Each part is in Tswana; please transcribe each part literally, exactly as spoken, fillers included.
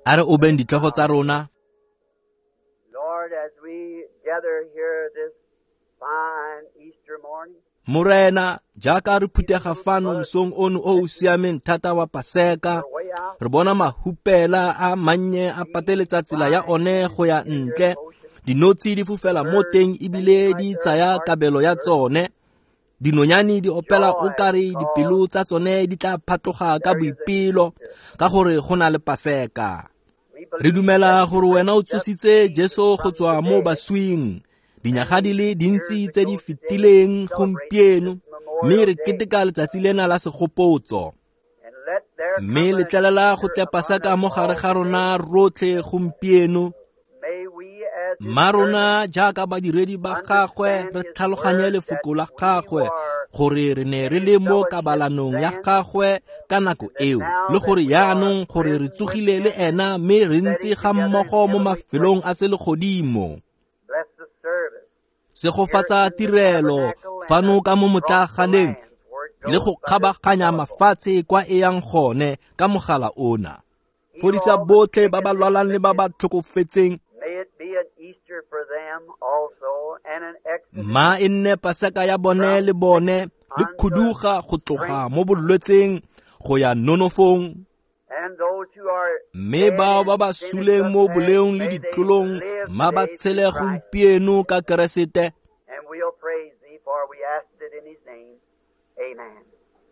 A re obeng ditlhogo tsa rona. Lord, as we gather here this fine Easter morning, Morena, jaaka re phuthega fano mosong ono o o siameng thata wa Paseka, re bona mahupela a mannye a pateletsa tsela ya one go ya ntle. Dinotshi di fofela mo teng ebile di tsaya kabelo ya tsone. Dinonyane di opela o kare dipelo tsa tsone di tla phatloga ka boipelo ka gore go na le Paseka. Re dumela gore wena o tsositse Jesu go tswa mo baswing dinyaga di le dintsi tse di fetileng gompieno, mme re keteka letsatsi lena la segopotso. and let there Mme letlelela go tle Paseka mo gare ga rona rotlhe gompieno. may we as his Mma rona jaaka badiredi ba gagwe re tlhaloganye lefoko la gagwe gore re ne re le mo kabalanong ya gagwe ka nako eo, le gore yaanong gore re tsogile le ena mme re ntse ga mmogo mo mafelong a selegodimo. bless the service Segofatsa tirelo fano ka mo motlaaganeng le go kgabaganya mafatshe kwa e yang gone ka mogala ona. Fodisa botlhe ba ba lwalang le ba ba tlhokofetseng. May it be an Easter for them also and an exodus Mma e nne Paseka ya bone le bone le khuduga go tloga mo bolwetseng go ya nonofong. and those who are Mme bao ba ba suleng mo boleong le ditlolong mma ba tshele gompieno ka Keresete. and we'll praise thee for we asked it in his name. Amen.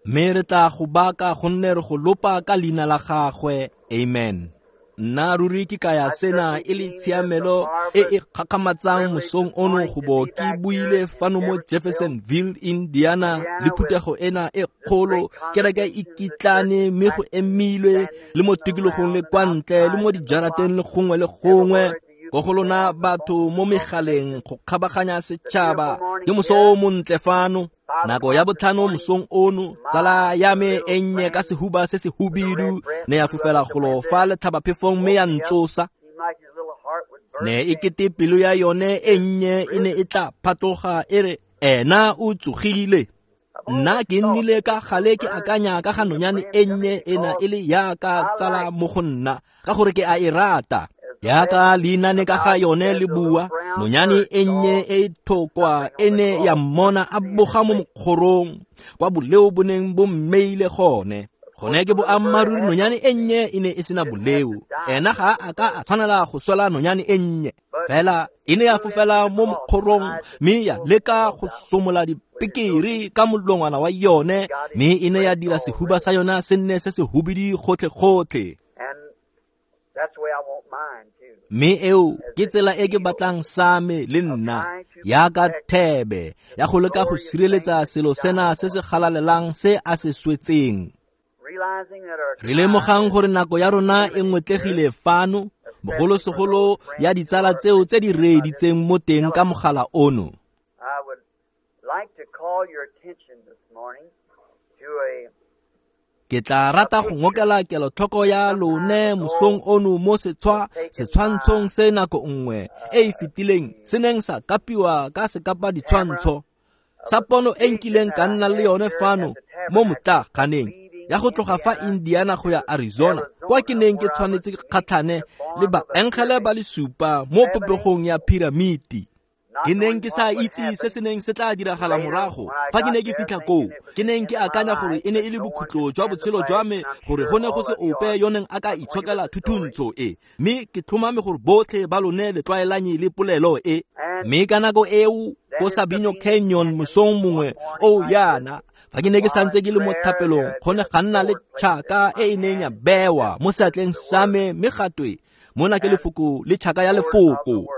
Mme re tla go baka gonne re go lopa ka leina la gagwe. Amen. Nna ruri ke kaya sena e le tshiamelo e e gakgamatsang mosong ono go bo ke buile fano mo Jeffersonville, Indiana, le phuthego ena e kgolo, kereke e kitlane mme go emilwe le mo tikologong le kwa ntle le mo dijarateng le gongwe le gongwe. Ko go lona batho mo megaleng go kgabaganya setšhaba, ke moso o montle fano. Nako ya botlhano mosong ono, tsala ya me e nnye ka sehuba se se hubidu ne ya fofela golo fa letlhabaphefong mme ya ntsosa. Seemed like his little heart would burst. Ne e kete pelo ya yone e nnye e ne e tla phatloga e re ena o tsogile. Nna ke nnile ka gale ke akanya ka ga nonyane e nnye ena e le yaka tsala mo go nna ka gore ke a e rata. Yaka leinane ka ga yone le bua, nonyane e nnye e thokwa e ne ya mmona a boga mo mokgorong kwa boleo bo neng bo mmeile gone. Gone ke boammaaruri nonyane e nnye e ne e sena boleo. Ena ga a ka a tshwanela go swela nonyane e nnye. Fela e ne ya fofela mo mokgorong mme ya leka go somola dipekere ka molongwana wa yone, mme e ne ya dira sehuba sa yona se nne se se hubidi gotlhe-gotlhe. And that's the way I want mine too. Mme eo ke tsela e ke batlang sa me le nna, yaka thebe ya go leka go sireletsa selo sena se se galalelang se a se swetseng. Realizing that our Re lemogang gore nako ya rona e ngwetlegile fano, bogolosegolo ya ditsala tseo tse di reeditseng mo teng ka mogala ono. I would like to call your attention this morning to a Ke tla rata go ngokela kelotlhoko ya lone mosong ono mo setshwa setshwantshong se nako nngwe e e fetileng se neng sa kapiwa ka sekapa ditshwantsho sa pono e nkileng ka nna le yone fano mo motlaaganeng ya go tloga fa Indiana go ya Arizona kwa ke neng ke tshwanetse ke kgatlhane le baengele ba le supa mo popegong ya piramiti. Ke neng ke sa itse se se neng se tla diragala morago fa ke ne ke fitlha koo. Ke neng ke akanya gore e ne e le bokhutlo jwa botshelo jwa me, gore go ne go se ope yo neng a ka itshokela thuthuntsho e, mme ke tlhomame gore botlhe ba lone le tlwaelanye le polelo e. Mme ka nako eo ko Sabino Canyon mosong mongwe o yana, fa ke ne ke santse ke le mo thapelong, go ne ga nna le tšhaka e e neng ya bewa mo seatleng sa me, mme gatwe mona ke lefoko le tšhaka ya lefoko.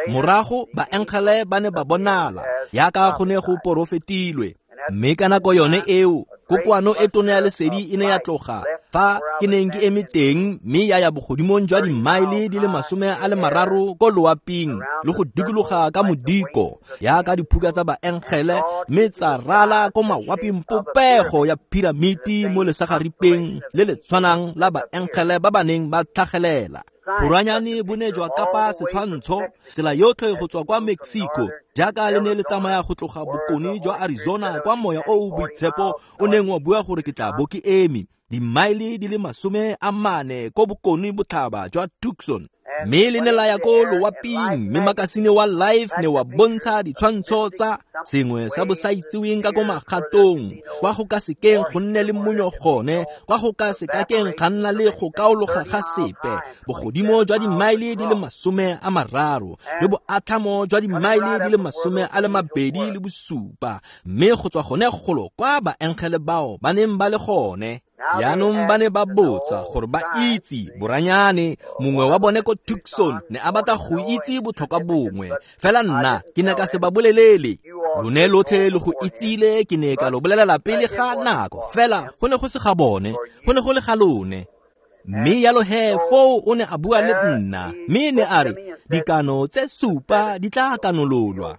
Morago baengele ba ne ba bonala yaka go ne go porofetilwe. Mme ka nako yone eo kokoano e tona ya lesedi e ne ya tloga fa ke neng ke eme teng, mme ya ya bogodimong jwa dimaele di le masome a le mararo ko loaping le go dikologa ka modiko yaka diphuka tsa baengele, mme tsa rala ko mawaping popego ya piramiti mo lesagaripeng le le tshwanang la baengele ba ba neng ba tlhagelela. Boranyane bo ne jwa kapa setshwantsho tsela yotlhe go tswa kwa Mexico jaaka le ne le tsamaya go tloga bokone jwa Arizona kwa moya o o boitshepo o neng wa bua gore ke tla bo ke eme. Dimaele di le masome a mane ko bokone botlhaba jwa Tucson. Mme le ne la ya ko loaping, mme makasine wa Life ne wa bontsha ditshwantsho tsa sengwe sa bosaitseweng ka ko magatong, kwa go ka sekeng go nne le monyo gone, kwa go ka sekakeng ga nna le go kaologa ga sepe, bogodimo jwa dimaele di le masome a mararo le boatlhamo jwa dimaele di le masome a le mabedi le bosupa, mme go tswa gone golo kwa baengele bao ba neng ba le gone. Jaanong ba ne ba botsa gore ba itse boranyane. Mongwe wa bone ko Tucson ne a batla go itse botlhokwa bongwe, fela nna ke ne ka se ba bolelele. Lone lotlhe le go itsile, ke ne ka lo bolelela pele ga nako, fela go ne go se ga bone, go ne go le ga lone. Mme yalo he foo o ne a bua le nna, mme ne a re dikano tse supa di tla kanololwa.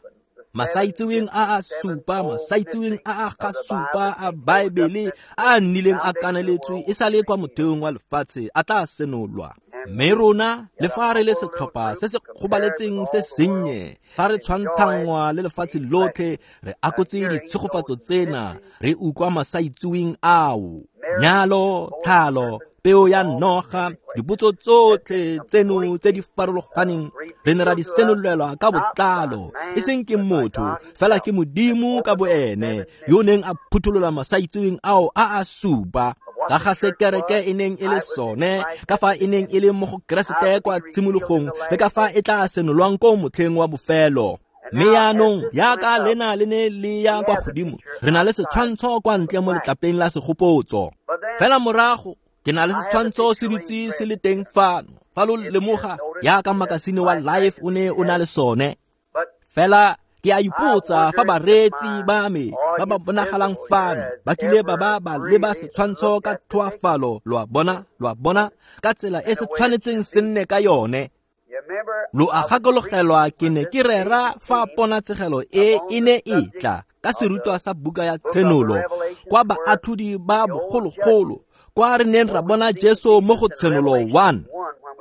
Masaitseweng a a supa, masaitseweng a a ga supa a Baebele a a nnileng a kaneletswe e sale kwa motheong wa lefatshe a tla senolwa. Mme rona le fa re le setlhopha se se gobaletseng se sennye, fa re tshwantshangwa le lefatshe lotlhe, re akotse ditshegofatso tsena, re utlwa masaitseweng ao. Nyalo, tlhalo, peo ya noga, dipotso tsotlhe tseno tse di farologaneng re ne ra di senolelwa ka botlalo, e seng ke motho, fela ke Modimo ka boene yo neng a phutholola masaitseweng ao a a supa ka ga se kereke e neng e le sone, ka fa e neng e le mo go Keresete kwa tshimologong, le ka fa e tla senolwang ko motlheng wa bofelo. Mme yaanong yaka lena le ne le ya kwa godimo, re na le setshwantsho kwa ntle mo letlapeng la segopotso. Fela morago ke na le setshwantsho se dutse se le teng fano, fa lo lemoga yaka makasine wa Life o ne o na le sone. Fela ke a ipotsa fa bareetsi ba me ba ba bonagalang fano ba kile ba ba ba leba setshwantsho ka tlhoafalo, lo a bona, lo a bona, ka tsela e se tshwanetseng se nne ka yone. Lo a gakologelwa ke ne ke rera fa ponatshegelo e e ne e tla ka serutwa sa buka ya Tshenolo kwa baatlhodi ba bogologolo, kwa re neng ra bona Jesu mo go Tshenolo one.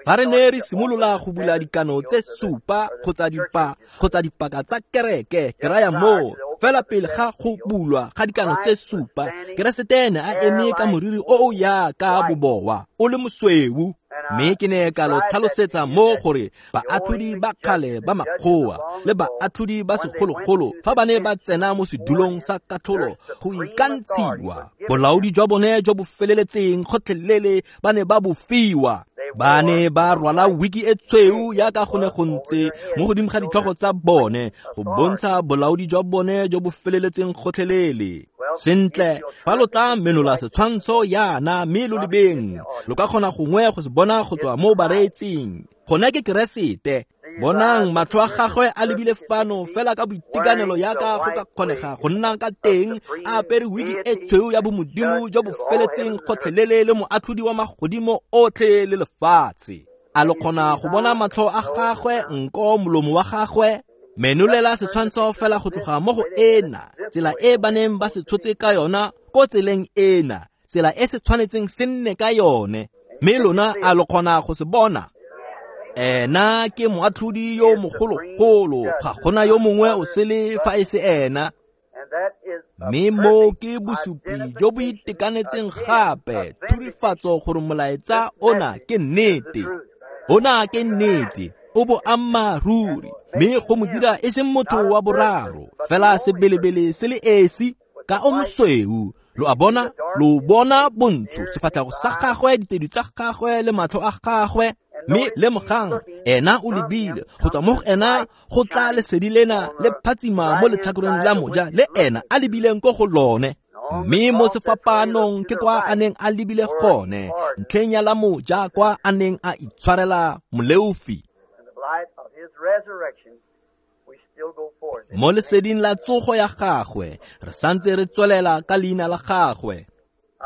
Fa re ne re simolola go bula dikano tse supa kgotsa dipa kgotsa dipaka tsa kereke, ke raya moo fela pele ga go bulwa ga dikano tse supa, Keresete ne a eme ka moriri o o yaka bobowa o le mosweu. Mme ke ne ka lo tlhalosetsa mo gore baatlhodi ba kgale ba makgowa le baatlhodi ba segologolo fa ba ne ba tsena mo sedulong sa katlholo go ikantshiwa, bolaodi jwa bone jo bo feleletseng gotlhelele ba ne ba bo fiwa. Ba ne ba rwala wiki e tshweu yaka go ne go ntse mo godimo ga ditlhogo tsa bone go bontsha bolaodi jwa bone jo bo feleletseng gotlhelele. Sentle, fa lo tla menola setshwantsho yana mme lo lebeng, lo ka kgona gongwe go se bona go tswa mo bareetsing. Gone ke Keresete. Bonang matlho a gagwe a lebile fano fela ka boitekanelo yaka go ka kgonega go nna ka teng, a apere wiki e tshweu ya bomodimo jo bo feletseng gotlhelele le moatlhodi wa magodimo otlhe le lefatshe. A lo kgona go bona matlho a gagwe, nko, molomo wa gagwe? Menolela setshwantsho fela go tloga mo go ena, tsela e ba neng ba se tshotse ka yona ko tseleng ena, tsela e se tshwanetseng se nne ka yone. Mme lona a lo kgona go se bona? Ena ke moatlhodi yo mogologolo, ga gona yo mongwe o sele fa e se ena. Mme mo ke bosupi jo bo itekanetseng gape, thurifatso gore molaetsa ona ke nnete. Ona ke nnete, o boammaaruri, mme go mo dira e seng motho wa boraro, fela sebelebele se le esi ka o mosweu. Lo a bona, lo bona bontsho, sefatlhego sa gagwe, ditedu tsa gagwe le matlho a gagwe. Mme lemogang, ena o lebile go tswa mo go ena go tla lesedi lena le phatsima mo letlhakoreng la moja le ena a lebileng ko go lone. Mme mo sefapanong ke kwa a neng a lebile gone, ntlheng ya la moja kwa a neng a itshwarela moleofi. Mo leseding la tsogo ya gagwe, re santse re tswelela ka leina la gagwe.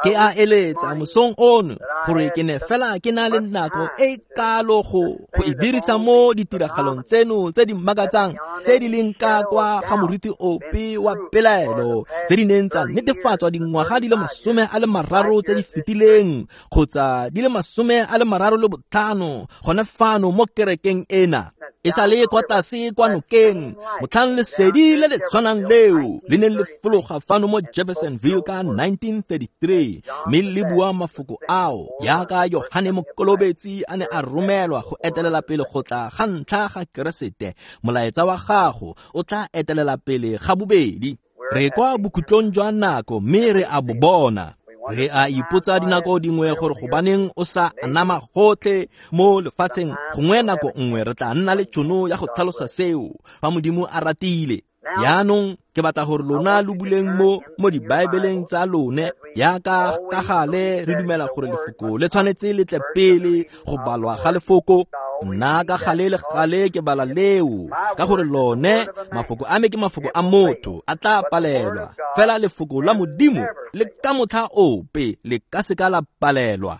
Ke a eletsa mosong ono gore ke ne fela ke na le nako e kalo go go e dirisa mo ditiragalong tseno tse di makatsang tse di leng ka kwa ga moruti ope wa pelaelo, tse di neng tsa netefatswa dingwaga di le masome a le mararo tse di fetileng kgotsa di le masome a le mararo le botlhano gone fano mo kerekeng ena. E sa le kwa tlase kwa nokeng, motlhang lesedi le le tshwanang leo le neng le fologa fano mo Jeffersonville ka nineteen thirty-three, mme le bua mafoko ao jaaka Yohane Mokolobetsi a ne a romelwa go etelela pele go tla ga ntlha ga Keresete, molaetsa wa gago o tla etelela pele ga bobedi. Re kwa bokhutlong jwa nako mme re a bo bona. Re a ipotsa dinako dingwe gore gobaneng o sa anama gotlhe mo lefatsheng. Gongwe nako nngwe re tla nna le tšhono ya go tlhalosa seo fa Modimo a ratile. Jaanong ke batla gore lona lo buleng mo mo dibaebeleng tsa lone, jaaka ka gale re dumela gore lefoko le tshwanetse le tle pele go balwa ga lefoko. Nna ka gale le gale ke bala leo, ka gore lone mafoko a me ke mafoko a motho, a tla palelwa. Fela lefoko la Modimo le ka motlha ope le ka seka la palelwa.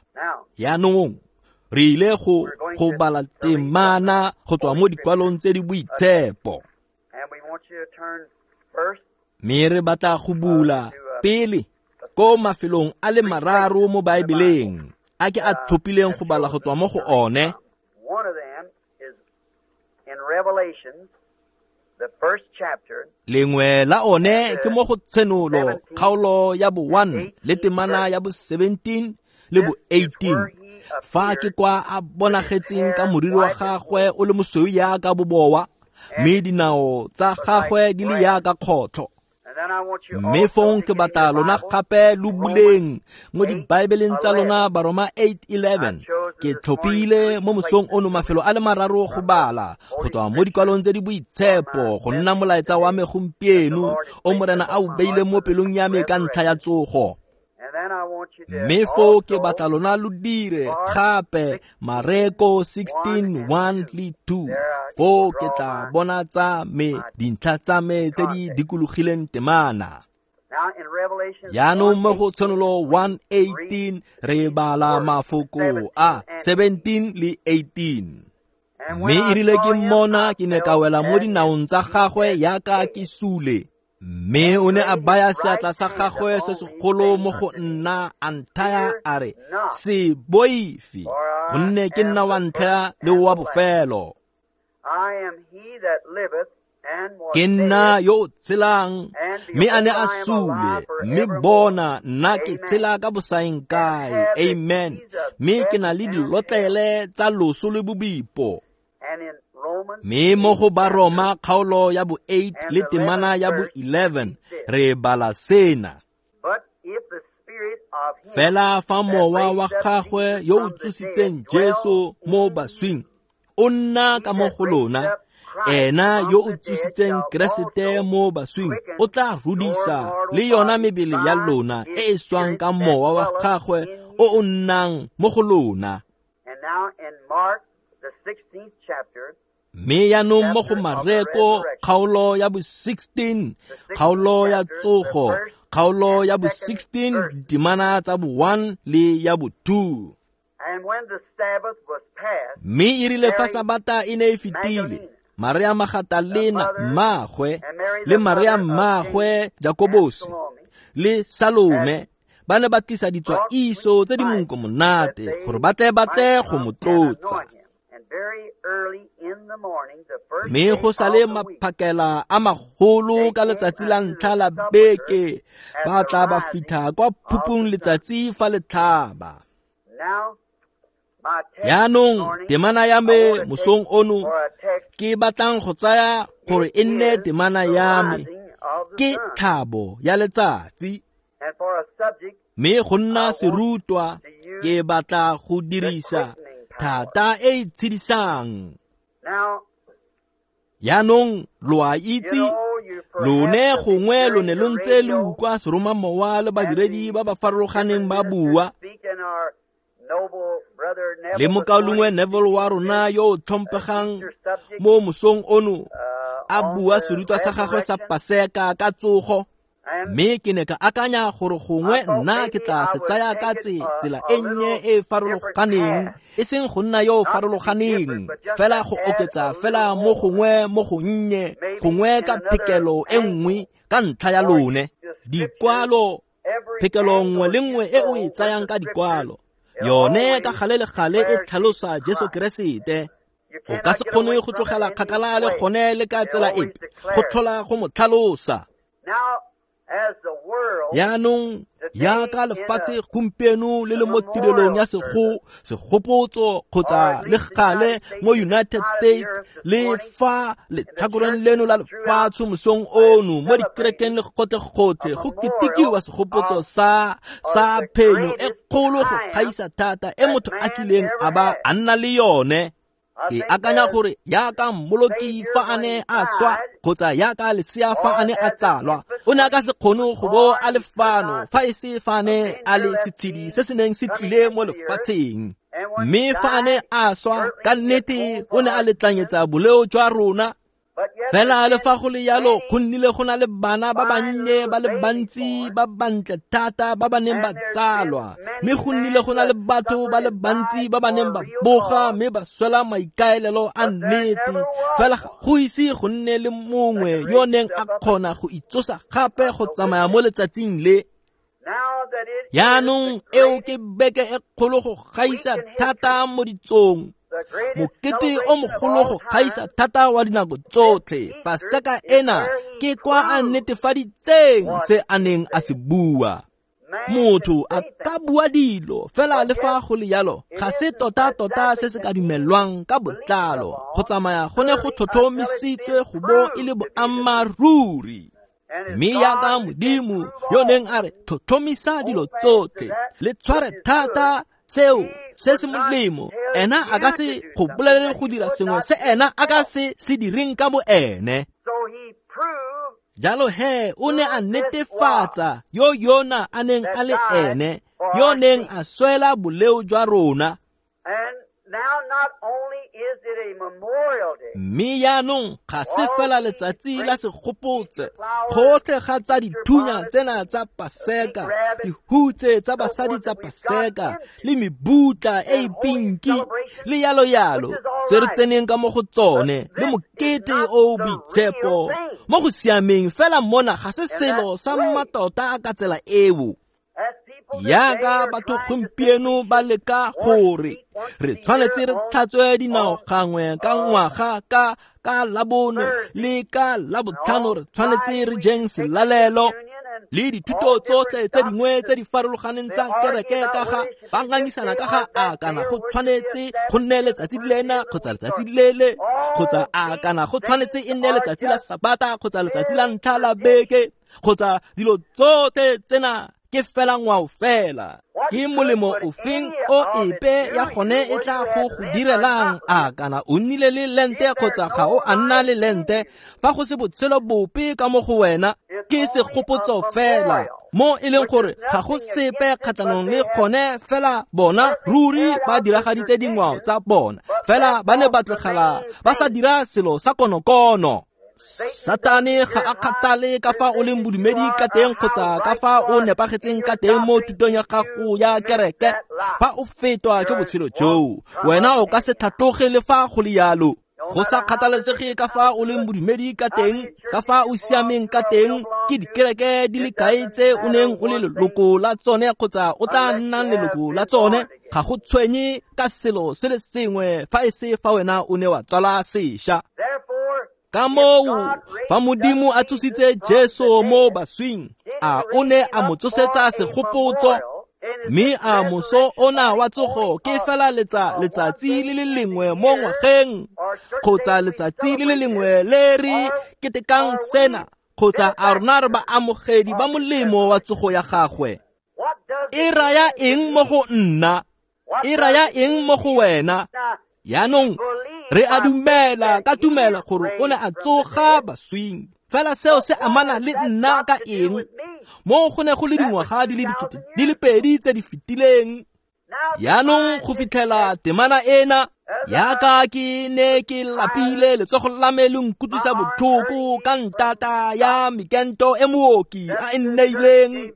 Jaanong re ile go go bala temana go tswa mo dikwalong tse di boitshepo. Mme re batla go bula pele ko mafelong a le mararo mo Baebeleng a ke a tlhophileng go bala go tswa mo go one. One of them is in Revelation, the first chapter. Lengwe la one ke mo go Tshenolo kgaolo ya bo one le temana ya bo seventeen le bo eighteen. Fa ke kwa a bonagetseng ka moriri wa gagwe o le mosweu jaaka bobowa, mme dinao tsa gagwe di le jaaka kgotlho. Mme fong ke batla lona gape lo buleng mo dibaebeleng tsa lona Baroma eight eleven. Ke tlhophile mo mosong ono mafelo a le mararo go bala go tswa mo dikwalong tse di boitshepo go nna molaetsa wa me gompieno o Morena a o beile mo pelong ya me ka ntlha ya tsogo. Mme foo ke batla lona lo dire gape Mareko sixteen one le two. Foo ke tla bona tsa me dintlha tsa me tse di dikologileng temana. Jaanong mo go Tshenolo one eighteen re bala mafoko a seventeen le eighteen. Mme e rile ke mmona ke ne ka wela mo dinaong tsa gagwe jaaka ke sule. Mme o ne a baya seatla sa gagwe se segolo mo go nna, a nthaya a re, se boife, gonne ke nna wa ntlha le wa bofelo. Ke nna yo o tshelang, mme a ne a sule, mme bona nna ke tshela ka bosaeng kae. Amen. Mme ke na le dilotlele tsa loso le bobipo. Mme mo go Baroma kgaolo ya bo eight le temana ya bo eleven re bala sena. Fela fa mowa wa gagwe yo o tsositseng Jesu mo baswing o nna ka mo go lona, ena yo o tsositseng Keresete mo baswing o tla rudisa le yona mebele ya lona e e swang ka mowa wa gagwe o o nnang mo go lona. Mme jaanong mo go Mareko kgaolo ya bo sixteen, kgaolo ya tsogo, kgaolo ya bo sixteen, temana tsa bo one le ya bo two. Mme e rile fa Sabata e ne e fetile, Maria Magatalena mmagwe le Maria mmagwe Jakobose le Salome ba ne ba tlisa ditswaiso tse di monko monate gore ba tle ba tle go mo tlotsa. Mme go sale maphakela a magolo ka letsatsi la ntlha la beke, ba tla ba fitlha kwa phupung letsatsi fa le tlhaba. Jaanong temana ya me mosong ono ke batlang go tsaya gore e nne temana ya me ke tlhabo ya letsatsi. Mme go nna serutwa ke batla go dirisa thata e e tshedisang. Jaanong lo a itse, lone gongwe lo ne lo ntse le utlwa seromamowa le badiredi ba ba farologaneng ba bua. Le mokaulengwe Neville wa rona yo o tlhomphegang mo mosong ono a bua serutwa sa gagwe sa Paseka ka tsogo. Mme ke ne ka akanya gore gongwe nna ke tla se tsaya ka tsela e nnye e e farologaneng, e seng go nna yo o farologaneng, fela go oketsa fela mo gongwe mo gonnye, gongwe ka phekelo e nngwe ka ntlha ya lone. Dikwalo, phekelo nngwe le nngwe e o e tsayang ka dikwalo, yone ka gale le gale e tlhalosa Jesu Keresete. O ka se kgone go tlogela kgakala le gone le ka tsela epe, go tlhola go mo tlhalosa. Jaanong jaaka lefatshe gompieno le le mo tirelong ya sego segopotso kgotsa le gale mo United States le fa letlhakoreng leno la lefatshe mosong ono mo dikerekeng le gotlhe-gotlhe go ketekiwa segopotso sa sa phenyo e kgolo go gaisa thata e motho a kileng a ba a nna le yone. Ke akanya gore jaaka mmoloki fa a ne a swa kgotsa jaaka lesea fa a ne a tsalwa, o ne a ka se kgone go bo a le fano fa e se fa a ne a le setshedi se se neng se tlile mo lefatsheng. Mme fa a ne a swa, ka nnete o ne a letlanyetsa boleo jwa rona. Fela le fa go le jalo, go nnile go na le bana ba bannye ba le bantsi ba bantle thata ba ba neng ba tsalwa, mme go nnile go na le batho ba le bantsi ba ba neng ba boga mme ba swela maikaelelo a nnete. Fela go ise go nne le mongwe yo neng a kgona go itsosa gape go tsamaya mo letsatsing le. Jaanong eo ke beke e kgolo go gaisa thata mo ditsong, mokete o mogolo go gaisa thata wa dinako tsotlhe. Paseka ena ke kwa a netefaditseng se a neng a se bua. Motho a ka bua dilo, fela le fa go le jalo ga se tota-tota se se ka dumelwang ka botlalo. Go tsamaya go ne go tlhotlhomisitse go bo e le boammaaruri. Mme jaaka Modimo yo neng a re tlhotlhomisa dilo tsotlhe, le tshware thata seo se se molemo, ena a ka se go bolelele go dira sengwe se ena a ka se se direng ka bo ene. Jalo he o ne a netefatsa yo yona a neng a le ene, yo neng a swela boleo jwa rona. Mme jaanong ga se fela letsatsi la segopotse, gotlhe ga tsa dithunya tsena tsa Paseka, dihutse tsa basadi tsa Paseka, le mebutla e e pinki, le yalo-yalo tse re tseneng ka mo go tsone, le mokete o o boitshepo mo go siameng. Fela mona ga se selo sa mmatota ka tsela eo. Jaaka batho gompieno ba leka gore re tshwanetse re tlhatswe dinao gangwe ka ngwaga ka ka Labone le ka Labotlhano, re tshwanetse re jeng selalelo le dithuto tsotlhe tse dingwe tse di farologaneng tsa kereke ka ga ba ngangisana ka ga a kana go tshwanetse go nne letsatsi lena kgotsa letsatsi lele, kgotsa a kana go tshwanetse e nne letsatsi la Sabata kgotsa letsatsi la ntlha la beke, kgotsa dilo tsotlhe tsena ke fela ngwao fela. Ke molemo ofeng o epe ya gone e tla go go direlang a kana o nnile le lente kgotsa ga o a nna le lente, fa go se botshelo bope ka mo go wena? Ke segopotso fela, mo e leng gore ga go sepe kgatlhanong le gone. Fela bona ruri ba diragaditse dingwao tsa bona, fela ba ne ba tlogela ba sa dira selo sa konokono. Satane ga a kgathale ka fa o leng bodumedi ka teng kgotsa ka fa o nepagetseng ka teng mo thutong ya gago ya kereke. Fa o fetwa ke botshelo joo, wena o ka se tlhatloge le fa go le jalo. Go sa kgathalesege ka fa o leng bodumedi ka teng, ka fa o siameng ka teng, ke dikereke di le kae tse o neng o le leloko la tsone kgotsa o tla nnang leloko la tsone, ga go tshwenye ka selo se le sengwe fa e se fa wena o ne wa tswala sešwa. Ka moo, fa Modimo a tsositse Jesu mo baswing, a o ne a mo tsosetsa segopotso, mme a moso ona wa tsogo ke fela letsa letsatsi le le lengwe mo ngwageng, kgotsa letsatsi le le lengwe le re ketekang sena, kgotsa a rona re ba amogedi ba molemo wa tsogo ya gagwe? E raya eng mo go nna? E raya eng mo go wena? Jaanong re a dumela ka tumela gore o ne a tsoga baswing, fela seo se amana le nna ka eng? Mo go ne go le dingwaga di le dikete di le pedi tse di fetileng. Jaanong go fitlhela temana ena, jaaka ke ne ke lapile, letsogo la me le nkutlwisa botlhoko ka ntata ya mekento e mooki a e nneileng,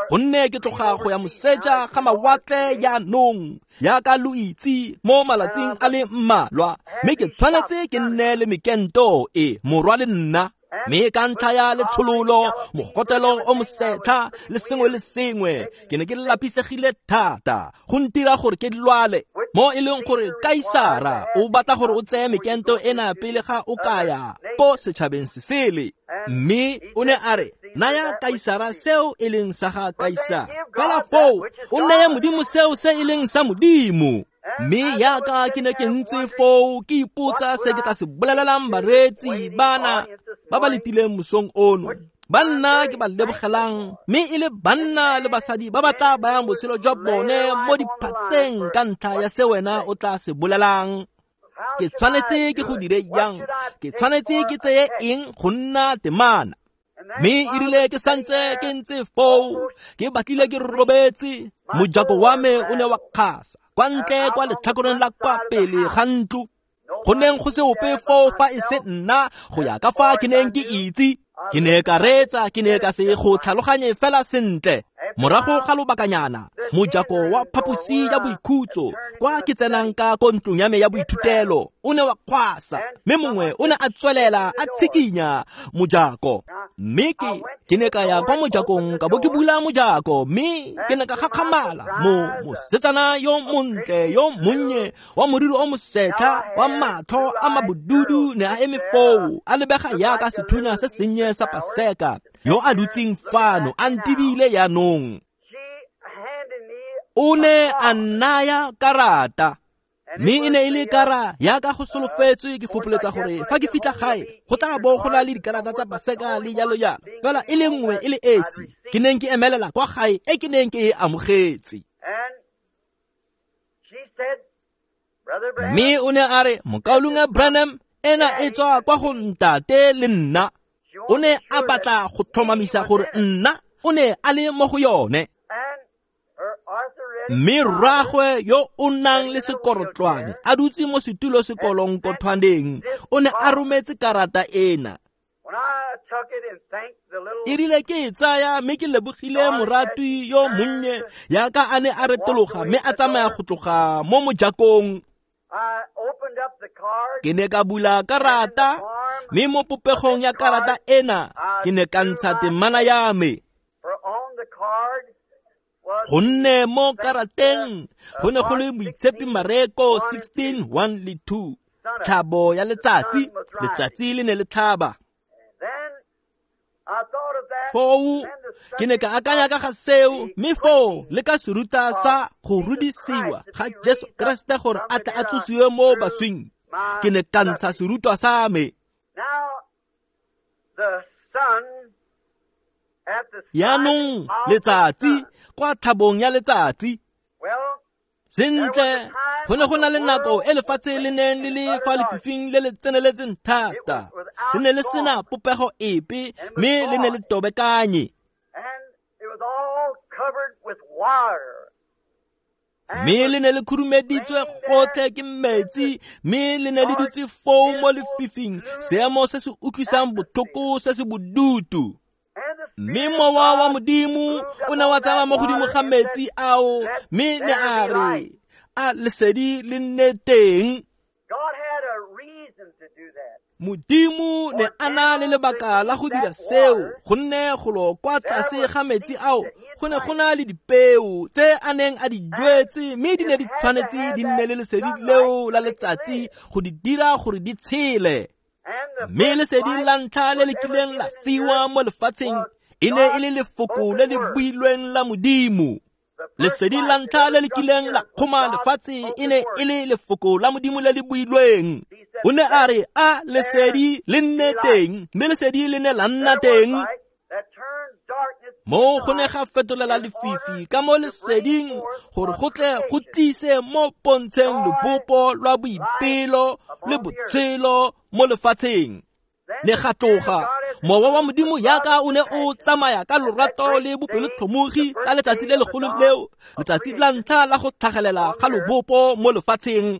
gonne ke tloga go ya moseja ga mawatle jaanong, jaaka lo itse, mo malatsing a le mmalwa, mme ke tshwanetse ke nne le mekento e morwa le nna. Mme ka ntlha ya letshololo, mogotelo o mosetlha le sengwe le sengwe, ke ne ke lapisegile thata go ntira gore ke lwale. Mo e leng gore Kaisara o batla gore o tseye mekento ena pele ga o ka ya ko setšhabeng se sele. Mme o ne a re, naya Kaisara seo e leng sa ga Kaisara, fela foo o neye Modimo seo se e leng sa Modimo. Mme yaka ke ne ke ntse foo ke ipotsa se ke tla se bolelelang bareetsi bana ba ba letileng mosong ono, banna ke ba lebogelang, mme e le banna le basadi ba ba tla bayang botshelo jwa bone mo diphatseng ka ntlha ya se wena o tla se bolelang. Ke tshwanetse ke go dire jang? Ke tshwanetse ke tseye eng go nna temana? Mme e rile ke santse ke ntse foo, ke batlile ke robetse, mojako wa me o ne wa kgasa kwa ntle kwa letlhakoreng la kwa pele ga ntlo. Go neng go se ope foo fa e se nna, go ya ka fa ke neng ke itse. Ke ne ka reetsa, ke ne ka se go tlhaloganye fela sentle. Morago ga lobakanyana, mojako wa phaposi ya boikhutso kwa ke tsenang ka ko ntlong ya me ya boithutelo o ne wa kgwasa, mme mongwe o ne a tswelela a tshikinya mojako. Mme ke ke ne ka ya kwa mojakong ka bo ke bula mojako, mme ke ne ka gakgamala mo mosetsana yo montle yo monnye wa moriri o mosetlha wa matlho a mabodudu ne a eme foo, a lebega yaka sethunya se sennye sa Paseka, yo a dutseng fano a ntebile yaanong. O ne a nnaya karata, mme e ne e le kara yaka go solofetswe. Ke fopoletsa gore fa ke fitlha gae go tla bo go na le dikarata tsa Paseka le jalo jalo, fela e le nngwe e le esi ke neng ke emelela kwa gae e ke neng ke e amogetse. Mme o ne a re, Mokaulengwe Branham, ena e tswa kwa go ntate le nna. O ne a batla go tlhomamisa gore nna o ne a le mo go yone. Mme rraagwe yo o nang le sekorotlwane a dutse mo setulo sekolonkothwaneng o ne a rometse karata ena. E rile ke e tsaya mme ke lebogile moratwi yo monnye yaka a ne a retologa mme a tsamaya go tloga mo mojakong. Ke ne ka bula karata, mme mo popegong ya karata ena ke ne ka ntsha temana ya me. Gonne mo karateng go ne go le Moitshepi Mareko sixteen one le two, tlhabo ya letsatsi, letsatsi le ne le tlhaba. Foo ke ne ka akanya ka ga seo, mme foo le ka seruta sa go rudisiwa ga Jesu Kriste gore a tle a tsosiwe mo baswing, ke ne ka ntsha serutwa sa me. Yaanong letsatsi kwa tlhabong ya letsatsi. Sentle, go ne go na le nako e lefatshe le neng le le fa lefifing le le tseneletseng thata. Le ne le sena popego epe, mme le ne le tobekanye. Mme le ne le khurumeditswe gotlhe ke metsi, mme le ne le dutse foo mo lefifing, seemo se se utlwisang botlhoko se se bodutu. Mme mowa wa Modimo o ne wa tsamaya mo godimo ga metsi ao, mme ne a re, a lesedi le nne teng. Modimo ne a na le lebaka la go dira seo, gonne golo kwa tlase ga metsi ao go ne go na le dipeo tse a neng a di jwetse, mme di ne di tshwanetse di nne le lesedi leo la letsatsi go di dira gore di tshele. Mme lesedi la ntlha le le kileng la fiwa mo lefatsheng e ne e le lefoko le le builweng la Modimo. Lesedi la ntlha le le kileng la kgoma lefatshe e ne e le lefoko la Modimo le le builweng. O ne a re, a lesedi le nne teng, mme lesedi le ne la nna teng. Mo go ne ga fetolela lefifi ka mo leseding gore go tle go tlise mo pontsheng lobopo lwa boipelo le botshelo mo lefatsheng. Ne ga tloga mowa wa Modimo yaka o ne o tsamaya ka lorato le bopelotlhomogi ka letsatsi le legolo leo, letsatsi la ntlha la go tlhagelela ga lobopo mo lefatsheng.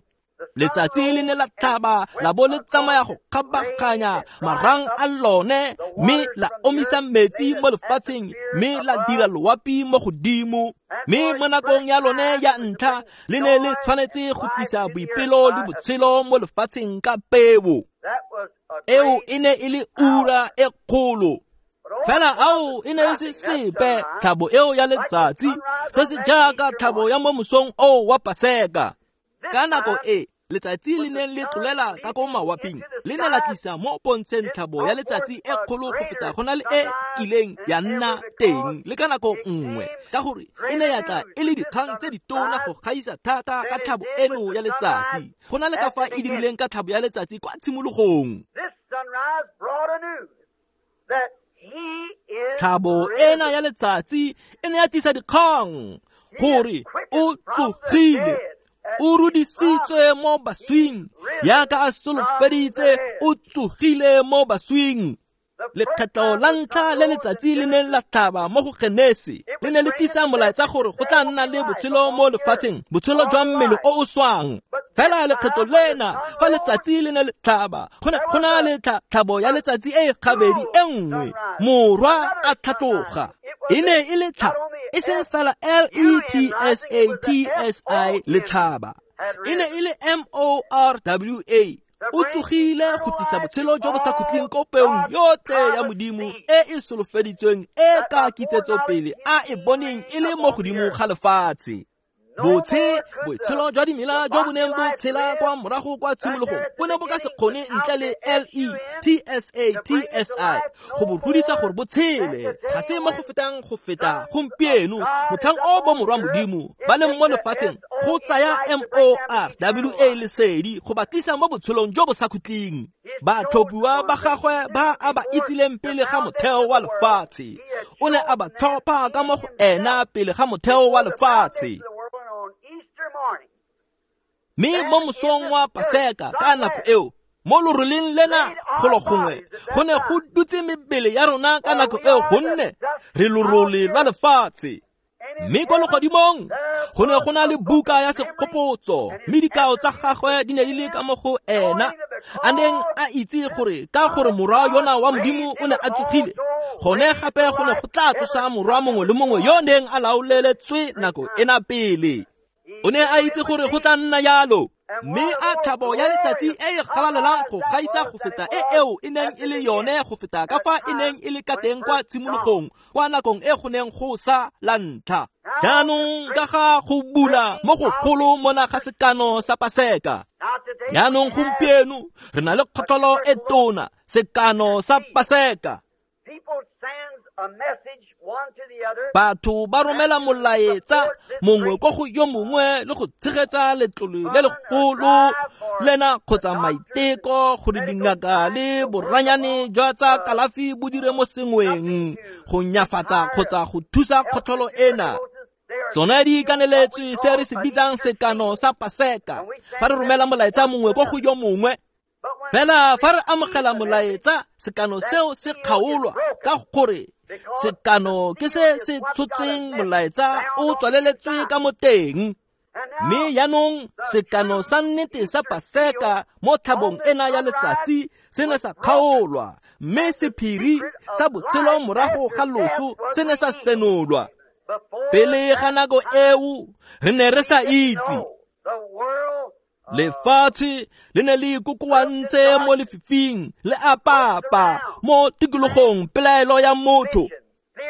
Letsatsi le ne la tlhaba la bo le tsamaya go kgabaganya marang a lone, mme la omisa metsi mo lefatsheng, mme la dira loapi mo godimo. Mme mo nakong ya lone ya ntlha le ne le tshwanetse go tlisa boipelo le botshelo mo lefatsheng ka peo. Eo e ne e le ura e kgolo. Fela ao e ne e se sepe tlhabo eo ya letsatsi, se se jaaka tlhabo ya mo mosong oo wa Paseka. Ka nako e letsatsi le neng le tlolela ka ko mawaping, le ne la tlisa mo pontsheng tlhabo ya letsatsi e kgolo go feta go na le e kileng ya nna teng le ka nako nngwe, ka gore e ne ya tla e le dikgang tse ditona go gaisa thata ka tlhabo eno ya letsatsi go na le ka fa e dirileng ka tlhabo ya letsatsi kwa tshimologong. Tlhabo ena ya letsatsi e ne ya tlisa dikgang gore o tsogile, o rudisitswe mo baswing, yaka a solofeditse, o tsogile mo baswing. Lekgetlo la ntlha le letsatsi le neng la tlhaba mo go Genesi le ne le tlisa molaetsa gore go tla nna le botshelo mo lefatsheng, botshelo jwa mmele o o swang. Fela lekgetlo lena fa letsatsi le ne le tlhaba, go ne go na le tlhabo ya letsatsi e gabedi e nngwe, morwa a tlhatloga. E ne e le tlha, e seng fela L E T S A T S I letlhaba, e ne e le M O R W A. O tsogile go tlisa botshelo jo bo sa khutleng ko peong yotlhe ya Modimo e e solofeditsweng e ka kitsetsopele a e boneng e le mo godimo ga lefatshe. Botshe, botshelo jwa dimela jo bo neng bo tshela kwa morago kwa tshimologong bo ne bo ka se kgone ntle le L E T S A T S I go bo rudisa gore bo tshele. Ga se mo go fetang go feta gompieno motlhang o bo morwa Modimo ba leng mo lefatsheng go tsaya M O R W A lesedi go ba tlisa mo botshelong jo bo sa khutleng. Batlhophiwa ba gagwe ba a ba itsileng pele ga motheo wa lefatshe, o ne a ba tlhopha ka mo go ena pele ga motheo wa lefatshe. Mme mo mosong wa Paseka ka nako eo, mo loroleng lena golo gongwe go ne go dutse mebele ya rona ka nako eo, gonne re lorole lwa lefatshe. Mme kwa legodimong go ne go na le buka ya segopotso, mme dikao tsa gagwe di ne di le ka mo go ena, a neng a itse gore ka gore morwa yona wa Modimo o ne a tsogile, gone gape go ne go tla tsosa morwa mongwe le mongwe yo neng a laoleletswe nako ena pele. O ne a itse gore go tla nna yalo, mme a tlhabo ya letsatsi e e galalelang go gaisa go feta e eo e neng e le yone go feta ka fa e neng e le ka teng kwa tshimologong kwa nakong e go neng go sa la ntlha. Jaanong ka ga go bula mo go golo mona ga sekano sa Paseka. Jaanong gompieno re na le kgotlholo e tona, sekano sa Paseka. Batho ba romela molaetsa mongwe ko go yo mongwe le go tshegetsa letlole le legolo lena kgotsa maiteko gore dingaka le boranyane jwa tsa kalafi bo dire mo sengweng go nyafatsa kgotsa go thusa kgotlholo ena. Tsone di kaneletswe se re se bitsang sekano sa Paseka fa re romela molaetsa mongwe ko go yo mongwe. Fela fa re amogela molaetsa, sekano seo se kgaolwa ka gore sekano ke se se tshotseng molaetsa o tswaleletswe ka mo teng. Mme jaanong sekano sa nnete sa Paseka mo tlhabong ena ya letsatsi se ne sa kgaolwa, mme sephiri sa botshelo morago ga loso se ne sa senolwa. Pele ga nako eo re ne re sa itse. Lefatshe le ne le ikokoantse mo lefifing le apapa mo tikologong pelaelo ya motho.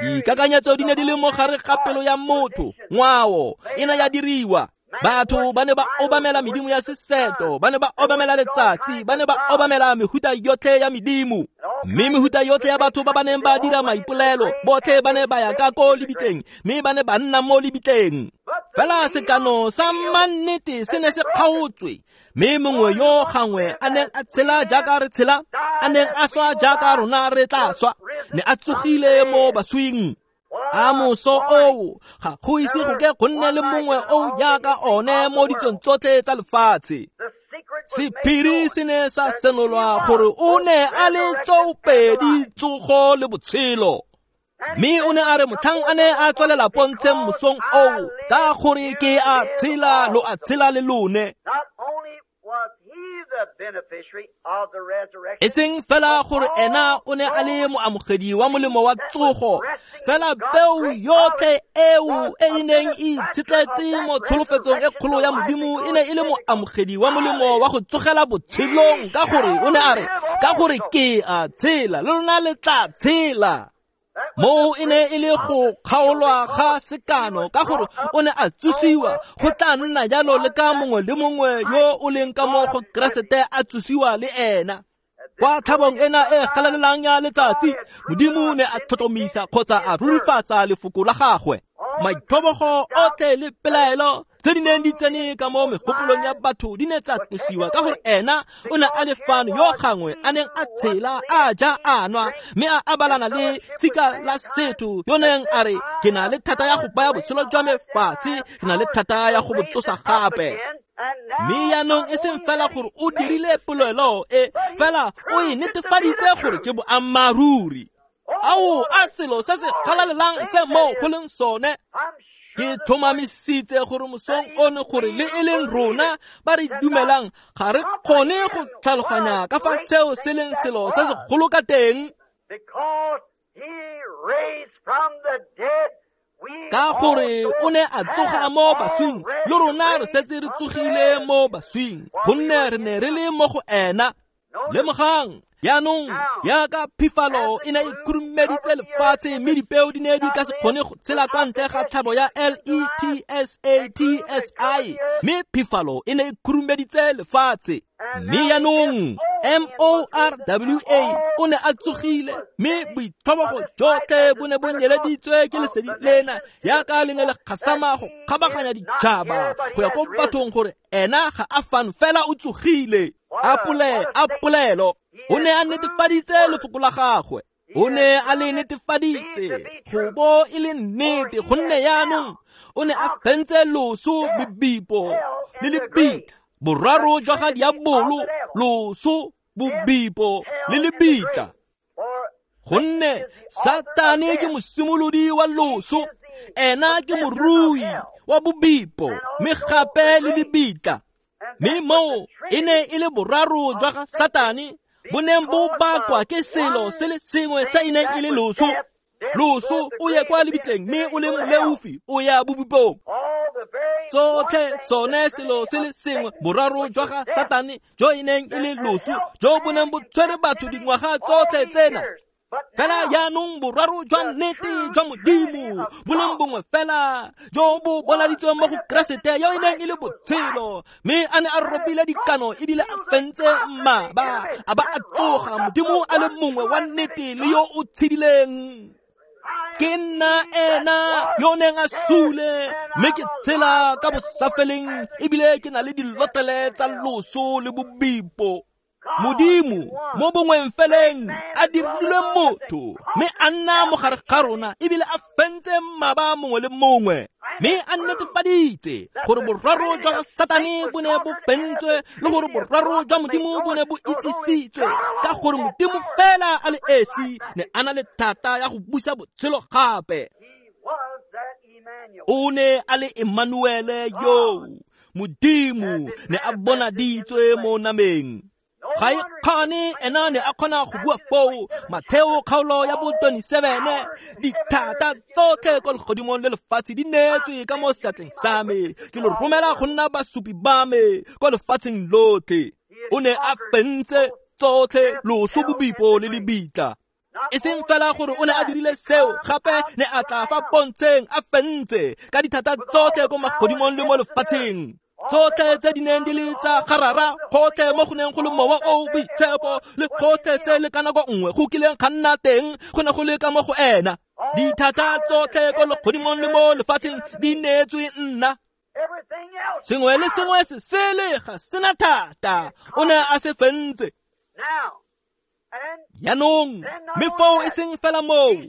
Dikakanyetso di ne di le mo gare ga pelo ya motho, ngwao e ne ya diriwa. Batho ba ne ba obamela medimo ya seseto, ba ne ba obamela letsatsi, ba ne ba obamela mehuta yotlhe ya medimo. Mme mehuta yotlhe ya batho ba ba neng ba dira maipolelo, botlhe ba ne ba ya ka ko lebitleng, mme ba ne ba nna mo lebitleng. Fela sekano sa mannete se ne se kgaotswe, mme mongwe yo gangwe a neng a tshela jaaka re tshela, a neng a swa jaaka rona re tla swa, ne a tsogile mo baswing. A moso oo ga go ise go ke go nne le mongwe o jaaka one mo ditsong tsotlhe tsa lefatshe. Sephiri se ne sa senolwa gore o ne a le tsoopedi tsogo le botshelo. Mme o ne a re motlhang a ne a tswelela pontsheng mosong oo, ka gore ke a tshela lo a tshela le lone. E seng fela gore ena o ne a le moamogedi wa molemo wa tsogo, fela peo yotlhe eo e e neng e itshetletse mo tsholofetsong e kgolo ya Modimo e ne e le moamogedi wa molemo wa go tsogela botshelong, ka gore o ne a re, ka gore ke a tshela le lona le tla tshela. Moo e ne e le go kgaolwa ga sekano ka gore o ne a tsosiwa, go tla nna jalo le ka mongwe le mongwe yo o leng ka mo go Keresete a tsosiwa le ena. Kwa tlhabong ena e galalelang ya letsatsi, Modimo ne a tlhotlhomisa kgotsa a rurifatsa lefoko la gagwe. Maitlhobogo otlhe le pelaelo tse di neng di tsene ka mo megopolong ya batho di ne tsa tlosiwa ka gore ena o ne a le fano yo gangwe a neng a tshela, a ja, a nwa, mme a abalana le sika la setho yo neng a re, ke na le thata ya go baya botshelo jwa me fatshe, ke na le thata ya go bo tsosa gape. Mme jaanong e seng fela gore o dirile polelo e, fela o e netefaditse gore ke boammaaruri. Ao, a selo se se galalelang se mo go leng sone. Ke tlhomamisitse gore mosong ono gore le e leng rona ba re dumelang ga re kgone go tlhaloganya ka fa seo se leng selo se segolo ka teng. Ka gore o ne a tsoga mo baswing, le rona re setse re tsogile mo baswing, gonne re ne re le mo go ena. Lemogang, jaanong jaaka phifalo e ne e khurumeditse lefatshe, mme dipeo di ne di ka se kgone go tshela kwa ntle ga tlhabo ya L E T S A T S I, mme phifalo e ne e khurumeditse lefatshe. Mme jaanong M O R W A o ne a tsogile, mme boitlhobogo jotlhe bo ne bo nyeleditswe ke lesedi lena jaaka le ne le gasama go kgabaganya ditšhaba go ya ko bathong gore ena ga a fano fela o tsogile. A pole, a polelo. O ne a netefaditse lefoko la gagwe. O ne a le netefaditse go bo e le nnete, gonne jaanong o ne a fentse loso, bobipo le lebitla, boraro jwa ga diabolo, loso, bobipo le lebitla. Gonne Satane ke mosimolodi wa loso, ena ke morui wa bobipo, mme gape le lebitla. Mme moo e ne e le boraro jwa ga Satane bo neng bo bakwa ke selo se le sengwe se e neng e le loso. Loso o ye kwa lebitleng, mme o le moleofi o ya bobipong. Tsotlhe sone selo se le sengwe, boraro jwa ga Satane jo e neng e le loso, jo bo neng bo tshwere batho dingwaga tsotlhe tsena. Fela jaanong boraro jwa nnete jwa Modimo bo leng bongwe fela jo bo bonaditsweng mo go Keresete yo e neng e le botshelo, mme a ne a robile dikano ebile a fentse mmaba, a ba a tsoga, Modimo a le mongwe wa nnete le yo o tshedileng. Ke nna ena yo neng a sule, mme ke tshela ka bosafeleng ebile ke na le dilotlele tsa loso le bobipo. Modimo mo bongweng feleng a dirilwe motho, mme a nna mo gare ga rona ebile a fentse mmaba mongwe le mongwe, mme a netefaditse gore boraro jwa ga Satane bo ne bo fentswe le gore boraro jwa Modimo bo ne bo itsisitswe, ka gore Modimo fela a le esi ne a na le thata ya go busa botshelo gape. O ne a le Emmanuele yo, Modimo ne a bonaditswe mo nameng. Ga e kgane ena ne a kgona go bua foo, Matheo kgaolo ya bo twenty-seven, dithata tsotlhe kwa legodimong le lefatshe di neetswe ka mo seatleng sa me, ke lo romela go nna basupi ba me kwa lefatsheng lotlhe. O ne a fentse tsotlhe, loso, bobipo le lebitla. E seng fela gore o ne a dirile seo, gape ne a tla fa pontsheng a fentse ka dithata tsotlhe ko magodimong le mo lefatsheng. Tsotlhe tse di neng di le tsa garara, gotlhe mo go neng go le mowa o boitshepo, le gotlhe se le ka nako nngwe go kileng ga nna teng, go ne go le ka mo go ena. Dithata tsotlhe ko legodimong le mo lefatsheng di neetswe nna. Sengwe le sengwe se sele ga sena thata, o ne a se fentse. Jaanong, mme foo e seng fela moo,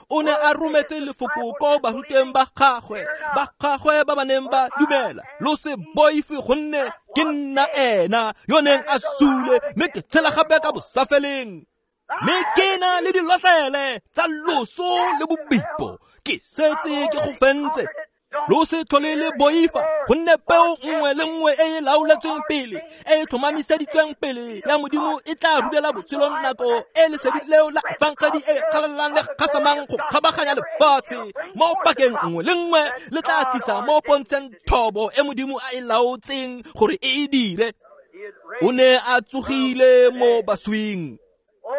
o ne a rometse lefoko ko barutweng ba gagwe, ba gagwe ba ba neng ba dumela, lo se boife gonne ke nna ena yo neng a sule, mme ke tshela gape ka bosafeleng. Mme ke na le dilotlele tsa loso le bobipo, ke setse ke go fentse. Lo se tlhole le boifa, gonne peo nngwe le nngwe e e laoletsweng pele, e e tlhomamiseditsweng pele ya Modimo e tla rudela botshelo nako e lesedi leo la efangedi e galalelang le gasamang go kgabaganya lefatshe mo pakeng nngwe le nngwe, le tla tlisa mo pontsheng thobo e Modimo a e laotseng gore e e dire. O ne a tsogile mo baswing.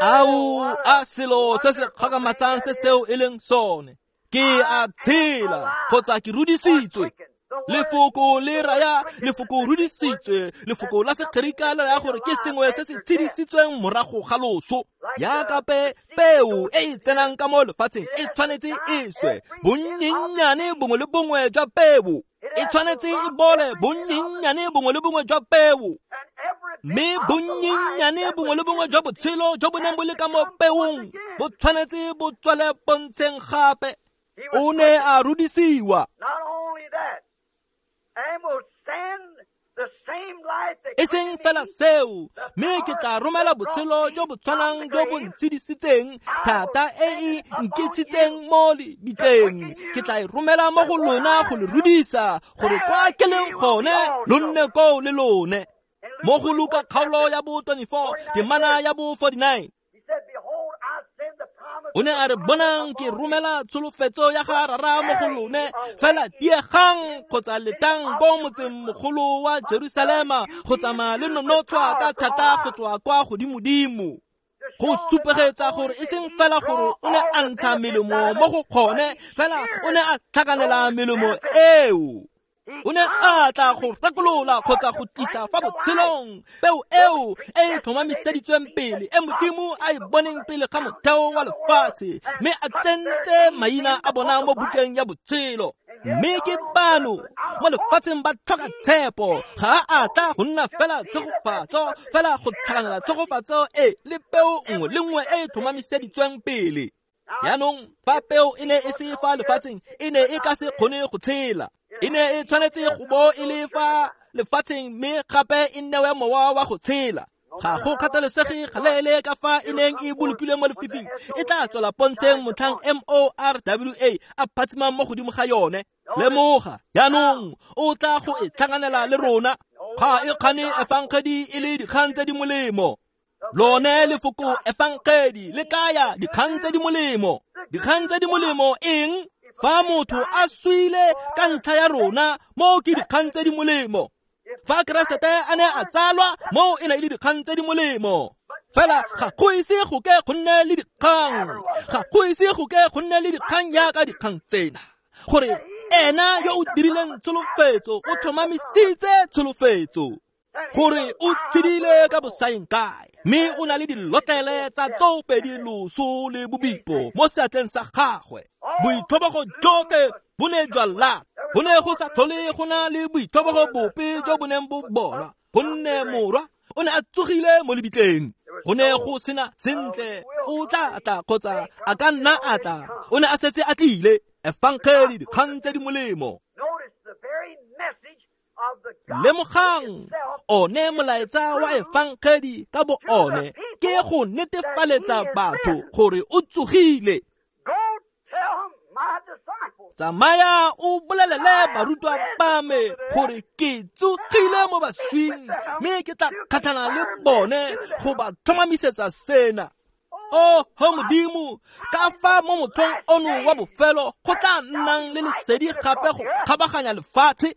Ao, a selo se se kgakgamatsang se seo e leng sone. Ke a tshela kgotsa ke rudisitswe. Lefoko le raya, lefoko rudisitswe, lefoko la Segerika le raya gore ke sengwe se se tshedisitsweng morago ga loso. Jaaka pe peo e e tsenang ka mo lefatsheng e tshwanetse e swe, bonnyennyane bongwe le bongwe jwa peo e tshwanetse e bole, bonnyennyane bongwe le bongwe jwa peo. Mme bonnyennyane bongwe le bongwe jwa botshelo jo bo neng bo le ka mo peong bo tshwanetse bo tswele pontsheng gape. O ne a rudisiwa. E seng fela seo, mme ke tla romela botshelo jo bo tshwanang jo bo ntshedisitseng thata e e nkitshitseng mo lebitleng. Ke tla e romela mo go lona go le rudisa, gore kwa ke leng gone lo nne koo le lone. Mo go Luka kgaolo ya bo twenty-four, temana ya bo forty-nine. O ne a re, bonang ke romela tsholofetso ya ga Rara mo go lone, fela diegang kgotsa letang ko motseng mogolo wa Jerusalema go tsamaya le nonotshwa ka thata go tswa kwa godimodimo. Go supegetsa gore e seng fela gore o ne a ntsha melemo mo go kgone, fela o ne a tlhakanela melemo eo. O ne a tla go rekolola kgotsa go tlisa fa botshelong peo eo e e tlhomamiseditsweng pele, e Modimo a e boneng pele ga motheo wa lefatshe, mme a tsentse maina a bona mo bukeng ya botshelo. Mme ke bano mo lefatsheng ba tlhoka tshepo, ga a tla go nna fela tshegofatso, fela go tlhakanela tshegofatso e le peo nngwe le nngwe e e tlhomamiseditsweng pele. Jaanong fa peo e ne e se fa lefatsheng, e ne e ka se kgone go tshela. E ne e tshwanetse go bo e le fa lefatsheng, mme gape e newe mowa wa go tshela. Ga go kgathalesege galeele ka fa e neng e bolokilwe mo lefifing, e tla tswela pontsheng motlhang M O R W A a phatsimang mo godimo ga yone. Lemoga, jaanong o tla go e tlhakanela le rona. Ga e kgane efangedi e le dikgang tse di molemo. Lone lefoko efangedi le kaya dikgang tse di molemo. Dikgang tse di molemo eng? Fa motho a swile ka ntlha ya rona, moo ke dikgang tse di molemo. Fa Keresete a ne a tsalwa, moo e ne e le dikgang tse di molemo. Fela ga go ise go ke go nne le dikgang, ga go ise go ke go nne le dikgang jaaka dikgang tsena, gore ena yo o dirileng tsholofetso o tlhomamisitse tsholofetso, gore o tshedile ka bosaeng kae, mme o na le dilotlele tsa tsoopedi loso le bobipo mo seatleng sa gagwe. Boitlhobogo jotlhe bo ne jwa lata, go ne go sa tlhole go na le boitlhobogo bope jo bo neng bo bonwa, gonne morwa o ne a tsogile mo lebitleng. Go ne go sena sentle o tla tla kgotsa a ka nna a tla, o ne a setse a tlile. Efangedi, dikgang tse di molemo. Lemogang, one molaetsa wa efangedi ka bo one ke go netefaletsa batho gore o tsogile. Tsamaya o bolelele barutwa ba me gore ke tsogile mo baswing, mme ke tla kgatlhana le bone go ba tlhomamisetsa sena. Oh, ho Modimo, ka fa mo mothong ono wa bofelo go tla nnang le lesedi gape go kgabaganya lefatshe,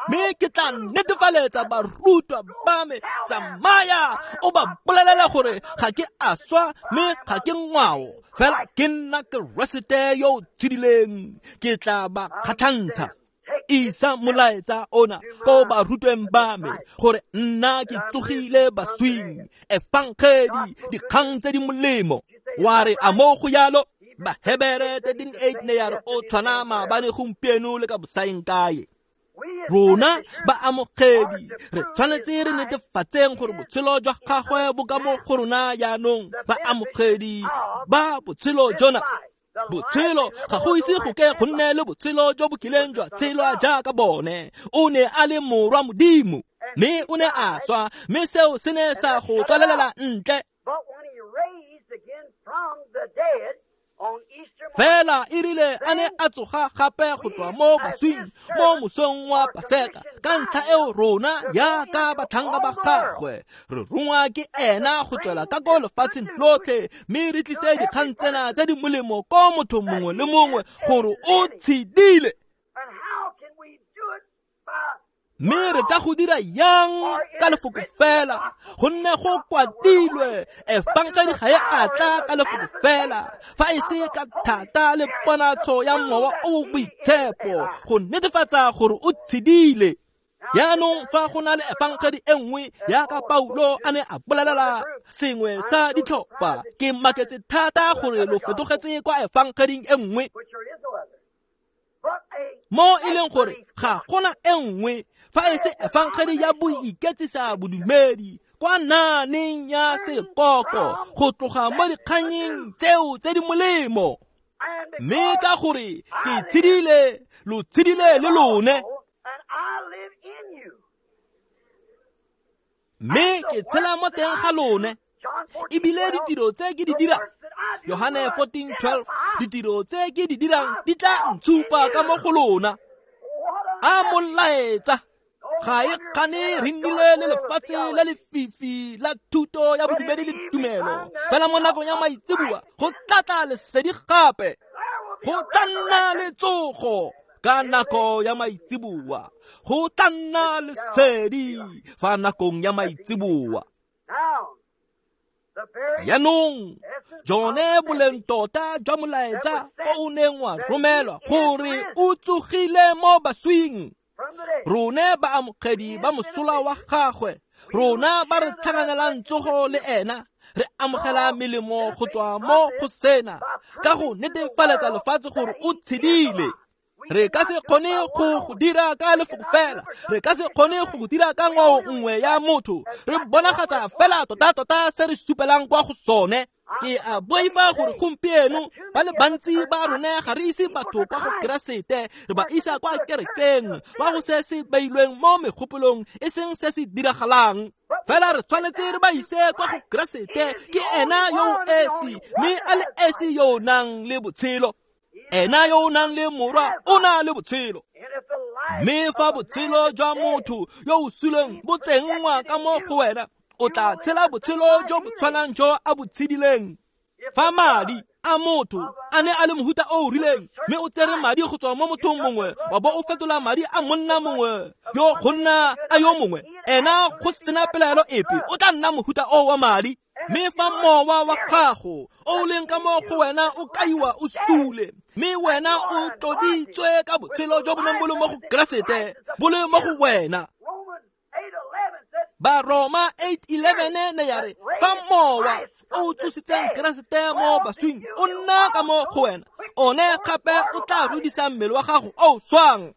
mme ke tla netefaletsa barutwa ba me. Tsamaya o ba bolelela gore ga ke a swa, mme ga ke ngwao, fela ke nna Keresete yo o tshedileng. Ke tla ba kgatlhantsha. Isa molaetsa ona ko barutweng ba me gore nna ke tsogile baswing. Efangedi, dikgang tse di molemo. Wa re a mo go yalo? Bahebere thirteen eight ne ya re o tshwana maabane, gompieno le ka bosaeng kae. Rona ba amogedi re tshwanetse re netefatseng gore botshelo jwa gagwe bo ka mo go rona jaanong. Ba amogedi ba botshelo jona, botshelo ga go ise go ke go nne le botshelo jo bo kileng jwa tshelwa jaaka bone. O ne a le morwa Modimo, mme o ne a swa, mme seo se ne sa go tswalelela ntle. Fela e rile a ne a tsoga gape go tswa mo baswing mo mosong wa Paseka, ka ntlha eo rona jaaka batlhanka ba gagwe re rongwa ke ena go tswela ka ko lefatsheng lotlhe, mme re tlise dikgang tsena tse di molemo ko motho mongwe le mongwe gore o tshedile. Mme re ka go dira yang ka lefoko fela, gonne go kwadilwe efangedi ga e a tla ka lefoko fela, fa e se ka thata le ponatsho ya Mowa o o Boitshepo go netefatsa gore o tshedile. Jaanong fa go na le efangedi e nngwe jaaka Paulo a ne a bolelela sengwe sa ditlhopha, ke maketse thata gore lo fetogetse kwa efangeding e nngwe, mo e leng gore ga gona e nngwe fa e se efangedi ya boiketsisa bodumedi kwa naaneng ya sekoko go tloga mo dikganyeng tseo tse di molemo. Mme ka gore ke tshedile, lo tshedile le lone, mme ke tshela mo teng ga lone, ebile ditiro tse ke di dirang, Yohane fourteen twelve, ditiro tse ke di dirang di tla ntshupa ka mo go lona. A molaetsa ga e kgane re nnile le lefatshe le lefifi la thuto ya bodumedi le tumelo, fela mo nakong ya maitseboa go tlatla lesedi gape, go tla nna le tsogo ka nako ya maitseboa, go tla nna lesedi fa nakong ya maitseboa. Jaanong jone boleng tota jwa molaetsa o o neng wa romelwa gore o tsogile mo baswing, rone baamogedi ba mosola wa gagwe, rona ba re tlhakanelang tsogo le ena, re amogela melemo go tswa mo go sena ka go netefaletsa lefatshe gore o tshedile. Re ka se kgone go go dira ka lefoko fela, re ka se kgone go go dira ka ngwao nngwe ya motho, re bonagatsa fela tota-tota se re supelang kwa go sone. Ke a boifa gore gompieno ba le bantsi ba rone ga re ise batho kwa go Keresete, re ba isa kwa kerekeng, kwa go se se beilweng mo megopolong, e seng se se diragalang. Fela re tshwanetse re ba ise kwa go Keresete, ke ena yo o esi, mme a le esi yo o nang le botshelo. Ena yo o nang le morwa o na le botshelo. Mme fa botshelo jwa motho yo o suleng bo tsenngwa ka mo go wena, o tla tshela botshelo jo bo tshwanang jo a bo tshedileng. Fa madi a motho a ne a le mohuta o o rileng, mme o tsere madi go tswa mo mothong mongwe, wa bo o fetola madi a monna mongwe yo go nna a yo mongwe, ena go sena pelaelo epe o tla nna mohuta o wa madi. Mme fa mowa wa gago o leng ka mo go wena o kaiwa o sule, mme wena o tloditswe ka botshelo jo bo neng bo le mo go Keresete, bo le mo go wena. Baroma eight eleven ne ya re fa mowa o tsositseng Keresete mo baswing o nna ka mo go wena, one gape o tla rudisa mmele wa gago o swang.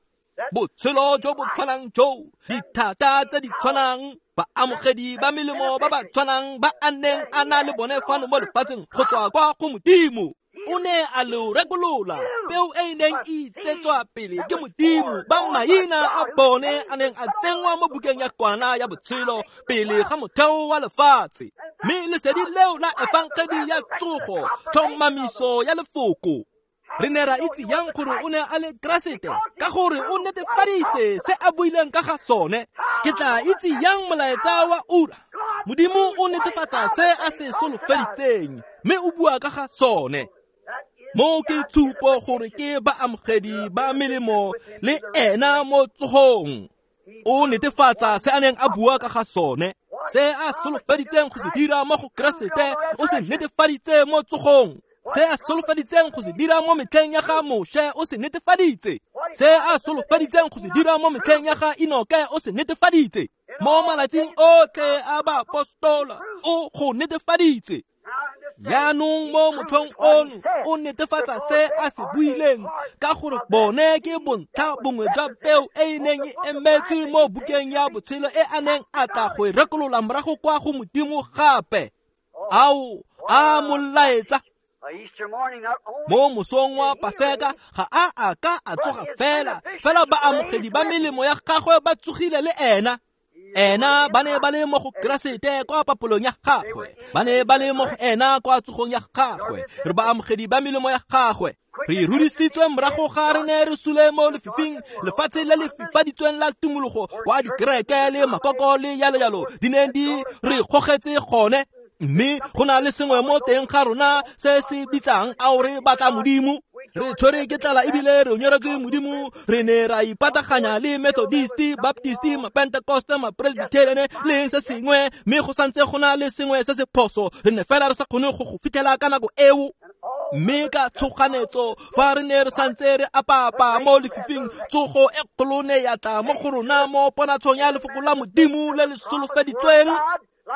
Botshelo jo bo tshwanang jo, dithata tse di tshwanang, baamogedi ba melemo ba ba tshwanang ba a neng a na le bone fano mo lefatsheng go tswa kwa go Modimo. O ne a lo rekolola peo e e neng e itsetswa pele ke Modimo, ba maina a bone a neng a tsenngwa mo bukeng ya kwana ya botshelo pele ga motheo wa lefatshe. Mme lesedi leo la efangedi ya tsogo, tlhomamiso ya lefoko. Re ne ra itse yang gore o ne a le Keresete, ka gore o netefaditse se a buileng ka ga sone. Ke tla itse yang molaetsa wa ura? Modimo o netefatsa se a se solofeditseng, mme o bua ka ga sone. Mo ke tshupo gore ke baamogedi ba melemo le ena mo tsogong. O netefatsa se a neng a bua ka ga sone, se a solofeditseng go se dira mo go Keresete, o se netefaditse mo tsogong. Se a solofeditseng go se dira mo metlheng ya ga Moshe, o se netefaditse. Se a solofeditseng go se dira mo metlheng ya ga Enoke, o se netefaditse. Mo malatsing otlhe a baapostola, o go netefaditse. Jaanong mo motlhong ono o netefatsa se a se buileng, ka gore bone ke bontlha bongwe jwa peo e e neng e emetswe mo bukeng ya botshelo e a neng a tla go e rekolola morago kwa go Modimo gape. Ao a molaetsa. Mo mosong wa Paseka ga a a ka a tsoga fela, fela baamogedi ba melemo ya gagwe ba tsogile le ena. Ena ba ne ba le mo go Keresete kwa papolong ya gagwe, ba ne ba le mo go ena kwa tsogong ya gagwe. Re baamogedi ba melemo ya gagwe. Re rudisitswe morago ga re ne re sule mo lefifing, lefatshe le le fifaditsweng la tumologo kwa dikereke le makoko le yalo yalo di ne di re gogetse gone. Mme go na le sengwe mo teng ga rona se se bitsang ao re batla Modimo. Re tshwere ke tlala ebile re nyoretswe Modimo. Re ne ra ipataganya le Methodist, Baptist, Mapentecost, Mapresbyterian le se sengwe, mme go santse go na le sengwe se se phoso. Re ne fela re sa kgone go go fitlhela ka nako eo. Mme ka tshoganetso fa re ne re santse re apaapa mo lefifing, tsogo e kgolo ne ya tla mo go rona mo ponatshong ya lefoko la Modimo le le solofeditsweng.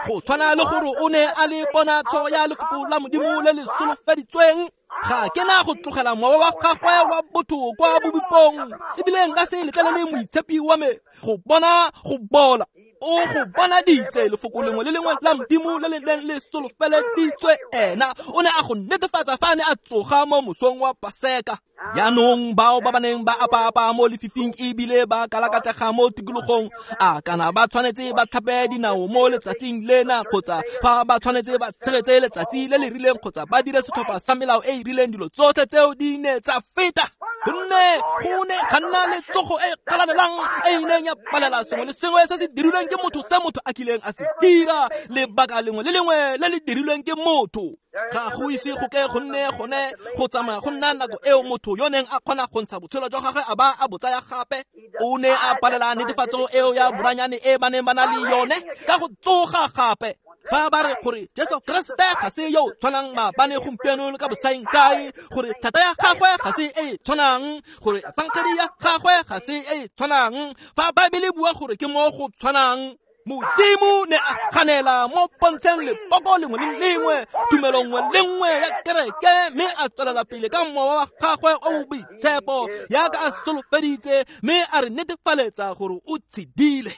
Go tshwana le gore o ne a le ponatsho ya lefoko la Modimo le le solofeditsweng. Ga ke na go tlogela mowa wa gagwe wa botho kwa bobipong, ebile nka se letlelele moitshepi wa me go bona go bola. O go bonaditse lefoko lengwe le lengwe la Modimo le le neng le solofeleditswe ena. O ne a go netefatsa fa a ne a tsoga mo mosong wa Paseka. Jaanong bao ba ba neng ba apaapa mo lefifing ebile ba kalakatlega mo tikologong, a kana ba tshwanetse ba tlhape dinao mo letsatsing lena, kgotsa fa ba tshwanetse ba tshegetse letsatsi le le rileng, kgotsa ba dire setlhopha sa melao e e rileng, dilo tsotlhe tseo di ne tsa feta. Gonne go ne ga nna le tsogo e galalelang e e neng ya palela sengwe le sengwe se se dirilweng ke motho, se motho a kileng a se dira, lebaka lengwe le lengwe le le dirilweng ke motho. Ga go ise go ke go nne gone go tsamaya go nna nako eo motho yo neng a kgona go ntsha botshelo jwa gagwe a ba a bo tsaya gape. O ne a palela netefatso eo ya boranyane e ba neng ba na le yone ka go tsoga gape. Fa ba re gore Jesu Kriste ga se yo tshwanang maabane, gompieno le ka bosaeng kae, gore thata ya gagwe ga se e e tshwanang, gore efangedi ya gagwe ga se e e tshwanang, fa Baebele bua gore ke mo go tshwanang, Modimo ne a ganela mo pontsheng lepoko lengwe le lengwe, tumelo nngwe le nngwe ya kereke, mme a tswelela pele ka mowa wa gagwe o o boitshepo yaka a solofeditse, mme a re netefaletsa gore o tshedile.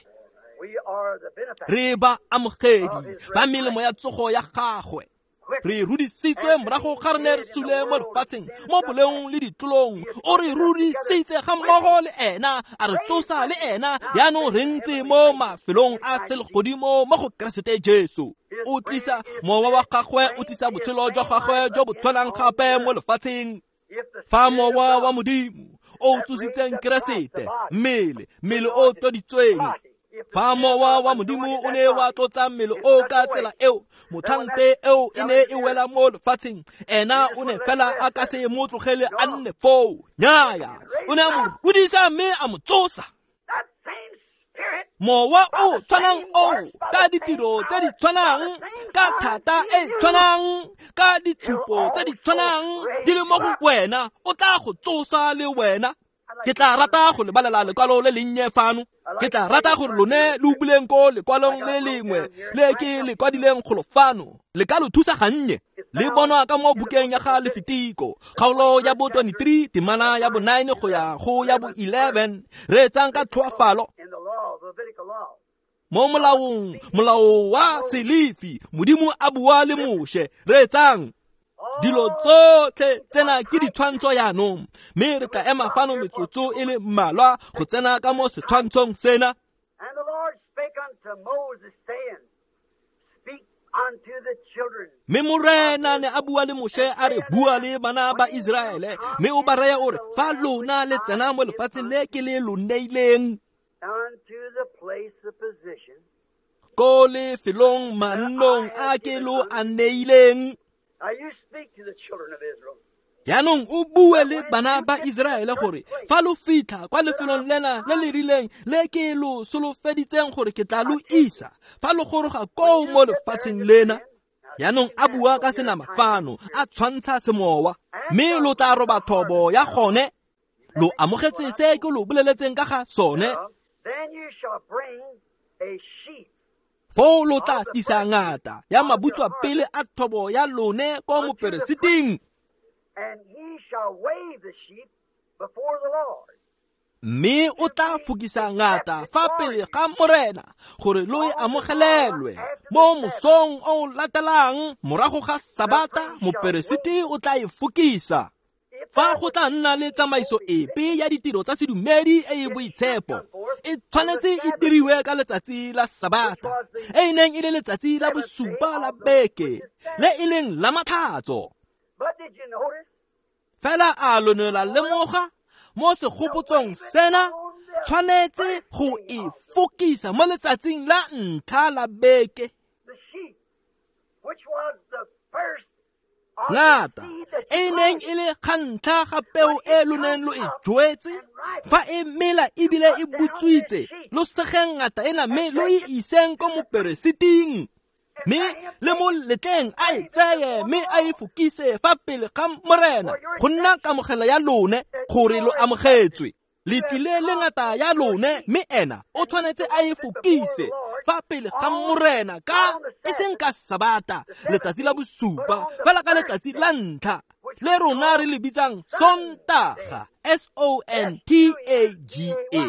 Re ba amogedi ba melemo ya tsogo ya gagwe. Re rudisitswe morago ga re ne re sule mo lefatsheng, mo boleong le ditlolong. O re rudisitse ga mmogo le ena, a re tsosa le ena. Jaanong re ntse mo mafelong a selegodimo mo go Keresete Jesu. O tlisa mowa wa gagwe, o tlisa botshelo jwa gagwe jo bo tshwanang gape mo lefatsheng. Fa mowa wa Modimo o tsositseng Keresete, mmele, mmele o tloditsweng, fa mowa wa Modimo o ne wa tlotsa mmele o ka tsela eo, motlhangpe eo e ne e wela mo lefatsheng, ena o ne fela a ka se mo tlogele a nne foo. Nnyaya, o ne a mo rudisa mme a mo tsosa. Mowa o tshwanang oo, ka ditiro tse di tshwanang, ka thata e tshwanang, ka ditshupo tse di tshwanang di le mo go wena, o tla go tsosa le wena. Ke tla rata go lebalela lekwalo le lennye fano. Ke tla rata gore lone le buleng ko lekwalong le lengwe le ke le kwadileng golo fano. Le ka lo thusa gannye. Le bonwa ka mo bukeng ya ga Lefitiko, kgaolo ya bo twenty-three, temana ya bo nine go ya go ya bo eleven. Reetsang ka tlhoafalo. Mo molaong, molao wa Selefi, Modimo a bua le Moshe. Reetsang. Dilo tsotlhe tsena ke ditshwantsho jaanong, mme re tla ema fano metsotso e le mmalwa go tsena ka mo setshwantshong sena. And the Lord spake unto Moses, saying, Speak unto the children. Mme Morena ne a bua le Moshe a re, bua le bana ba Iseraele, mme o ba reye o re, fa lona le tsena mo lefatsheng le ke le lo neileng, Unto the place of position, ko lefelong mannong a ke lo a neileng. Now you speak to the children of Israel. Jaanong o bue le bana ba Iseraele gore fa lo fitlha kwa lefelong lena le le rileng le ke lo solofeditseng gore ke tla lo isa, fa lo goroga koo mo lefatsheng lena. Jaanong a bua ka senama fano, a tshwantsha semowa, mme lo tla roba thobo ya gone. Lo amogetse se ke lo boleletseng ka ga sone. Then you shall bring a sheep. Foo lo tla tlisa ngata ya mabutswa pele a thobo ya lone ko moperesiting. And he shall wave the sheep before the Lord. Mme o tla fokisa ngata fa pele ga Morena gore lo e amogelelwe. Mo mosong o latelang morago ga Sabata, moperesiti o tla e fokisa. Fa go tla nna le tsamaiso epe ya ditiro tsa sedumedi e e boitshepo, e tshwanetse e diriwe ka letsatsi la Sabata, e e neng e le letsatsi la bosupa la beke, le e leng la matlhatso. But did you notice? Fela a lo ne la lemoga mo segopotsong sena, tshwanetse go e fokisa mo letsatsing la ntlha la beke. The sheep, which was the first Ngata e neng e le ga ntlha ga peo e lo neng lo e jwetse, fa e mela ebile e butswitse, lo segeng ngata ena mme lo e iseng ko moperesiting, mme le mo letleng a e tseye mme a e fokise fa pele ga Morena go nna kamogelo ya lone gore lo amogetswe. Le tlile le ngata ya lone, mme ena o tshwanetse a e fokise fa pele ga Morena ka e seng ka Sabata, letsatsi la bosupa, fela ka letsatsi la ntlha le rona re le bitsang Sontaga, S O N T A G A.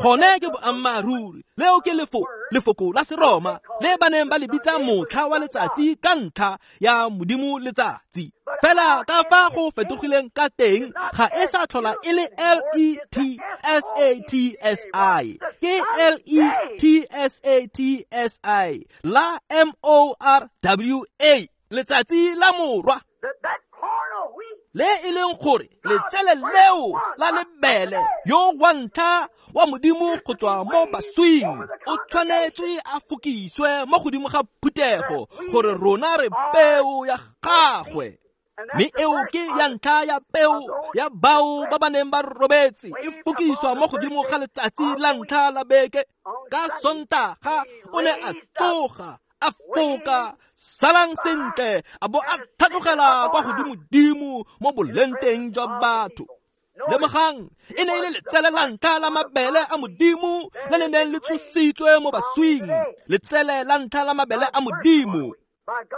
Gone ke boammaaruri, leo ke lefo lefoko la Seroma le ba neng ba le bitsa motlha wa letsatsi ka ntlha ya Modimo letsatsi. Fela ka fa go fetogileng ka teng ga e sa tlhola e le L E T S A T S I, ke L E T S A T S I la M O R W A, letsatsi la morwa, le e leng gore letsele leo la lebele yo wa ntlha wa Modimo go tswa mo baswing o tshwanetswe a fokiswe mo godimo ga phuthego gore rona re peo ya gagwe. Mme eo ke ya ntlha ya peo ya bao ba ba neng ba robetse e fokiswa mo godimo ga letsatsi la ntlha la beke. Ka Sontaga o ne a tsoga, a foka, salang sentle, a bo a tlhatlogela kwa godimodimo mo bolenteng jwa batho. Lemogang, e ne e le letsele la ntlha la mabele a Modimo le le neng le tsositswe mo baswing, letsele la ntlha la mabele a Modimo.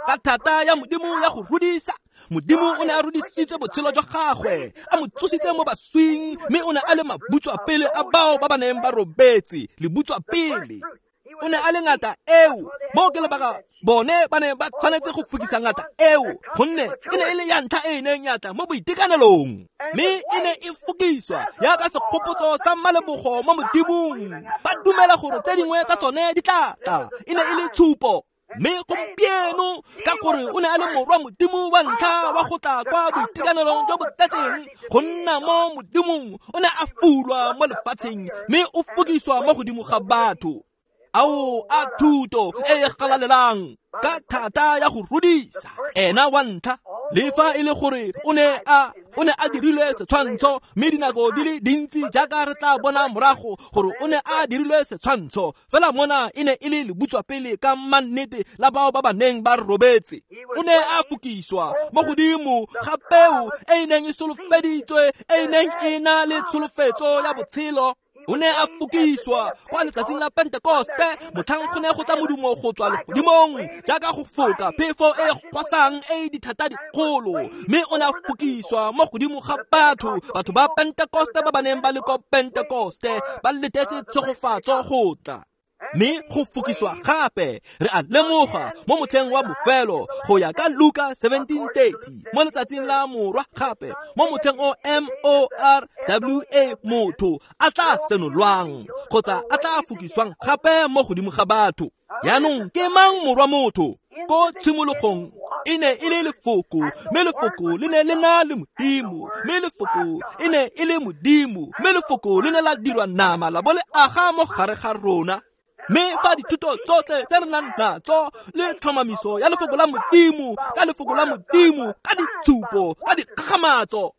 Ka thata ya Modimo ya go rudisa, Modimo o ne a rudisitse botshelo jwa gagwe, a mo tsositse mo baswing, mme o ne a le mabutswa pele a bao ba ba neng ba robetse, lebutswa pele. O ne a le ngata eo, mo ke lebaka bone ba ne ba tshwanetse go fokisa ngata eo, gonne e ne e le ya ntlha e e neng ya tla mo boitekanelong, mme e ne e fokiswa jaaka segopotso sa malebogo mo Modimong. Ba dumela gore tse dingwe tsa tsone di tla tla, e ne e le tshupo. Mme gompieno ka gore o ne a le morwa Modimo wa ntlha wa go tla kwa boitekanelong jo bo tletseng go nna mo Modimong, o ne a fulwa mo lefatsheng mme o fokiswa mo godimo ga batho. Ao a thuto e e galalelang ka thata ya go rudisa ena wa ntlha, le fa e le gore o ne a o ne a dirilwe setshwantsho, mme dinako di le dintsi jaaka re tla bona morago gore o ne a dirilwe setshwantsho, fela mona e ne e le lebutswa pele ka mannete la bao ba ba neng ba robetse. O ne a fokiswa mo godimo ga peo e e neng e solofeditswe, e e neng e na le tsholofetso ya botshelo. O ne a fokiswa kwa letsatsing la Pentekoste, motlhang go ne go tla modumo go tswa legodimong jaaka go foka phefo e gwasang e dithata dikgolo, mme o ne a fokiswa mo godimo ga batho, batho ba Pentekoste ba ba neng ba le ko Pentekoste ba letetse tshegofatso go tla. Mme go fokiswa gape re a lemoga mo motlheng wa bofelo go ya ka Luka seventeen thirty, mo letsatsing la morwa gape mo motlheng o M O R W A motho a tla senolwang kgotsa a tla fokiswang gape mo godimo ga batho. Jaanong ke mang morwa motho? Ko tshimologong e ne e le lefoko, mme lefoko le ne le na le Modimo, mme lefoko e ne e le Modimo, mme lefoko le ne la dirwa nama la bo le aga mo gare ga rona. Mme fa dithuto tsotlhe tse re nang natso le tlhomamiso ya lefoko la Modimo, ka lefoko la Modimo, ka ditshupo, ka dikgakgamatso,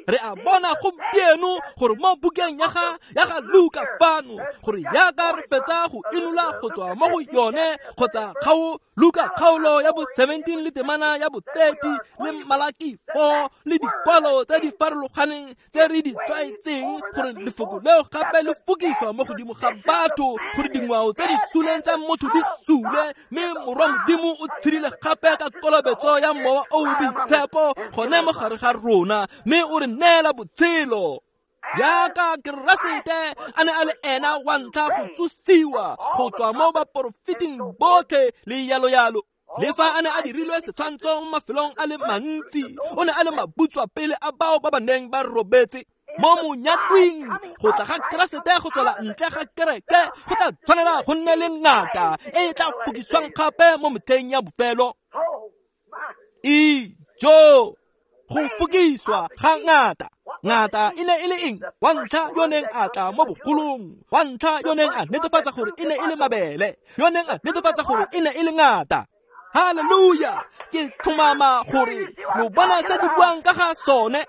re a bona gompieno gore mo bukeng ya ga ya ga Luka fano gore jaaka re fetsa go inola go tswa mo go yone kgotsa kgao Luka kgaolo ya bo seventeen le temana ya bo thirty le Malaki four le dikwalo tse di farologaneng tse re di tlwaetseng gore lefoko leo gape le fokiswa mo godimo ga batho gore dingwao tse di suleng tsa motho di sule, mme morwa Modimo o tshedile gape ka kolobetso ya Mowa o o Boitshepo gone mo gare ga rona, mme o re neela botshelo. Jaaka Keresete a ne a le ena wa ntlha go tsosiwa go tswa mo baporofeting botlhe le yalo-yalo, le fa a ne a dirilwe setshwantsho mo mafelong a le mantsi, o ne a le mabutswa pele a bao ba ba neng ba robetse mo monyatwing. Go tla ga Keresete go tswela ntle ga kereke go tla tshwanela go nne le ngata e e tla fokiswang gape mo metlheng ya bofelo. Ijo, go fokiswa ga ngata. Ngata e ne e le eng? Wa ntlha yo neng a tla mo bogolong, wa ntlha yo neng a netefatsa gore e ne e le mabele, yo neng a netefatsa gore e ne e le ngata. Haleluya! Ke tlhomama gore lo bona se ke buang ka ga sone.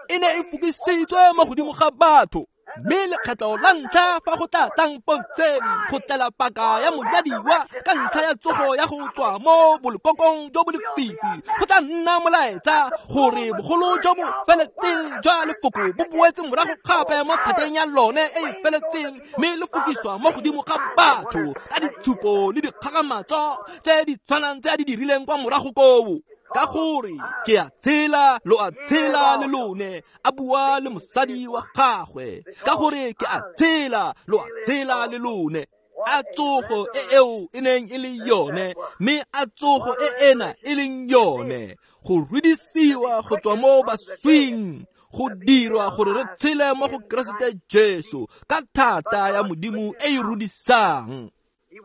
E ne e fokisitswe mo godimo ga batho. Mme lekgetlo la ntlha fa go tla tlang pontsheng go tlela paka ya monyadiwa ka ntlha ya tsogo ya go tswa mo bolekokong jo bo lefifi, go tla nna molaetsa gore bogolo jo bo feletseng jwa lefoko bo boetse morago gape mo thateng ya lone e e feletseng, mme le fokiswa mo godimo ga batho ka ditshupo le dikgakgamatso tse di tshwanang tse a di dirileng kwa morago koo. Ka gore ke a tshela, lo a tshela le lone, a bua le mosadi wa gagwe. Ka gore ke a tshela, lo a tshela le lone. A tsogo e eo e neng e le yone, mme a tsogo e ena e leng yone, go rudisiwa go tswa mo baswing, go dirwa gore re tshele mo go Keresete Jesu ka thata ya Modimo e e rudisang.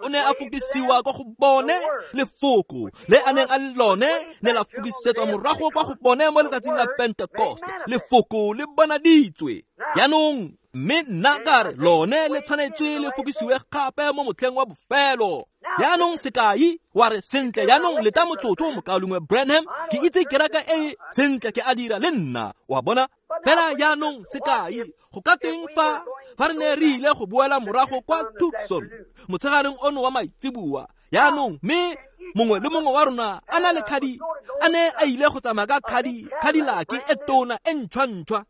O ne a fokisiwa kwa go bone lefoko le a neng a le lone ne la fokisetswa morago kwa go bone mo letsatsing la Pentecost. Lefoko le bonaditswe jaanong, mme nna ka re lone le tshwanetswe le fokisiwe gape mo motlheng wa bofelo. Jaanong sekai wa re sentle, jaanong leta motsotso mokaulengwe Branham, ke itse kereke e sentle ke a dira le nna, wa bona. Fela jaanong sekai go ka teng fa fa re ne re ile go boela morago kwa Tucson motshegareng ono wa maitseboa jaanong, mme mongwe le mongwe wa rona a na le khadi, a ne a ile go tsamaya ka khadi Cadillac e tona e ntšhwa-ntšhwa,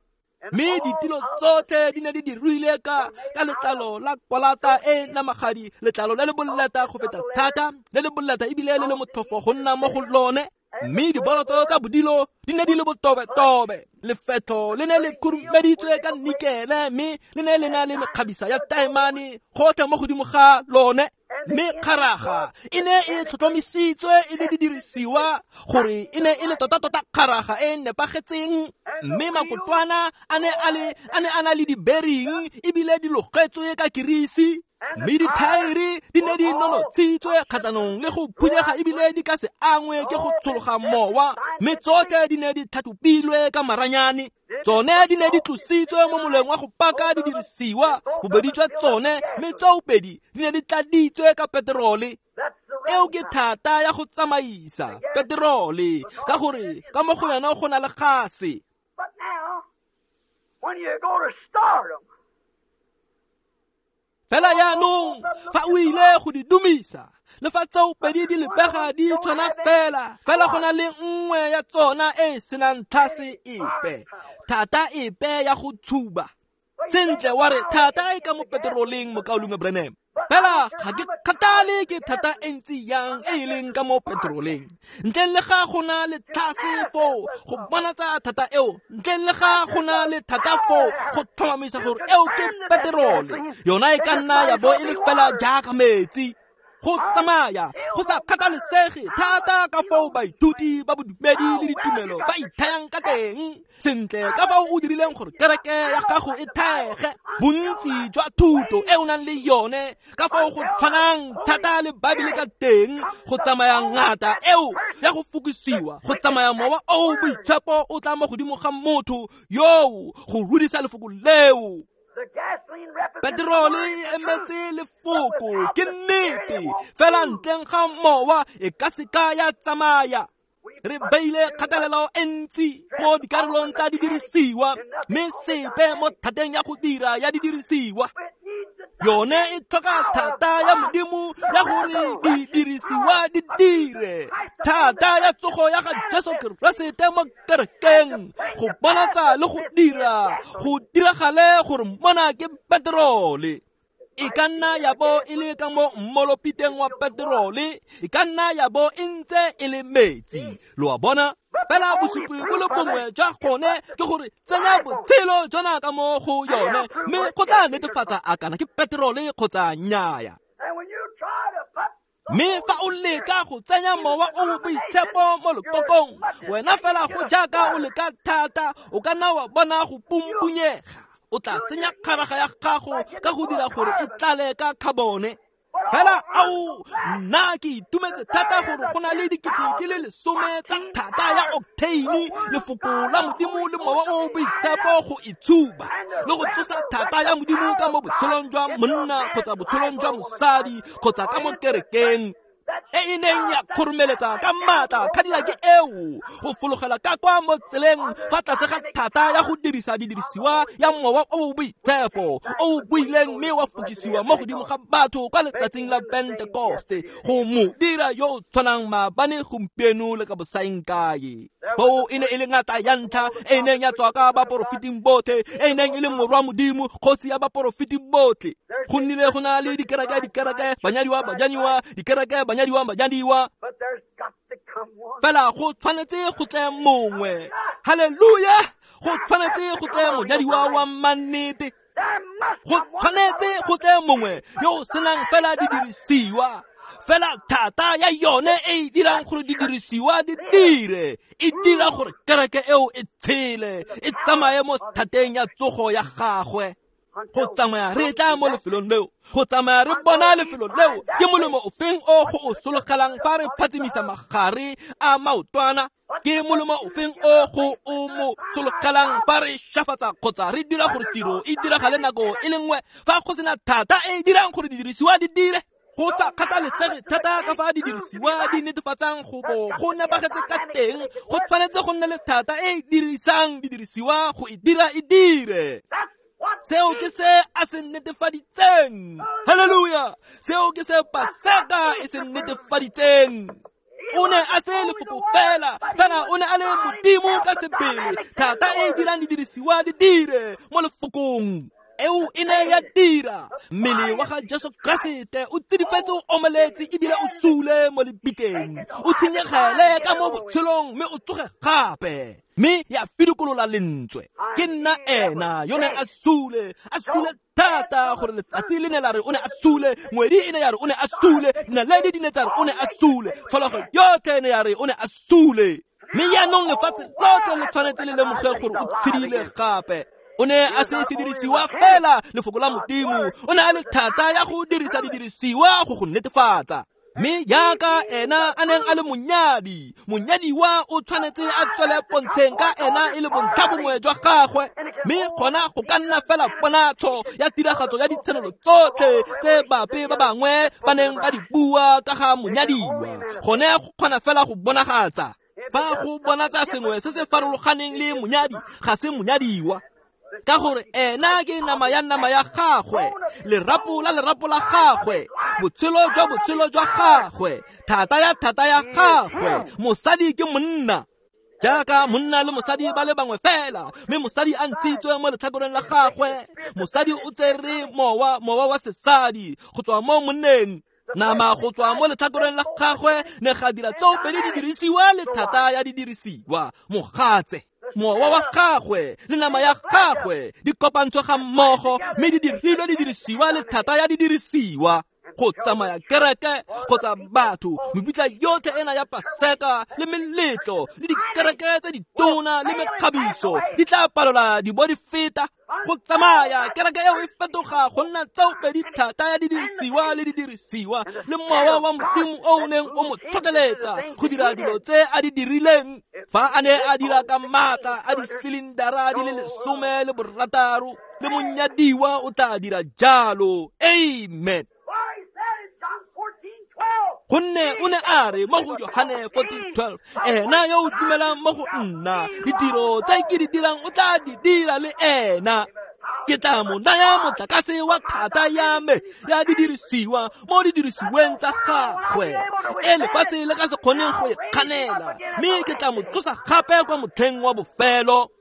mme ditilo tsotlhe di ne di dirilwe ka ka letlalo la kwalata e namagadi, letlalo le le boleta go feta thata, le le boleta ebile le le motlhofo go nna mo go lone. Mme diboroto tsa bodilo di ne di le botobetobe, lefetho le ne le khurumeditswe ka nikele, mme le ne le na le mekgabisa ya taemane gotlhe mo godimo ga lone. Mme kgaraga e ne e tlhotlhomisitswe e le didirisiwa gore e ne e le tota-tota kgaraga e nepagetseng, mme makotwana a ne a le a ne a na le di-bearing ebile di logetswe ka kirisi, mme dithaere di ne di nonotshitswe kgatlhanong le go phunyega ebile di ka se angwe ke go tshologa mowa, mme tsotlhe di ne di tlhatlhopilwe ka maranyane. Tsone di ne di tlositswe mo moleng wa go paka didirisiwa, bobedi jwa tsone, mme tsoopedi di ne di tladitswe ka peterole. Eo ke thata ya go tsamaisa peterole, ka gore ka mo go yona go na le gase. But now, when you go to start 'em, Fela jaanong fa o ile go di dumisa, le fa tsoopedi di lebega di tshwana fela, fela go na le nngwe ya tsona e e senang tlhase epe, thata epe ya go tshuba. Sentle wa re thata e ka mo peteroleng mokaulengwe Branham. Fela ga ke kgathale ke thata e ntsi yang e e leng ka mo peteroleng, ntleng le ga go na le tlhase foo go bonatsa thata eo, ntleng le ga go na le thata foo go tlhomamisa gore eo ke peterole, yona e ka nna ya bo e le fela jaaka metsi. Go tsamaya go sa kgathalesege thata ka foo baithuti ba bodumedi le ditumelo ba ithayang ka teng, sentle ka fao o dirileng gore kereke ya gago e thaege, bontsi jwa thuto e o nang le yone, ka fao go tshwanang thata le Baebele ka teng, go tsamaya ngata eo ya go fokisiwa, go tsamaya mowa o boitshepo o tla mo godimo ga motho yoo go rudisa lefoko leo. The gasoline represents Peterole e emetse lefoko, ke nnete, fela ntleng ga mowa e ka seka ya tsamaya. Re beile kgatelelo e ntsi mo dikarolong tsa didirisiwa, mme sepe mo thateng ya go dira ya didirisiwa. Yone e tlhoka thata ya Modimo ya gore didirisiwa di dire, thata ya tsogo ya ga Jesu Keresete mo kerekeng go bonatsa le go dira go diragale gore mona ke peterole. E ka nna ya bo e le ka mo mmolopiteng wa peterole, e ka nna ya bo e ntse e le metsi, lo a bona. Fela bosupi bo le bongwe jwa gone ke gore tsenya botshelo jona ka mo go yone, mme go tla netefatsa a kana ke peterole kgotsa nnyaya. And when you try to put Mme fa o leka go tsenya mowa o boitshepo mo lekokong, wena fela go jaaka o leka thata, o ka nna wa bona go pumpunyega. O tla senya kgaraga ya gago ka go dira gore e tlale ka carbone. Fela ao, nna ke itumetse thata gore go na le dikete di le lesome tsa thata ya octane, lefoko la Modimo le mowa o boitshepo go itshuba le go tsosa thata ya Modimo ka mo botshelong jwa monna kgotsa botshelong jwa mosadi kgotsa ka mo kerekeng. e e neng ya kgoromeletsa ka maatla Cadillac eo go fologela ka kwa mo tseleng fa tlase ga thata ya go dirisa didirisiwa ya mowa o o boitshepo o o buileng mme wa fokisiwa mo godimo ga batho kwa letsatsing la Pentekoste go mo dira yo o tshwanang maabane gompieno le ka bosaengkae. Foo e ne e le ngata ya ntlha e e neng ya tswa ka baporofeting botlhe, e e neng e le morwa Modimo, kgosi ya baporofeti botlhe. Go nnile go na le dikereke dikereke banyadiwa banyadiwa dikereke banyadiwa banyadiwa, fela go tshwanetse go tle mongwe. Haleluya! Go tshwanetse go tle monyadiwa wa mannete, go tshwanetse go tle mongwe yo o senang fela didirisiwa, fela thata ya yone e e dirang gore didirisiwa di dire, e dira gore kereke eo e tshele, e tsamaye mo thateng ya tsogo ya gagwe. Go tsamaya re tla mo lefelong leo, go tsamaya re bona lefelo leo, ke molemo ofeng o go o sologelang fa re phatsimisa magare a maotwana? Ke molemo ofeng o go o mo sologelang fa re shafatsa kgotsa re dira gore tiro e diragale nako e le nngwe fa go sena thata e e dirang gore didirisiwa di dire? Go sa kgathalesege thata ka fa didirisiwa di netefatsang go bo go nepagetse ka teng, go tshwanetse go nne le thata e e dirisang didirisiwa go e dira e dire. Seo ke se a se netefaditseng. Haleluya! Seo ke se Paseka e se netefaditseng. O ne a se lefoko fela, fela o ne a le Modimo ka sebele, thata e e dirang didirisiwa di dire mo lefokong. Eo e ne ya dira. Mmele wa ga Jesu Keresete o tsidifetse, o omeletse ebile o sule mo lebitleng, o tshenyegele ka mo botshelong mme o tsoge gape, mme ya fidikolola lentswe. Ke nna ena yo neng a sule, a sule thata gore letsatsi le ne la re o ne a sule, ngwedi e ne ya re o ne a sule, dinaledi di ne tsa re o ne a sule, tlholego yotlhe e ne ya re o ne a sule. Mme jaanong lefatshe lotlhe le tshwanetse le lemoge gore o tshedile gape. O ne a se sedirisiwa fela lefoko la Modimo, o ne a le thata ya go dirisa didirisiwa go go netefatsa. Mme jaaka ena a neng a le monyadi, monyadiwa o tshwanetse a tswele pontsheng ka ena e le bontlhabongwe jwa gagwe. Mme gona go ka nna fela ponatsho ya tiragatso ya ditshenolo tsotlhe tse bape ba bangwe ba neng ba di bua ka ga monyadiwa. Gone go kgona fela go bonagatsa. Fa go bonatsa sengwe se se farologaneng le monyadi, ga se monyadiwa, ka gore ena ke nama ya nama ya gagwe, lerapo la lerapo la gagwe, botshelo jwa botshelo jwa gagwe, thata ya thata ya gagwe. Mosadi ke monna, jaaka monna le mosadi ba le bangwe fela, mme mosadi a ntshitswe mo letlhakoreng la gagwe. Mosadi o tsere mowa, mowa wa sesadi go tswa mo monneng, nama go tswa mo letlhakoreng la gagwe ne ga dira tseo pedi didirisiwa le thata ya didirisiwa. Mogatse, mowa wa gagwe le nama ya gagwe di kopantswe ga mmogo mme di dirilwe didirisiwa le thata ya didirisiwa. Go tsamaya kereke kgotsa batho, mebitla yotlhe ena ya Paseka le meletlo le dikereke tse ditona le mekgabiso di tla palola di bo di feta. Go tsamaya kereke eo e fetoga go nna tseo pedi thata ya didirisiwa le didirisiwa le mowa wa Modimo o o neng o mo tlhokeletsa go dira dilo tse a di dirileng. Fa a ne a dira ka maatla a disilindara di le lesome le borataro, le monyadiwa o tla dira jalo. Amen. Gonne o ne a re mo go Johane fourteen twelve, ena yo o dumelang mo go nna, ditiro tse ke di dirang o tla di dira le ena. Ke tla mo naya motlakase wa thata ya me ya didirisiwa mo didirisiweng tsa gagwe, e lefatshe le ka se kgoneng go e kganela, mme ke tla mo tsosa gape kwa motlheng wa bofelo.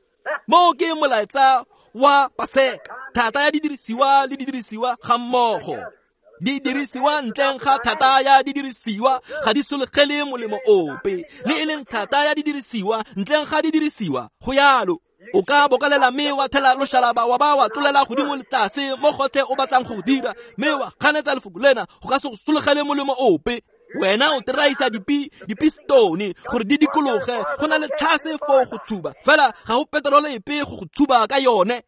Mo ke molaetsa wa Paseka, thata ya didirisiwa le didirisiwa ga mmogo. Didirisiwa ntleng ga thata ya didirisiwa ga di sologele molemo ope, le e leng thata ya didirisiwa ntleng ga didirisiwa go yalo. O ka bokalela mme wa thela loshalaba wa ba wa tlolela godimo le tlase mo gotlhe o batlang go dira, mme wa ganetsa lefoko lena, go ka se go sologele molemo ope. Wena o teraisa dipi dipistone gore di dikologe, go na le tlhase foo go tshuba, fela ga go peterole epe go go tshuba ka yone.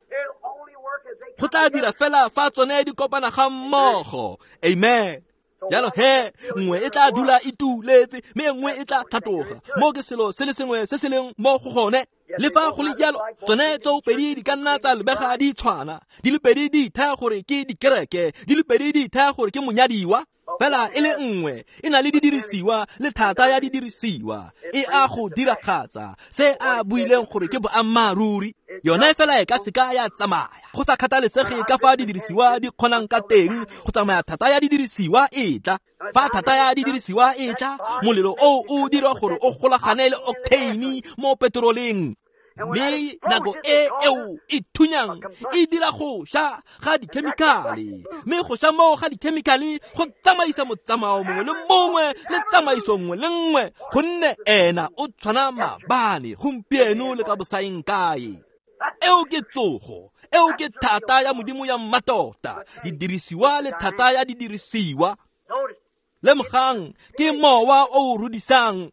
Go tla dira fela fa tsone di kopana ga mmogo. Amen. Jalo he, nngwe e tla dula e tuletse mme e nngwe e tla tlhatloga. Mo ke selo se le sengwe se se leng mo go gone. Le fa go le jalo, tsone tseo pedi di ka nna tsa lebega di tshwana, di le pedi di ithaya gore ke dikereke, di le pedi di ithaya gore ke monyadiwa. Fela e le nngwe e na le didirisiwa le thata ya didirisiwa e a go diragatsa se a buileng gore ke boammaaruri. Yone fela e ka seka ya tsamaya go sa kgathalesege ka fa didirisiwa di kgonang ka teng go tsamaya. Thata ya didirisiwa e tla. Fa thata ya didirisiwa e tla, molelo o o dira gore o golagane le octane mo petroleng, mme nako e eo e thunyang e dira go sha ga dikhemikhale, mme go sha moo ga dikhemikhale go tsamaisa motsamao mongwe le mongwe le tsamaiso nngwe le nngwe, gonne ena o tshwana maabane, gompieno le ka bosaeng kae. Eo ke tsogo, eo ke thata ya Modimo ya mmatota, didirisiwa le thata ya didirisiwa. Lemogang, ke mowa o o rudisang,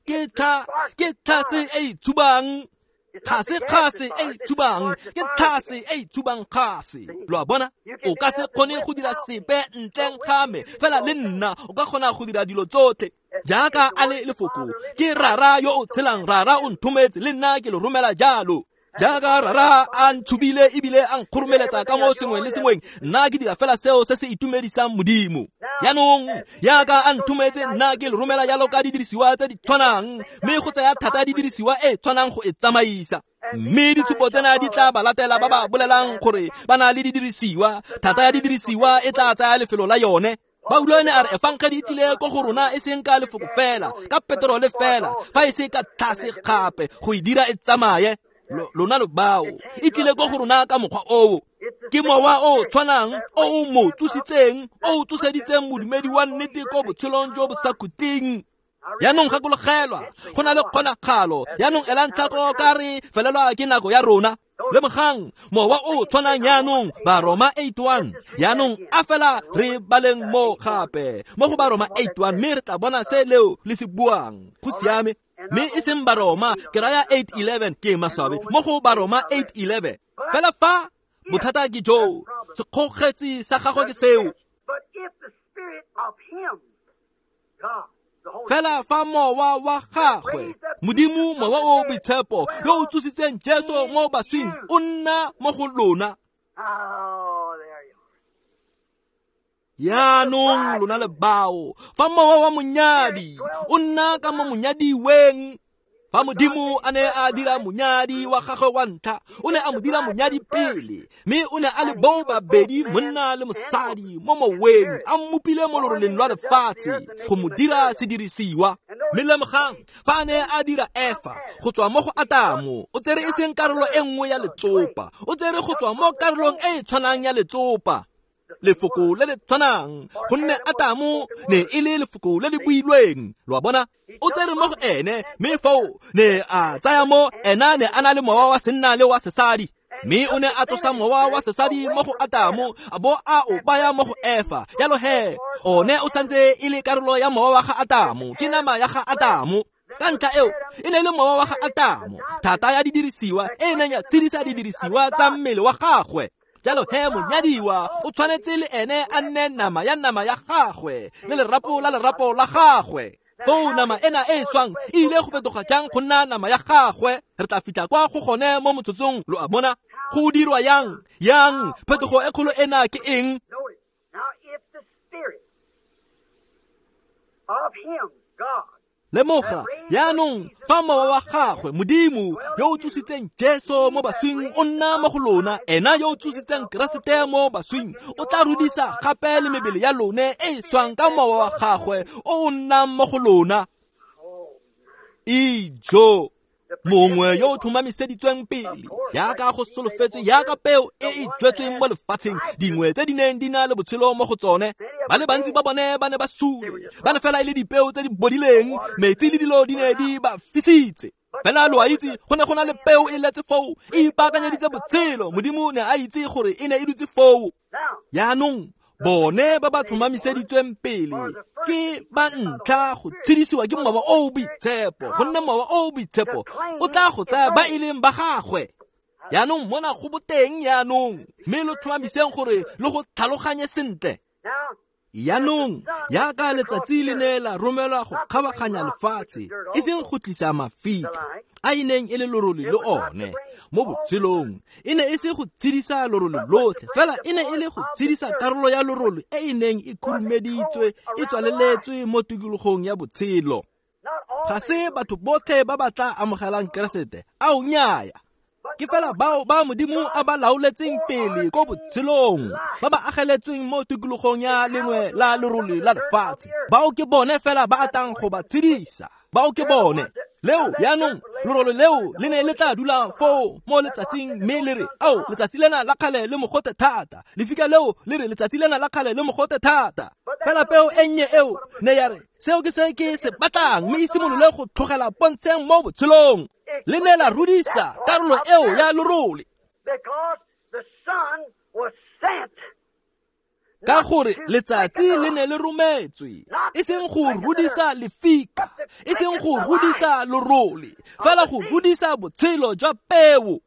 ke tlha ke tlhase e e tshubang, ga se kgase e e tshubang, ke tlhase e e tshubang kgase. Lo a bona, o ka se kgone go dira sepe ntleng ga me, fela le nna o ka kgona go dira dilo tsotlhe. Jaaka a le lefoko, ke Rara yo o tshelang, Rara o nthometse, le nna ke lo romela jalo. Jaaka Rara a ntshubile ebile a nkgoromeletsa ka mo sengweng le sengweng, nna ke dira fela seo se se itumedisang Modimo. Jaanong jaaka a nthometse, nna ke lo romela jalo ka didirisiwa tse di tshwanang, mme go tsaya thata didirisiwa e tshwanang go e tsamaisa. Mme ditshupo tsena di tla ba latela ba ba bolelang gore ba na le didirisiwa. Thata ya didirisiwa e tla tsaya lefelo la yone. Paulo ene a re efangedi e tlile ko go rona e seng ka lefoko fela, ka peterole fela, fa e se ka tlhase gape go e dira e tsamaye. Lona lo bao e tlile ko go rona ka mokgwa oo. Ke mowa o tshwanang o o mo tsositseng, o o tsoseditseng modumedi wa nnete ko botshelong jo bo sa khutleng. Jaanong gakologelwa, go na le kgonagalo. Jaanong elang tlhoko ka re felelwa ke nako ya rona. Lemogang, mowa o tshwanang jaanong, Baroma eight one. Jaanong a fela re baleng mo gape mo go Baroma eight one, mme re tla bona se leo le se buang. Go siame. Mme e seng Baroma, ke raya eight eleven, ke maswabi, mo go Baroma eight eleven. Fela fa bothata ke jo, sekgogetsi sa gagwe ke seo. Fela fa mowa wa gagwe, Modimo mowa o boitshepo yo o tsositseng Jesu mo baswing o nna mo go lona. Jaanong lona le bao, fa mowa wa monyadi o nna ka mo monyadiweng. Fa Modimo a ne a dira monyadi wa gagwe wa ntlha, o ne a mo dira monyadi pele, mme o ne a le boo babedi, monna le mosadi, mo moweng, a mmopile mo loroleng lwa lefatshe go mo dira sedirisiwa. Mme lemogang, fa a ne a dira Efa go tswa mo go Atamo, o tsere e seng karolo e nngwe ya letsopa, o tsere go tswa mo karolong e e tshwanang ya letsopa, lefoko le le tshwanang, gonne Atamo ne e le lefoko le le builweng. Lo a bona, o tsere mo go ene, mme foo ne a tsaya mo ena ne a na le mowa wa senna le wa sesadi, mme o ne a tlosa mowa wa sesadi mo go Atamo a bo a o baya mo go Efa. Jalo he, one o santse e le karolo ya mowa wa ga Atamo, ke nama ya ga Atamo. Ka ntlha eo e ne e le mowa wa ga Atamo, thata ya didirisiwa e neng ya tshedisa didirisiwa tsa mmele wa gagwe. Jalo he, monyadiwa o tshwanetse le ene a nne nama ya nama ya gagwe le lerapo la lerapo la gagwe. Foo nama ena e e swang e ile go fetoga jang go nna nama ya gagwe? Re tla fitlha kwa go gone mo motsotsong. Lo a bona go dirwa yang yang phetogo e kgolo ena ke eng? Lemoga jaanong, fa mowa wa gagwe Modimo yo o tsositseng Jesu mo baswing o nna mo go lona, ena yo o tsositseng Keresete mo baswing o tla rudisa gape le mebele ya lone e e swang ka mowa wa gagwe o o nnang mo go lona. Ijo, mongwe yo o tlhomamiseditsweng pele, jaaka go solofetswe, jaaka peo e e jwetsweng mo lefatsheng, dingwe tse di neng di na le botshelo mo go tsone. Ba le bantsi ba bone ba ne ba sule, ba ne fela e le dipeo tse di bodileng, metsi le dilo di ne di ba fisitse. Fela lo a itse, go ne go na le peo e letse foo, e ipaakanyeditse botshelo. Modimo ne a itse gore e ne e dutse foo. Jaanong bone ba ba tlhomamiseditsweng pele ke ba ntlha go tshedisiwa ke mowa o o boitshepo, gonne mowa o o boitshepo o tla go tsaya ba e leng ba gagwe. Jaanong mona go boteng jaanong, mme lo tlhomamiseng gore lo go tlhaloganye sentle. Jaanong jaaka letsatsi le ne la romelwa go kgabaganya lefatshe, e seng go tlisa mafika a e neng e le lorole le one mo botshelong, e ne e se go tshedisa lorole lotlhe, fela e ne e le go tshedisa karolo ya lorole e e neng e khurumeditswe, e tswaleletswe mo tikologong ya botshelo. Ga se batho botlhe ba ba tla amogelang Keresete, ao nnyaya. Ke fela bao ba Modimo a ba laoletseng pele ko botshelong, ba ba ageletsweng mo tikologong ya lengwe la lerole la lefatshe. Bao ke bone fela ba atang go ba tshedisa. Bao ke bone. Leo jaanong lerole leo le ne le tla dula foo mo letsatsing, mme le re, ao, letsatsi lena la kgale le mogote thata. Lefika leo le re, letsatsi lena la kgale le mogote thata. Fela peo e nnye eo ne ya re, seo ke se ke se batlang, mme e simolole go tlogela pontsheng mo botshelong. Le ne la rudisa karolo eo ya lerole, ka gore letsatsi le ne le rometswe, e seng go rudisa lefika, e seng go rudisa lerole, fela go rudisa botshelo jwa peo.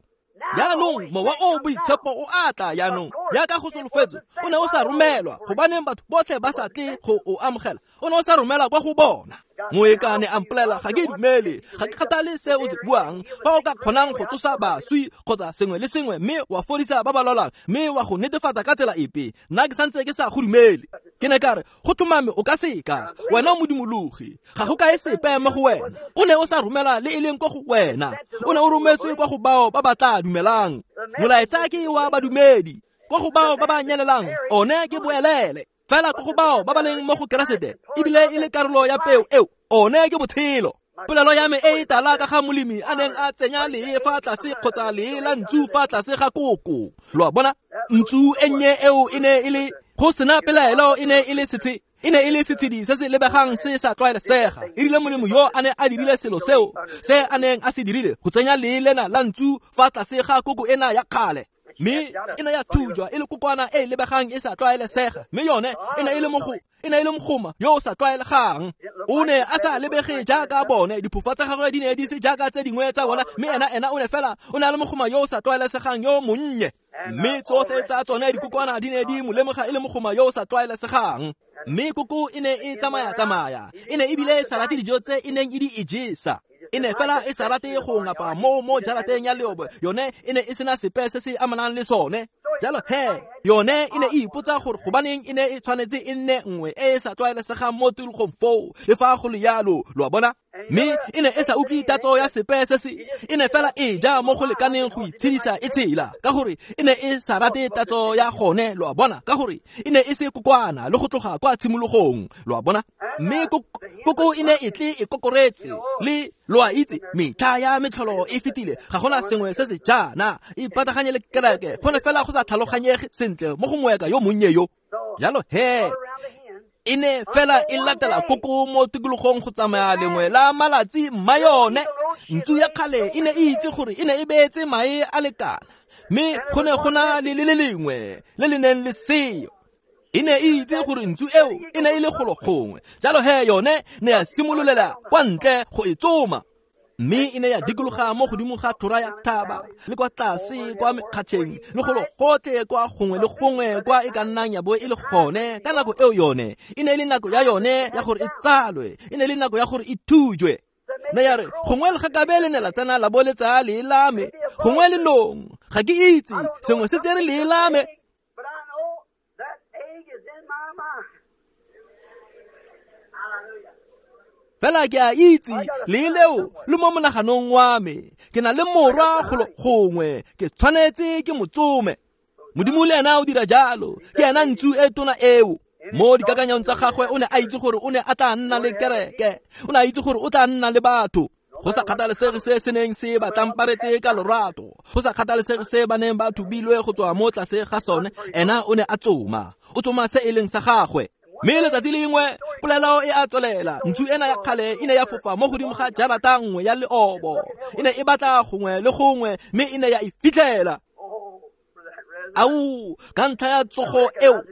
Jaanong mowa o boitshepo o a tla jaanong, jaaka go solofetswe, o ne o sa romelwa, gobaneng batho botlhe ba sa tle go o amogela, o ne o sa romelwa kwa go bona. Moekane a mpolela, ga ke dumele, ga ke kgathale se o se buang, fa o ka kgonang go tsosa baswi kgotsa sengwe le sengwe, mme wa fodisa ba ba lwalang, mme wa go netefatsa ka tsela epe, nna ke santse ke sa go dumele. Ke ne ka re, go tlhomame o ka seka, wena o modimologi, ga go kae sepe mo go wena. O ne o sa romela le e leng ko go wena, o ne o rometswe kwa go bao ba ba tla dumelang. Molaetsa ke wa badumedi, kwa go bao ba ba nyelelang, one ke boelele. Fela ko go bao ba ba leng mo go Keresete, ebile e le karolo ya peo eo, one ke botshelo. Polelo ya me e e tala ka ga molemi a neng a tsenya lee fa tlase kgotsa lee la ntsu fa tlase ga koko. Lo a bona, ntsu e nnye eo e ne e le, go sena pelaelo, e ne e le setse, e ne e le setshedi se se lebegang se sa tlwaelesega. E rile molemo yo a ne a dirile selo seo, se a neng a se dirile, go tsenya lee lena la ntsu fa tlase ga koko ena ya kgale. Mme e ne ya thujwa e le kokwana e e lebegang e sa tlwaelesega, mme yone e ne e le mogo, e ne e le mogoma yo o sa tlwaelegang. O ne a sa lebege jaaka bone, diphofa tsa gagwe di ne di se jaaka tse dingwe tsa bona, mme ena ena o ne fela o ne a le mogoma yo o sa tlwaelesegang yo monnye. Mme tsotlhe tsa tsone dikokwana di ne di mo lemoga e le mogoma yo o sa tlwaelesegang. Mme koko e ne e tsamaya-tsamaya, e ne ebile e sa rate dijo tse e neng e di ijesa. E ne fela e sa rate go ngapa mo mo jarateng ya leobo, yone e ne e sena sepe se se amanang le sone. Jalo he, yone e ne e ipotsa gore gobaneng e ne e tshwanetse e nne nngwe e e sa tlwaelesegang mo tikologong foo, le fa go le jalo, lo a bona. Mme e ne e sa utlwe tatso ya sepe se se, e ne fela e ja mo go lekaneng go itshedisa e tshela, ka gore e ne e sa rate tatso ya gone, lo a bona, ka gore e ne e se kokwana le go tloga kwa tshimologong, lo a bona. Mme koko e ne e tle e kokoretse, le lo a itse, metlha ya metlholo e fetile, ga gona sengwe se se jaana, e pataganye le kereke, go ne fela go sa tlhaloganyege sentle mo go moeka yo monnye yo. Jalo he, e ne fela e latela koko mo tikologong go tsamaya lengwe la malatsi mma yone. Ntsu ya kgale e ne e itse gore e ne e beetse mae a lekana, mme go ne go na le le le lengwe le le neng le seo. E ne e itse gore ntsu eo e ne e le golo gongwe, jalo he yone ne ya simololela kwa ntle go e tsoma. Mme e ne ya dikologa mo godimo ga tlhora ya thaba, le kwa tlase kwa mekgatšheng, le golo gotlhe kwa gongwe le gongwe kwa e ka nnang ya bo e le gone. Ka nako eo yone e ne e le nako ya yone ya gore e tsalwe, e ne e le nako ya gore e thujwe. Ne ya re, gongwe legakabe le ne la tsena la bo le tsaya lee la me, gongwe lenong, ga ke itse, sengwe se tsere lee la me. Fela ke a itse lee leo le mo monaganong wa me, ke na le morwa golo gongwe, ke tshwanetse ke mo tsome. Modimo le ena o dira jalo, ke ena ntsu e tona eo. Mo dikakanyong tsa gagwe o ne a itse gore o ne a tla nna le kereke, o ne a itse gore o tla nna le batho. Go sa kgathalesege se se neng se ba tlamparetse ka lorato, go sa kgathalesege se ba neng ba thubilwe go tswa mo tlase ga sone, ena o ne a tsoma, o tsoma se e leng sa gagwe. Mme letsatsi lengwe polelo e a tswelela, ntsu ena ya kgale e ne ya fofa mo godimo ga jarata nngwe ya leobo, e ne e batla gongwe le gongwe, mme e ne ya e fitlhela. Ao, ka ntlha ya tsogo eo,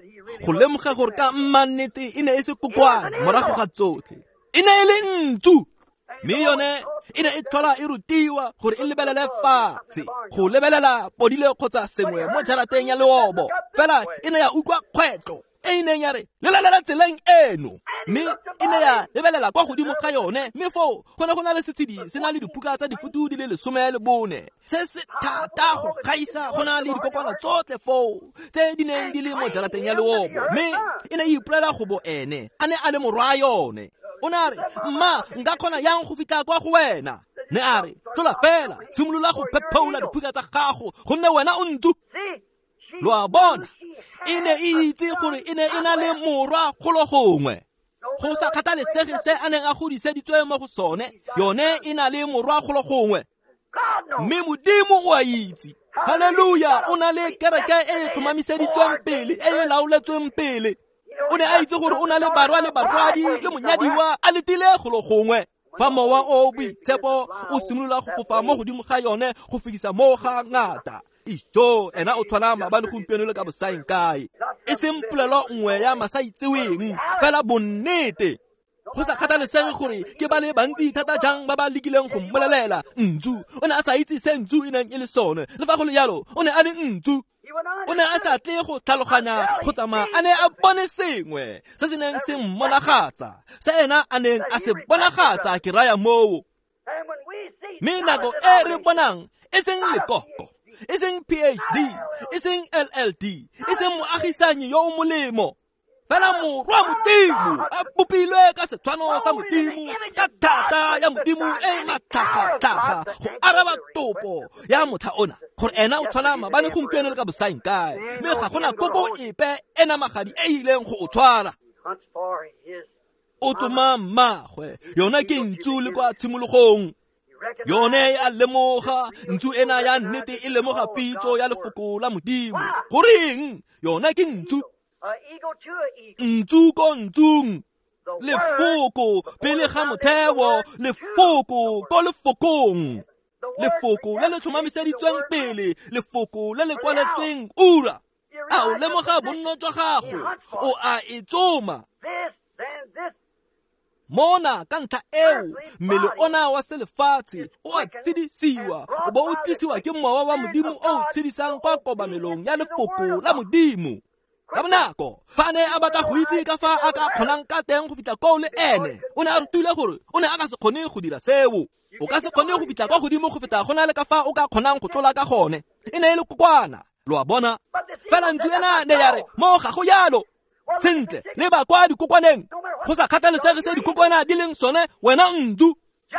go lemoga gore ka mmannete e ne e se kokwana morago ga tsotlhe, e ne e le ntsu. Mme yone e ne e tlhola e rutiwa gore e lebelele fatshe, go lebelela podile kgotsa sengwe mo jarateng ya leobo. Fela e ne ya utlwa kgwetlho, e e neng ya re lelalela tseleng eno, mme e ne ya lebelela kwa godimo ga yone, mme foo go ne go na le setshedi se na le diphuka tsa difutu di le lesome le bone, se se thata go gaisa go na le dikokwana tsotlhe foo tse di neng di le mo jarateng ya leobo, mme e ne e ipolela go bo ene a ne a le morwa yone. O ne a re, mma, nka kgona yang go fitlha kwa go wena? Ne a re, tlola fela, simolola go phephola diphuka tsa gago, gonne wena o ntsu. Lo a bona, e ne e itse gore e ne e na le morwa golo gongwe. Go sa kgathalesege se a neng a godiseditswe mo go sone, yone e na le morwa golo gongwe. Mme Modimo o a itse. Haleluya, o na le kereke e e tlhomamiseditsweng pele, e e laoletsweng pele. O ne a itse gore o na le barwa le barwadi le monyadiwa a letile golo gongwe. Fa mowa o boitshepo o simolola go fofa mo godimo ga yone go fekisa mo ga ngata. Ijo, ena o tshwana maabane gompieno le ka bosaeng kae. E seng polelo nngwe ya masaitseweng, fela bonnete. Go sa kgathalesege gore ke ba le bantsi thata jang ba ba lekileng go mmolelela ntsu, o ne a sa itse se ntsu e neng e le sone. Le fa go le jalo, o ne a le ntsu. O ne a sa tle go tlhaloganya go tsamaya a ne a bone sengwe se se neng se mmonagatsa, se ena a neng a se bonagatsa, ke raya moo. Mme nako e re bonang e seng lekoko, e seng P H D, e seng L L D, e seng moagisanyi yo o molemo, fela morwa Modimo a bopilwe ka setshwano sa Modimo, ka thata ya Modimo e matlhagatlhaga go araba topo ya motlha ona, gore ena o tshwana maabane gompieno le ka bosaeng kae, mme ga gona koko epe e namagadi e ileng go o tshwara. O tsoma mmagwe, yona ke ntsu le kwa tshimologong. Yone a lemoga ntsu ena ya nnete e lemoga pitso ya lefoko la Modimo. Goreng? Yona ke ntsu. Ntsu ko ntsung, lefoko pele ga motheo, lefoko ko lefokong, lefoko le le tlhomamiseditsweng pele, lefoko le le kwaletsweng ura. A o lemoga bonno jwa gago, o a e tsoma. Mona ka ntlha eo, mmele ona wa selefatshe o a tshedisiwa, o bo o tlisiwa ke mowa wa Modimo o o tshedisang kwa kobamelong ya lefoko la Modimo. Ka bonako, fa a ne a batla go itse ka fa a ka kgonang ka teng go fitlha koo le ene, o ne a rutile gore o ne a ka se kgone go dira seo. O ka se kgone go fitlha kwa godimo go feta go na le ka fa o ka kgonang go tlola ka gone. E ne e le kokwana, lo a bona. Fela ntsu ena ne ya re, mo ga go jalo. Sentle, leba kwa dikokwaneng, go sa kgathalesege se dikokwana di leng sone, wena ntsu.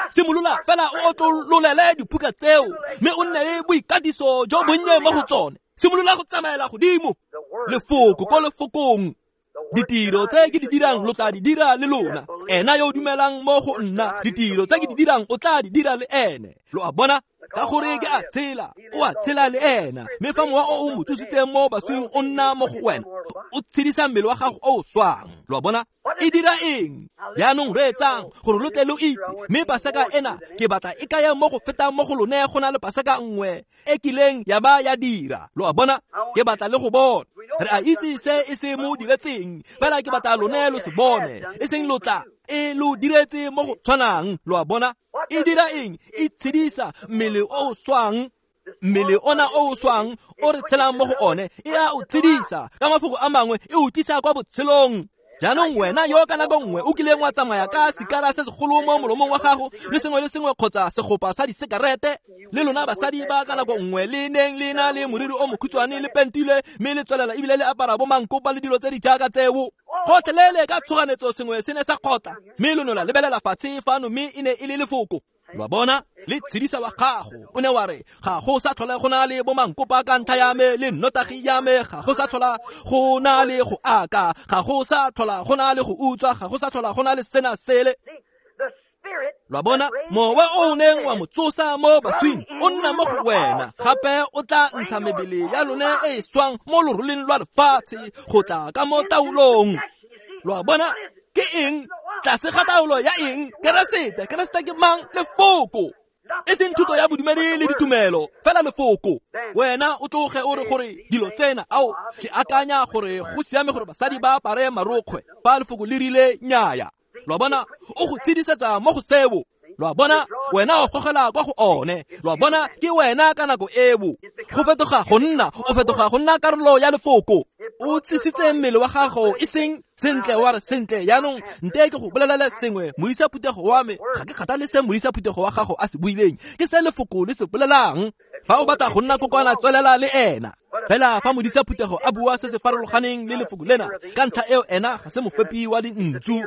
Simolola fela o otlololele diphuka tseo, mme o nne le boikatiso jo bonnye mo go tsone. Simolola go tsamaela godimo. Lefoko ko lefokong, ditiro tse ke di dirang lo tla di dira le lona. Ena yo o dumelang mo go nna, ditiro tse ke di dirang o tla di dira le ene. Lo a bona, ka gore ke a tshela, o a tshela le ena. Mme fa mowa o o mo tsositseng mo baswing o nna mo go wena, o tshedisa mmele wa gago o o swang. Lo a bona, e dira eng? Jaanong reetsang gore lo tle lo itse, mme Paseka ena ke batla e kaya mo go fetang mo go lone go na le Paseka nngwe e kileng ya ba ya dira. Lo a bona, ke batla le go bona. Re a itse se e se mo diretseng, fela ke batla lone lo se bone, e seng lo tla e lo diretse mo go tshwanang. Lo a bona, e dira eng? E tshedisa mmele o o swang. Mmele ona o o swang o re tshelang mo go one, e a o tshedisa. Ka mafoko a mangwe, e o tlisa kwa botshelong. Jaanong wena yo ka nako nngwe o kileng wa tsamaya ka sikara se segolo mo molomong wa gago, le sengwe le sengwe kgotsa segopa sa disekarete, le lona basadi ba ka nako nngwe le neng le na le moriri o mokhutshwane le pentile, mme le tswelela ebile le apara bo mankopa le dilo tse di jaaka tseo. Gotlhelele ka tshoganetso sengwe se ne sa kgotla, mme lo ne la lebelela fatshe fano, mme e ne e le lefoko. Lo a bona, le tshedisa wa gago. O ne wa re, ga go sa tlhola go na le bo mankopa ka ntlha ya me le nnotagi ya me, ga go sa tlhola go na le go aka, ga go sa tlhola go na le go utswa, ga go sa tlhola go na le sena sele. Lo a bona, mowa o o neng wa mo tsosa mo baswing o nna mo go wena, gape o tla ntsha mebele ya lone e e swang mo loroleng lwa lefatshe go tla ka mo taolong. Lo a bona, ke eng? Tlase ga taolo ya eng? Keresete. Keresete ke mang? Lefoko. E seng thuto ya bodumedi le ditumelo, fela lefoko. Wena o tloge o re gore dilo tsena, ao, ke akanya gore go siame gore basadi ba apare marokgwe, fa lefoko le rile nnyaya. Lo a bona, o go tshedisetsa mo go seo. Lo a bona, wena o gogela kwa go one. Lo a bona, ke wena ka nako eo. Go fetoga go nna, o fetoga go nna karolo ya lefoko. O tsisitse mmele wa gago e seng sentle wa re sentle jaanong nte ke go bolelele sengwe moisa phuthego wa me ga ke kgathale se moisa phuthego wa gago a se buileng ke se lefoko le se bolelang. Fa o batla go nna kokwana tswelela le ena. Fela fa modisa phuthego a bua se se farologaneng le lefoko lena ka ntlha eo ena ga se mofepi wa dintsu,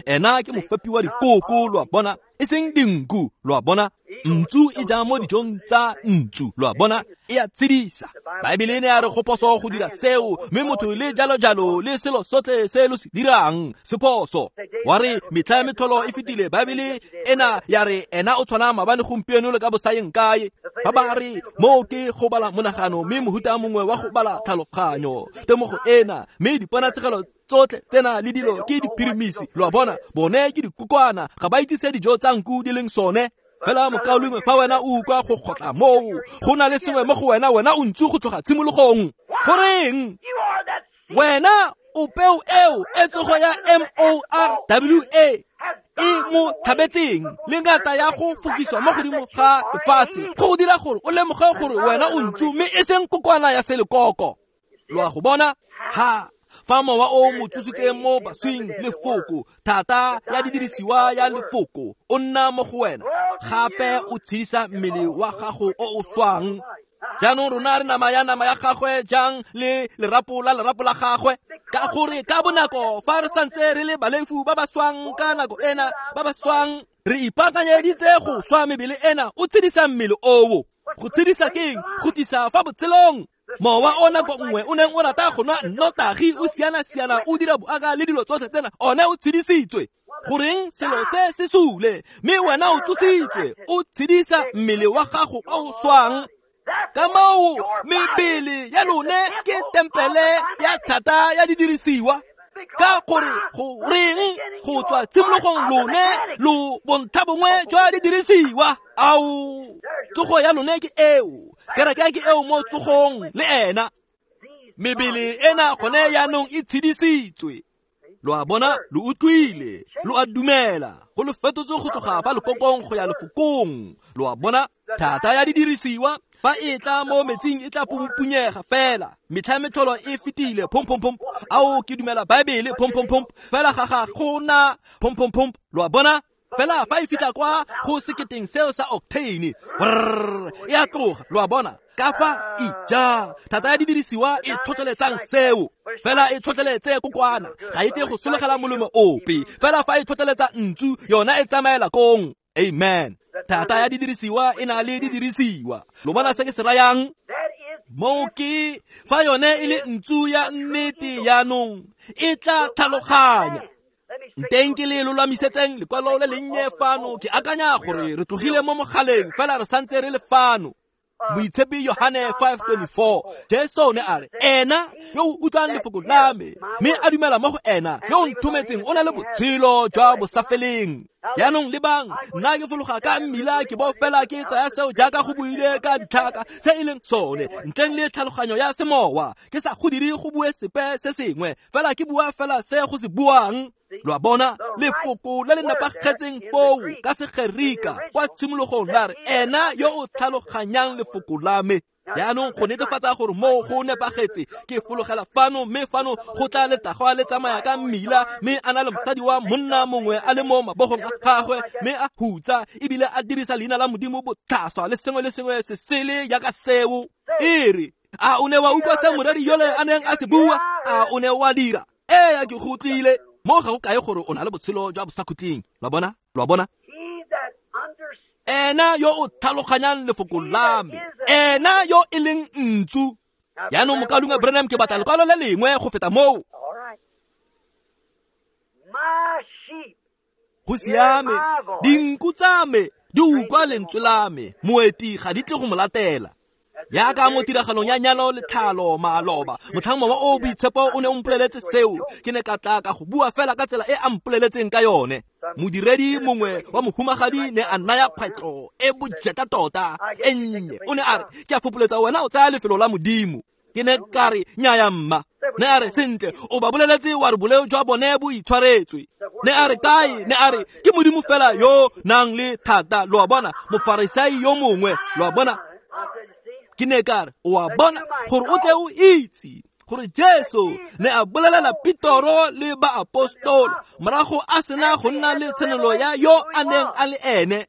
ena ke mofepi wa dikoko, lo a bona, e seng dinku, lo a bona. Ntsu e ja mo dijong tsa ntsu, lo a bona, e a tshedisa. Baebele e ne ya re go phoso go dira seo, mme motho le jalo jalo le selo sotlhe se lo se dirang se phoso. Wa re metlha ya metlholo e fetile, Baebele ena ya re ena o tshwana maabane gompieno le ka bosayeng kae. Fa ba re moo ke go bala monagano mme mohuta mongwe wa go bala tlhaloganyo temogo ena mme diponatshegelo tsotlhe tsena le dilo ke diphirimisi, lo a bona, bone ke dikokwana ga ba itse se dijo tsa nku di leng sone. Fela mokaulengwe fa wena o utlwa go kgotla moo go na le sengwe mo go wena, wena o ntse go tloga tshimologong. Goreng wena o peo eo e tsogo ya M O R W A e mo thabetseng le ngata ya go fokiswa mo godimo ga lefatshe go dira gore o lemoge gore wena o ntsu mme e seng kokwana ya selekoko. Lo a go bona? Ha fa mowa o mo tsositseng mo baswing lefoko thata ya didirisiwa ya lefoko o nna mo go wena gape o tshedisa mmele wa gago o o swang. Jaanong rona re nama ya nama ya gagwe jang le lerapo la lerapo la gagwe, ka gore ka bonako fa re santse re le balefu ba ba swang ka nako ena ba ba swang re ipaakanyeditse go swa mebele ena o tshedisa mmele oo. Go tshedisa keng? Go tlisa fa botshelong. Mowa o nako nngwe o neng o rata go nwa nnotagi o siana-siana o dira boaka le dilo tsotlhe tsena one o tshedisitswe. Goreng selo se se sule mme wena o tsositswe o tshedisa mmele wa gago o o swang. Ka moo mebele ya lone ke tempele ya thata ya didirisiwa, ka gore goreng go tswa tshimologong lone lo bontlha bongwe jwa didirisiwa. Ao tsogo ya lone ke eo, kereke ke eo mo tsogong le ena. Mebele ena gone jaanong e tshedisitswe. Lo a bona, lo utlwile, lo a dumela, go lo fetotse go tloga fa lekokong go ya lefokong. Lo a bona, thata ya didirisiwa fa e tla mo metsing e tla pumpunyega fela. Metlha ya metlholo e fetile, pom pom pom. Ao ke dumela Baebele, pom pom pom. Fela ga ga gona pom pom pom. Lo a bona? Fela fa e fitlha kwa go seketeng seo sa octane, brrr, e a tloga. Lo a bona? Ka fa ija thata ya didirisiwa e tlhotlheletsang seo. Fela e tlhotlheletse kokwana, ga e tle go solegela molemo ope. Fela fa e tlhotlheletsa ntsu, yona e tsamaela kong. Amen. Thata ya didirisiwa e na le didirisiwa. Lo bona se ke se rayang? Moo ke fa yone e le ntsu ya nnete jaanong e tla tlhaloganya. Nteng ke le lolamisetseng lekwalo le lennye fano, ke akanya gore re tlogile mo mogaleng fela re santse re le fano. Moitshepi Yohane five twenty-four, Jesu ne a re ena yo o utlwang lefoko la me mme a dumela mo go ena yo o nthometseng o na le botshelo jwa bosafeleng. Jaanong lebang, nna ke fologa ka mmila ke bo fela ke tsaya seo jaaka go buile ka ditlhaka se e leng sone ntleng le tlhaloganyo ya semowa. Ke sa go dire go bue sepe se sengwe fela ke bua fela se go se buang. Lo a bona, lefoko le le nepagetseng foo ka Segerika kwa tshimologong la re ena yo o tlhaloganyang lefoko la me. Jaanong go netefatsa gore moo go nepagetse ke fologela fano mme fano go tla letagwa le tsamaya ka mmila mme a na le mosadi wa monna mongwe a le mo mabogong a gagwe mme a hutsa ebile a dirisa leina la Modimo botlhaswa le sengwe le sengwe se sele jaaka seo. E re a o ne wa utlwa se moreri yole a neng a se bua? A o ne wa dira? Ee, ke go utlwile. Mo ga go kae gore o na le botshelo jwa bosakhutleng. Lo a bona? Lo a bona? Ena yo o tlhaloganyang lefoko la me, ena yo e leng ntsu. Jaanong mokaulengwe Branham ke batla lekwalo le lengwe go feta moo. Go siame, dinku tsa me di utlwa lentswe la me, moeti ga di tle go mo latela. Jaaka mo tiragalong ya nyalo le tlhalo maloba, motlhang mowa o boitshepo o ne o mpoleletse seo, ke ne ka tla ka go bua fela ka tsela e a mpoleletseng ka yone. Modiredi mongwe wa mohumagadi ne a naya kgwetlho e bojeta tota e nnye. O ne a re, ke a fopoletsa wena o tsaya lefelo la Modimo. Ke ne ka re, nnyaya mma. Ne a re, sentle, o ba boleletse wa re boleo jwa bone bo itshwaretswe. Ne a re kae? Ne a re, ke Modimo fela yo nang le thata. Lo a bona, mofarisai yo mongwe, lo a bona. Ke ne ka re, o a bona gore o tle o itse Gore Jesu ne a bolelela Petoro le baapostolo morago a sena go nna le tshenolo ya yo a neng a le ene.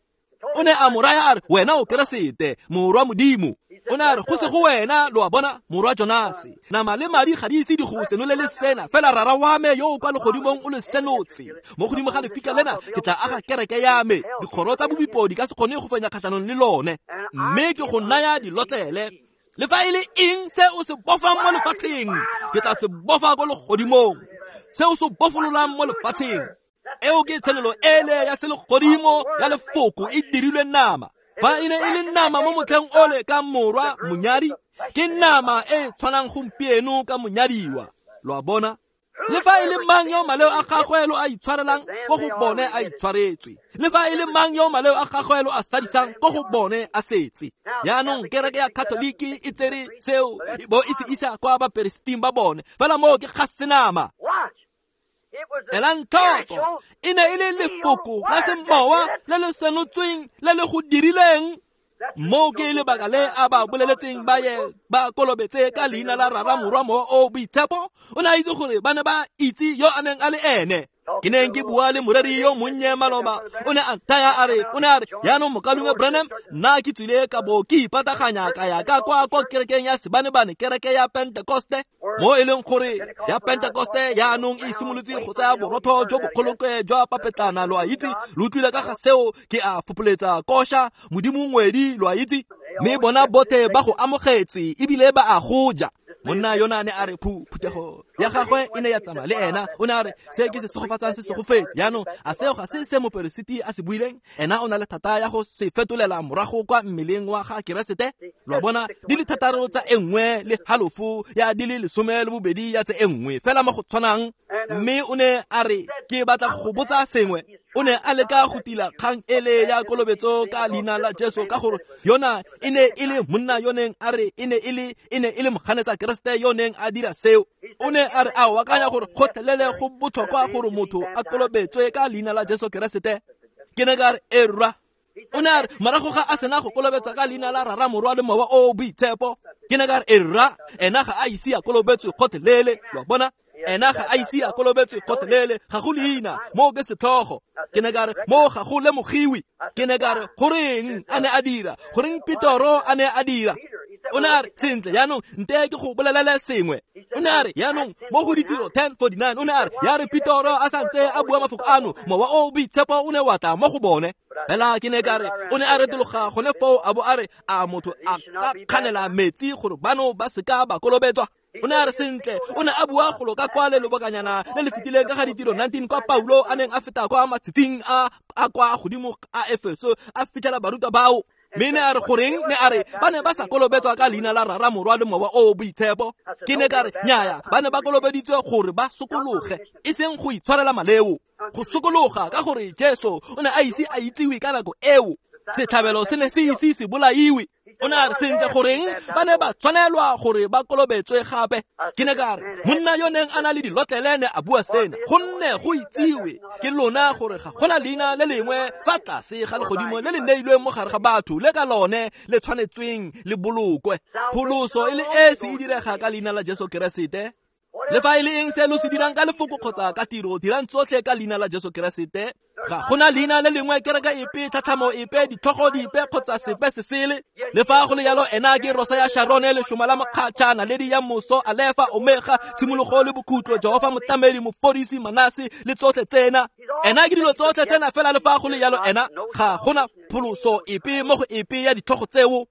O ne a mo raya a re, wena o Keresete, morwa Modimo. O ne a re, go se go wena, lo a bona, morwa Jonase. Nama le madi ga di ise di go senolele sena, fela rara wa me yo o kwa legodimong o le senotse. Mo godimo ga lefika lena ke tla aga kereke ya me, dikgoro tsa bobipo di ka se kgone go fenya kgatlhanong le lone. Mme ke go naya dilotlele. Le fa e le eng se o se bofang mo lefatsheng, ke tla se bofa ko legodimong. Se o se bofololang mo lefatsheng, eo ke tshenolo ele ya selegodimo ya lefoko e dirilwe nama. Fa e ne e le nama mo motlheng ole ka morwa monyadi, ke nama e tshwanang gompieno ka monyadiwa. Lo a bona? Le fa e le mang yo maleo a gagwe lo a itshwarelang, ko go bone a itshwaretswe. Le fa e le mang yo maleo a gagwe lo a sadisang, ko go bone a setse. Jaanong kereke ya Katoliki e tsere seo e bo e se isa kwa baperesiteng ba bone, fela moo ke ga senama. Elang tlhoko, e ne e le lefoko la semowa le le senotsweng le le go dirileng. Moo ke lebaka le a ba boleletseng ba ye ba kolobetse ka leina la Rara, Morwa, Mowa o Boitshepo. O ne a itse gore ba ne ba itse yo a neng a le ene. Ke neng ke bua le moreri yo monnye maloba, o ne a nthaya a re, o ne a re, jaanong mokaulengwe Branham, nna ke tswile ka bo ke ipataganya ka ya ka kwa kwa kerekeng ya Sebanebane, kereke ya Pentekoste, mo e leng gore ya Pentekoste jaanong e simolotse go tsaya borotho jo bokgolokwe jwa papetlana, lo a itse, lo utlwile ka ga seo, ke a fopoletsa kosha, Modimo ngwedi, lo a itse, mme bona botlhe ba go amogetse ebile ba a go ja. Monna yona ne a re phu phuthego ya gagwe e ne ya tsamaya le ena. O ne a re, se ke se segofatsang se segofetse. Jaanong a seo ga se se moperesiti a se buileng? Ena o na le thata ya go se fetolela morago kwa mmeleng wa ga Keresete. Lo a bona, di le thataro tsa e nngwe le halofo ya di le lesome le bobedi ya tse e nngwe, fela mo go tshwanang. Mme o ne a re, ke batla go botsa sengwe. O ne a leka go tila kgang ele ya kolobetso ka leina la Jesu, ka gore yona e ne e le monna yo neng a re e ne e le e ne e le moganetsa Keresete yo neng a dira seo. O ne a re a o akanya gore gotlhelele go botlhokwa gore motho a kolobetswe ka leina la Jesu Keresete. Ke ne ka re, erra. O ne a re morago ga a sena go kolobetswa ka leina la Rara, Morwa le Mowa o Boitshepo. Ke ne ka re, erra, ena ga a ise a kolobetswe gotlhelele. Lo a bona? Ena ga a ise a kolobetswe gotlhelele, ga go leina, moo ke setlhogo. Ke ne ka re, moo ga go lemogiwe. Ke ne ka re, goreng a ne a dira? Goreng Petoro a ne a dira? O ne a re, sentle, jaanong nte ke go bolelele sengwe. O ne a re, jaanong mo go Ditiro ten forty-nine, o ne a re, ya re Petoro a santse a bua mafoko ano, Mowa o Boitshepo o ne wa tla mo go bone. Fela ke ne ka re, o ne a retologa gone foo a bo a re, a motho a ka kganela metsi gore bano ba seka ba kolobetswa? O ne a re, sentle, o ne a bua golo ka kwa le lobakanyana le le fetileng ka ga Ditiro nineteen, kwa Paulo a neng a feta kwa matshitsing a a kwa godimo a Efeso a fitlhela barutwa bao. Mme ne a re goreng? Ne a re ba ne ba sa kolobetswa ka leina la Rara, Morwa le Mowa o Boitshepo. Ke ne ka re, nnyaya, ba ne ba kolobeditswe gore ba sokologe, e seng go itshwarela maleo. Go sokologa ka gore Jesu o ne a ise a itsiwe ka nako eo. Setlhabelo se ne se ise se bolaiwe. O ne a re, sentle, goreng ba ne ba tshwanelwa gore ba kolobetswe gape? Ke ne ka re, monna yo neng a na le dilotlele ne a bua sena, gonne go itsiwe ke lona gore ga gona leina le lengwe fa tlase ga legodimo le le neilweng mo gare ga batho le ka lone le tshwanetsweng le bolokwe. Pholoso e le esi e direga ka leina la Jesu Keresete. Le fa e le eng se lo se dirang ka lefoko kgotsa ka tiro, dirang tsotlhe ka leina la Jesu Keresete. Ga gona leina le lengwe, kereke epe, tlhatlhamo epe, ditlhogo dipe kgotsa sepe se sele. Le fa go le jalo, ena ke rosa ya Sharone, lešoma la mokgatšha, naledi ya moso, Alefa, Omega, tshimologo le bokhutlo, Jehofa motamedi, mofodisi, Manase le tsotlhe tsena. Ena ke dilo tsotlhe tsena, fela le fa go le jalo, ena ga gona pholoso epe mo go epe ya ditlhogo tseo.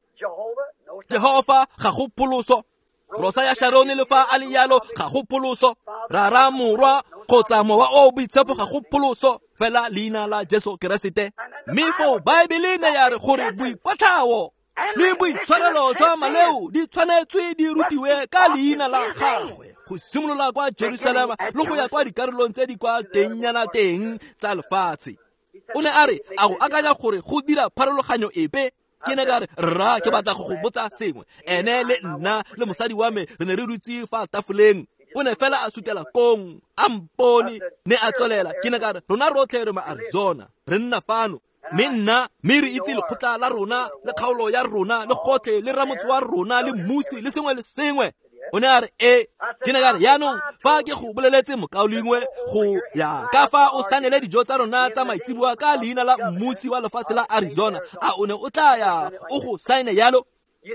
Jehofa ga go pholoso. Rosa ya Sharone le fa a le jalo, ga go pholoso. Rara, Morwa kgotsa Mowa o Boitshepo ga go pholoso, fela leina la Jesu Keresete. Mme foo Baebele ne ya re gore boikwatlhao le boitshwarelo jwa maleo di tshwanetswe di rutiwe ka leina la gagwe, go simolola kwa Jerusalema le go ya kwa dikarolong tse di kwa tengnyana teng tsa lefatshe. O ne a re, a go akanya gore go dira pharologanyo epe? Ke ne ka re, rra, ke batla go go botsa sengwe. Ene le nna le mosadi wa me re ne re dutse fa tafoleng. O ne fela a sutela kong, a mpone, ne a tswelela. Ke ne ka re, rona rotlhe re ma Arizona, re nna fano. Mme nna, mme re itse lekgotla la rona, le kgaolo ya rona, le gotlhe, le ramotse wa rona, le mmusi, le sengwe le sengwe. O ne a re e ke ne ka re yaanong fa ke go boleletse mokaulengwe go ya ka fa o sanele dijo tsa rona tsa maitseboa ka leina la mmusi wa lefatshe la Arizona, a o ne o tla ya o go saene yalo?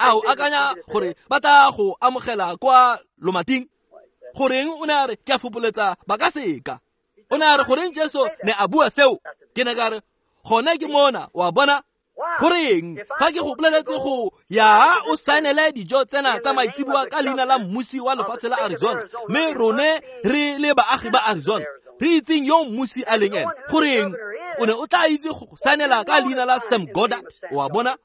A o akanya gore ba tla go amogela kwa lomating? Goreng o ne a re ke a fopoletsa ba ka seka. O ne a re goreng Jesu ne a bua seo? Ke ne ka re gone ke mona, wa bona. Goreng fa ke go boleletse go ya o saenele dijo tsena tsa maitseboa ka leina la mmusi wa lefatshe la Arizona, mme rone re le baagi ba Arizona re itseng yo mmusi a leng ene, goreng o ne o tla itse go saenela ka leina la Sam Goddard? Wa bona.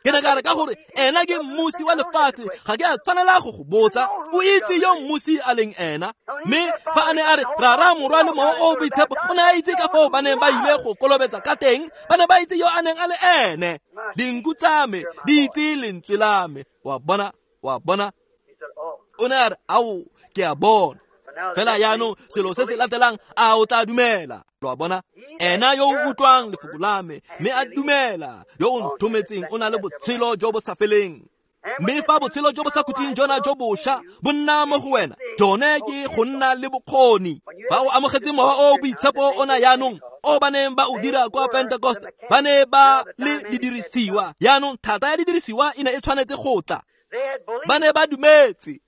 Ke ne ka re ka gore ena ke mmusi wa lefatshe, ga ke a tshwanela go go botsa, o itse yo mmusi a leng ena. Mme fa a ne a re rara morwa le mowa o boitshepo, o ne a itse ka foo ba neng ba ile go kolobetsa ka teng, ba ne ba itse yo a neng a le ene. Dinku tsa me di itse lentswe la me. Wa bona, wa bona. O ne a re ao ke a bona. Fela yaanong selo se se latelang, a o tla dumela? Lo a bona. Ena yo o utlwang lefoko la me mme a dumela yo o nthometseng o na le botshelo jo bo sa feleng. Mme fa botshelo jo bo sa khutleng jona jo bošwa bo nna mo go wena, jone ke go nna le bokgoni. Ba o amogetse mowa o boitshepo ona yaanong o ba neng ba o dira kwa Pentecost, ba ne ba le didirisiwa. Yaanong thata ya didirisiwa e ne e tshwanetse go tla. Ba ne ba dumetse.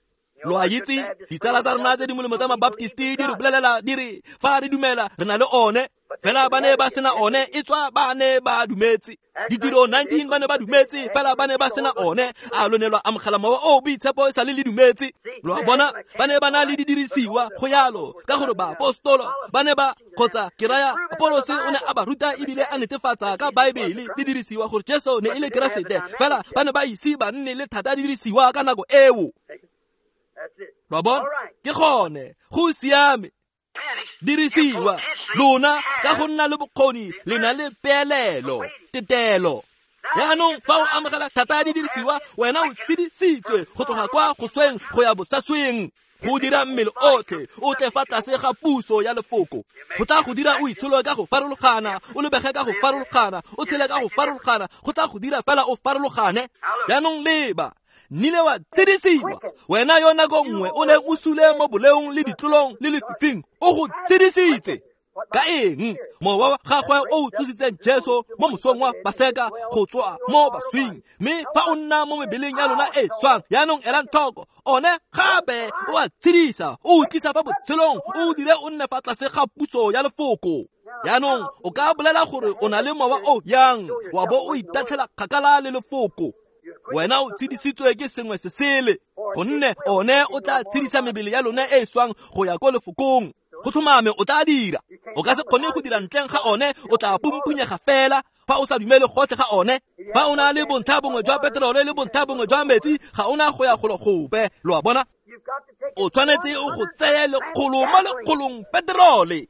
Lo a itse ditsala tsa rona tse di molemo tsa mabaptisti di re bolelela di re fa re dumela re na le one, fela ba ne ba sena one, e tswa ba ne ba dumetse. Ditiro nineteen ba ne ba dumetse, fela ba ne ba sena one. A lo ne lwa amogela mowa o boitshepo e sa le le dumetse? Lo a bona, ba ne ba na le didirisiwa go yalo, ka gore baapostolo ba ne ba kgotsa ke raya Apolose o ne a ba ruta ebile a netefatsa ka Baebele didirisiwa gore Jesu ne e le Keresete, fela ba ne ba ise ba nne le thata didirisiwa ka nako eo. Lo a bona, ke gone go siame. Dirisiwa lona ka go nna le bokgoni le na le peelelo tetelo. Yaanong fa o amogela thata ya didirisiwa, wena o tshedisitswe go tloga kwa go sweng go ya bosasweng, go dira mmele otlhe o tle fa tlase ga puso ya lefoko. Go tla go dira o itsholo ka go farologana, o lebege ka go farologana, o tshele ka go farologana, go tla go dira fela o farologane. Yaanong leba nnile wa tshedisiwa, wena yo nako nngwe o neng o sule mo boleong le ditlolong le lefifing, o go tshedisitse ka eng? Mowa wa gagwe o o tsositseng Jesu mo mosong wa Paseka go tswa mo baswing. Mme fa o nna mo mebeleng ya lona e swang, yaanong elang tlhoko, one gape o a tshedisa, o o tlisa fa botshelong, o o dire o nne fa tlase ga puso ya lefoko. Yaanong o ka bolela gore o na le mowa o yang, wa bo o itatlhela kgakala le lefoko. Wena o tshedisitswe ke sengwe se sele, gonne one o tla tshedisa mebele ya lone e e swang go ya ko lefokong. Go tlhomame o tla dira. O ka se kgone go dira ntleng ga one, o tla pumpunyega fela fa o sa dumele gotlhe ga one. Fa o na le bontlha bongwe jwa peterole le bontlha bongwe jwa metsi, ga ona go ya golo gope. Lo a bona, o tshwanetse o go tseye lekgolo mo lekgolong peterole.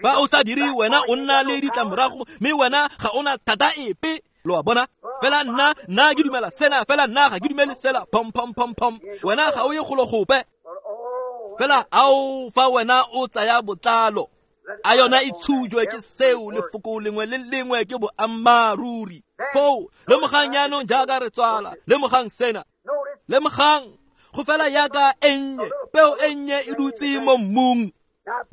Fa o sa dire, wena o nna le ditlamorago, mme wena ga ona thata epe. Lo a bona, fela nna nna ke dumela sena, fela nna ga ke dumele sela, pom pom pom pom, wena ga o ye golo gope. Fela ao fa wena o tsaya botlalo, a yona e tshujwe ke seo, lefoko lengwe le lengwe ke boammaaruri. Foo lemogang yaanong jaaka re tswala, lemogang sena, lemogang go fela yaka e nnye, peo e nnye e dutse mo mmung.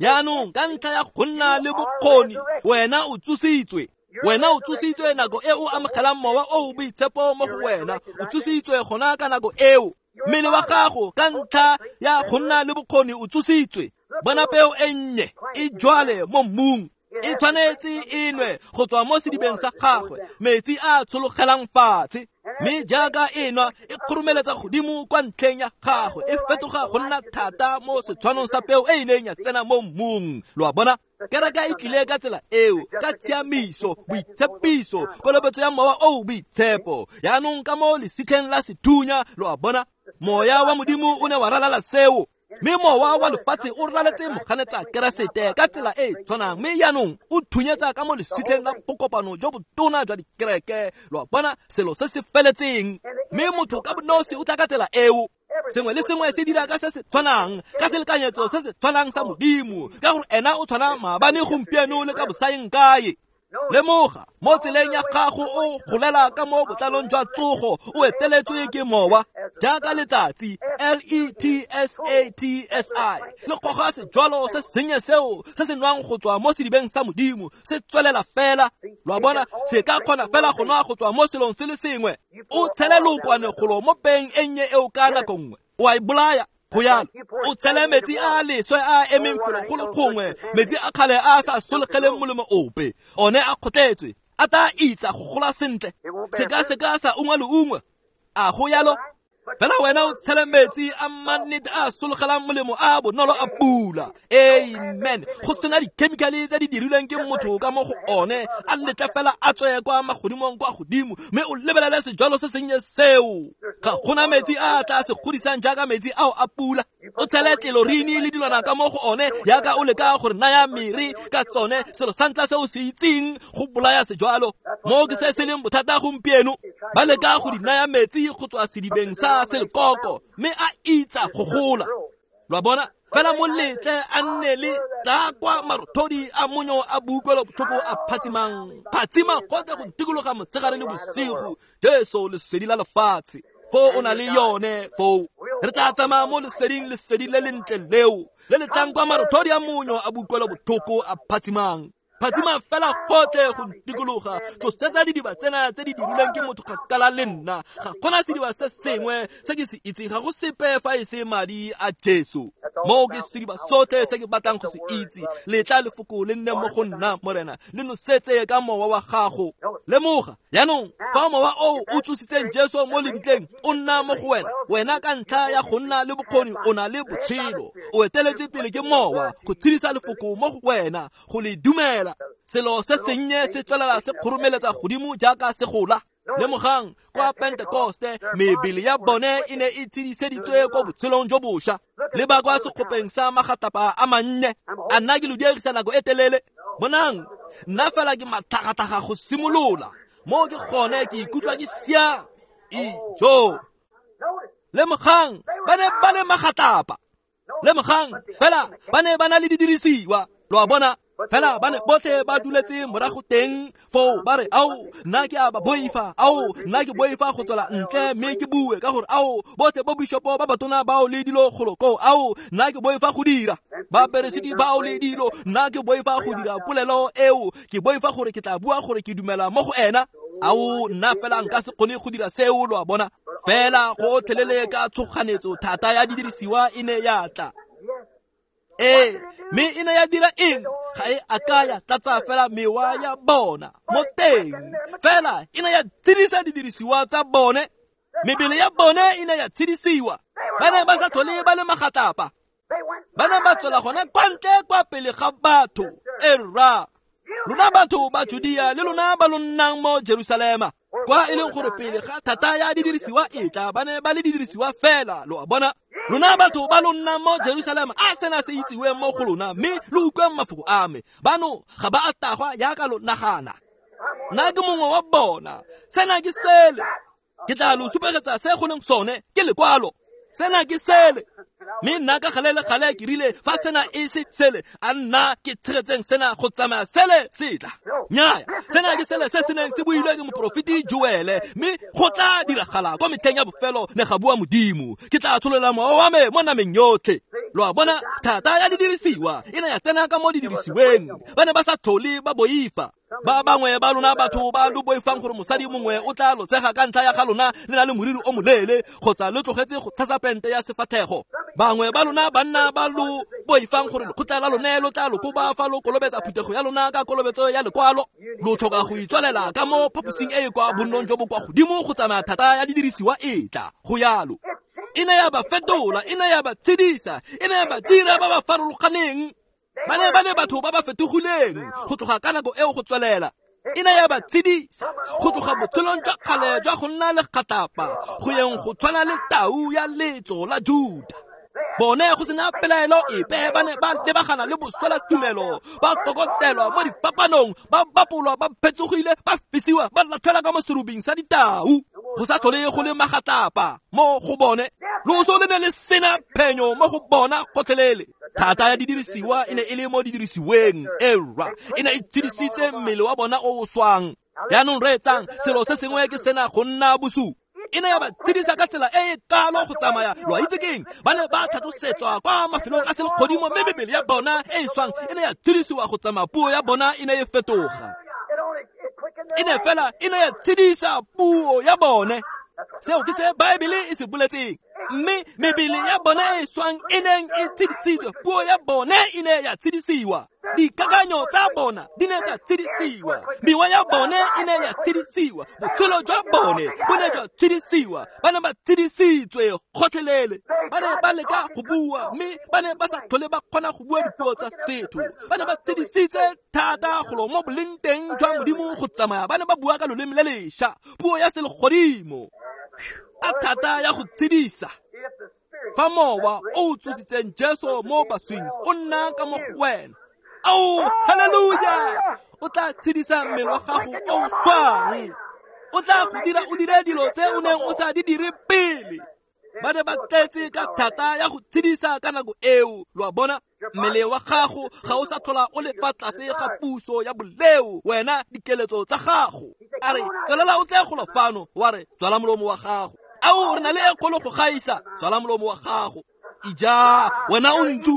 Yaanong ka ntlha ya go nna le bokgoni, wena o tsositswe. Wena o tsositswe nako e o amogelang mowa o boitshepo mo go wena, o tsositswe gona ka nako eo. Mmele wa gago ka ntlha ya go nna le bokgoni o tsositswe. Bona peo e nnye e jwale mo mmung, e tshwanetse e nwe go tswa mo sedibeng sa gagwe metsi a tshologelang fatshe, mme jaaka e nwa e kgoromeletsa godimo kwa ntlheng ya gagwe, e fetoga go nna thata mo setshwanong sa peo e e neng ya tsena mo mmung. Lo a bona, kereke e tlile ka tsela eo, ka tshiamiso, boitshepiso, kolobetso ya mowa o boitshepo. Yaanong ka mo lesitlheng la sethunya, lo a bona, moya wa Modimo o ne wa ralala seo, mme mowa wa lefatshe o raletse moganetsa Keresete ka tsela e tshwanang, mme yaanong o thunyetsa ka mo lesitlheng la bokopano jo botona jwa dikereke. Lo a bona, selo se se feletseng, mme motho ka bonosi o tla ka tsela eo. Sengwe le sengwe se dira ka se se tshwanang, ka selekanyetso se se tshwanang sa Modimo, ka gore ena o tshwana maabane, gompieno le ka bosaeng kae. Lemoga mo tseleng ya gago o golela ka mo botlalong jwa tsogo o eteletswe ke mowa jaaka letsatsi L E T S A T S I le goga sejwalo se sennye seo se se nwang go tswa mo sedibeng sa Modimo se tswelela fela. Lo a bona, se ka kgona fela go nwa go tswa mo selong se le sengwe. O tshele lookwane golo mo peng e nnye eo ka nako nngwe o a e bolaya. Go yalo o tshele metsi a leswe a emeng felo go le gongwe, metsi a kgale a sa solegeleng molemo ope, one a kgotletswe a tla itsa go gola sentle, seka-seka sa ungwe le ungwe. A go yalo fela wena o tshele metsi a mannete a sologelang molemo a bonolo a pula. Amen. Go sena dikhemikhale tse di dirilweng ke motho ka mo go one, a letle fela a tswe kwa magodimong kwa godimo, mme o lebelele sejwalo se sennye seo. Ga gona metsi a tla se godisang jaaka metsi ao a pula. O tshele tlelorini le dilwana ka mo go one jaaka o leka gore naya mere ka tsone, selo sa ntlha se o se itseng go bolaya sejwalo. Mo ke se se leng bothata gompieno, ba leka go di naya metsi go tswa sedibeng sa selekoko mme a itsa go gola. Lo a bona, fela mo letle a nne le tla kwa marothodi a monyo a boutlwelo botlhoko a phatsimang, phatsima gotlhe go ntikologa motshegare le bosigo. Jesu lesedi la lefatshe, foo o na le yone foo. Re tla tsamaya mo leseding, lesedi le lentle leo le le tlang kwa marothodi a monyo a boutlwelo botlhoko a phatsimang, phatsima fela gotlhe go ntikologa. Tlosetsa didiba tsena tse di dirilweng ke motho kgakala le nna. Ga gona sediba se sengwe se ke se itseng, ga go sepe fa e se madi a Jesu. Moo ke sediba sotlhe se ke batlang go se itse. Letla lefoko le nne mo go nna, Morena, le nosetse ka mowa wa gago. Lemoga jaanong fa mowa oo o tsositseng Jesu mo lebitleng o nna mo go wena, wena ka ntlha ya go nna le bokgoni o na le botshelo. O eteletswe pele ke mowa go tshedisa lefoko mo go wena, go le dumela. Selo se sennye se tswelela se kgoromeletsa godimo jaaka se gola. Lemogang kwa Pentekoste mebele ya bone e ne e tshediseditswe kwa botshelong jo bošwa, le ba kwa sekgopeng sa magatlapa a mannye. A nna ke lo diegisa nako e telele? Bonang, nna fela ke matlhagatlhaga go simolola mo ke gone ke ikutlwa ke siame. Ijo. Lemogang ba ne ba le magatlapa. Lemogang fela ba ne ba na le didirisiwa. Lo a bona, fela ba ne botlhe ba duletse morago teng foo ba re, ao nna ke a ba boifa, ao nna ke boifa go tswela ntle mme ke bue ka gore ao botlhe bo bishopo ba batona bao le dilo golo koo, ao nna ke boifa go dira, baperesiti bao le dilo, nna ke boifa go dira polelo eo, ke boifa gore ke tla bua gore ke dumela mo go ena. Ao nna fela nka se kgone go dira seo. Lo a bona, fela go otlhelele ka tshoganetso thata ya didirisiwa e ne ya tla. Ee, mme e ne ya dira eng? Ga e a ka ya tlatsa fela mewa ya bona mo teng, fela e ne ya tshedisa didirisiwa tsa bone. Mebele ya bone e ne ya tshedisiwa. Ba ne ba sa tlhole ba le magatlapa, ba ne ba tswela gona kwa ntle kwa pele ga batho. Erra, lona batho ba Judea le lona ba lo nnang mo Jerusalema, kwa e leng gore pele ga thata ya didirisiwa e tla, ba ne ba le didirisiwa fela. Lo a bona, lona batho ba lo nnang mo Jerusalema, a sena se itsiwe mo go lona, mme lo utlweng mafoko a me. Bano ga ba a tagwa jaaka lo nagana. Nna ke mongwe wa bona. Sena ke sele. Ke tla lo supegetsa se go leng sone, ke lekwalo. Sena ke sele. Mme nna ka gale le gale ke rile fa sena e se sele, a nna ke tshegetseng sena go tsamaya sele se tla. Nnyaya, sena ke sele se se neng se builwe ke moporofeti Joele, mme go tla diragala kwa metlheng ya bofelo, ne ga bua Modimo, ke tla tsholola mowa wa me mo nameng yotlhe. Lo a bona, thata ya didirisiwa e ne ya tsena ka mo didirisiweng. Ba ne ba sa tlhole ba boifa. Ba bangwe ba lona batho ba lo boifang gore mosadi mongwe o tla lo tsega ka ntlha ya ga lona le na le moriri o moleele, kgotsa lo tlogetse go tshasa pente ya sefatlhego. Bangwe ba lona banna ba lo boifang gore lekgotla la lone lo tla lo koba fa lo kolobetsa phuthego ya lona ka kolobetso ya lekwalo. Lo tlhoka go itswalela ka mo phaposing e e kwa bonnong jo bo kwa godimo go tsamaya thata ya didirisiwa e tla. Go yalo. E ne ya ba fetola, e ne ya ba tshedisa, e ne ya ba dira ba ba farologaneng. Ba ne ba le batho ba ba fetogileng go tloga ka nako eo go tswelela. E ne ya ba tshedisa go tloga botshelong jwa kgale jwa go nna legatlapa go yeng go tshwana le tau ya letso la Juda. Bone go sena pelaelo epe ba ne ba lebagana le boswela tumelo, ba kokotelwa mo difapanong, ba bapolwa, ba phetsogile, ba fisiwa, ba latlhelwa ka mo serubing sa ditau. Go sa tlhole go le magatlapa mo go bone. Loso le ne le sena phenyo mo go bona gotlhelele. Thata ya didirisiwa e ne e le mo didirisiweng, era e ne e tshedisitse mmele wa bona o o swang. Jaanong reetsang, selo se sengwe ke sena go nna bosupi. E ne ya ba tshedisa ka tsela e e kalo go tsamaya. Lo a itse keng? Ba ne ba tlhatlosetswa kwa mafelong a selegodimo, mme mebele ya bona e e swang e ne ya tshedisiwa go tsamaya. Puo ya bona e ne e fetoga. E ne fela e ne ya tshedisa puo ya bone. Seo ke se Baebele e se boletseng. Mme mebele ya bone e swang e neng e tshedisitswe, puo ya bone e ne ya tshedisiwa. Dikakanyo tsa bona di ne tsa tshedisiwa, mewa ya bone e ne ya tshedisiwa, botshelo jwa bone bo ne jwa tshedisiwa. Ba ne ba tshedisitswe gotlhelele. Ba ne ba leka go bua, mme ba ne ba sa tlhole ba kgona go bua dipuo tsa setho. Ba ne ba tshedisitswe thata golo mo boleng teng jwa Modimo go tsamaya. Ba ne ba bua ka loleme le lešwa, puo ya selegodimo. A thata ya go tshedisa. Fa mowa o o tsositseng Jesu mo baswing o nna ka mo go wena, ao, haleluja, o tla tshedisa mmele wa gago o o swang. O tla go dira o dire dilo tse o neng o sa di dire pele. Ba ne ba tletse ka thata ya go tshedisa ka nako eo. Lo a bona, mmele wa gago ga o sa tlhola o le fa tlase ga puso ya boleo. Wena dikeletso tsa gago, a re tswelela o tle golo fano, wa re tswala molomo wa gago. Ao, re na le e kgolo go gaisa, tswala molomo wa gago. Ija, wena o ntsu.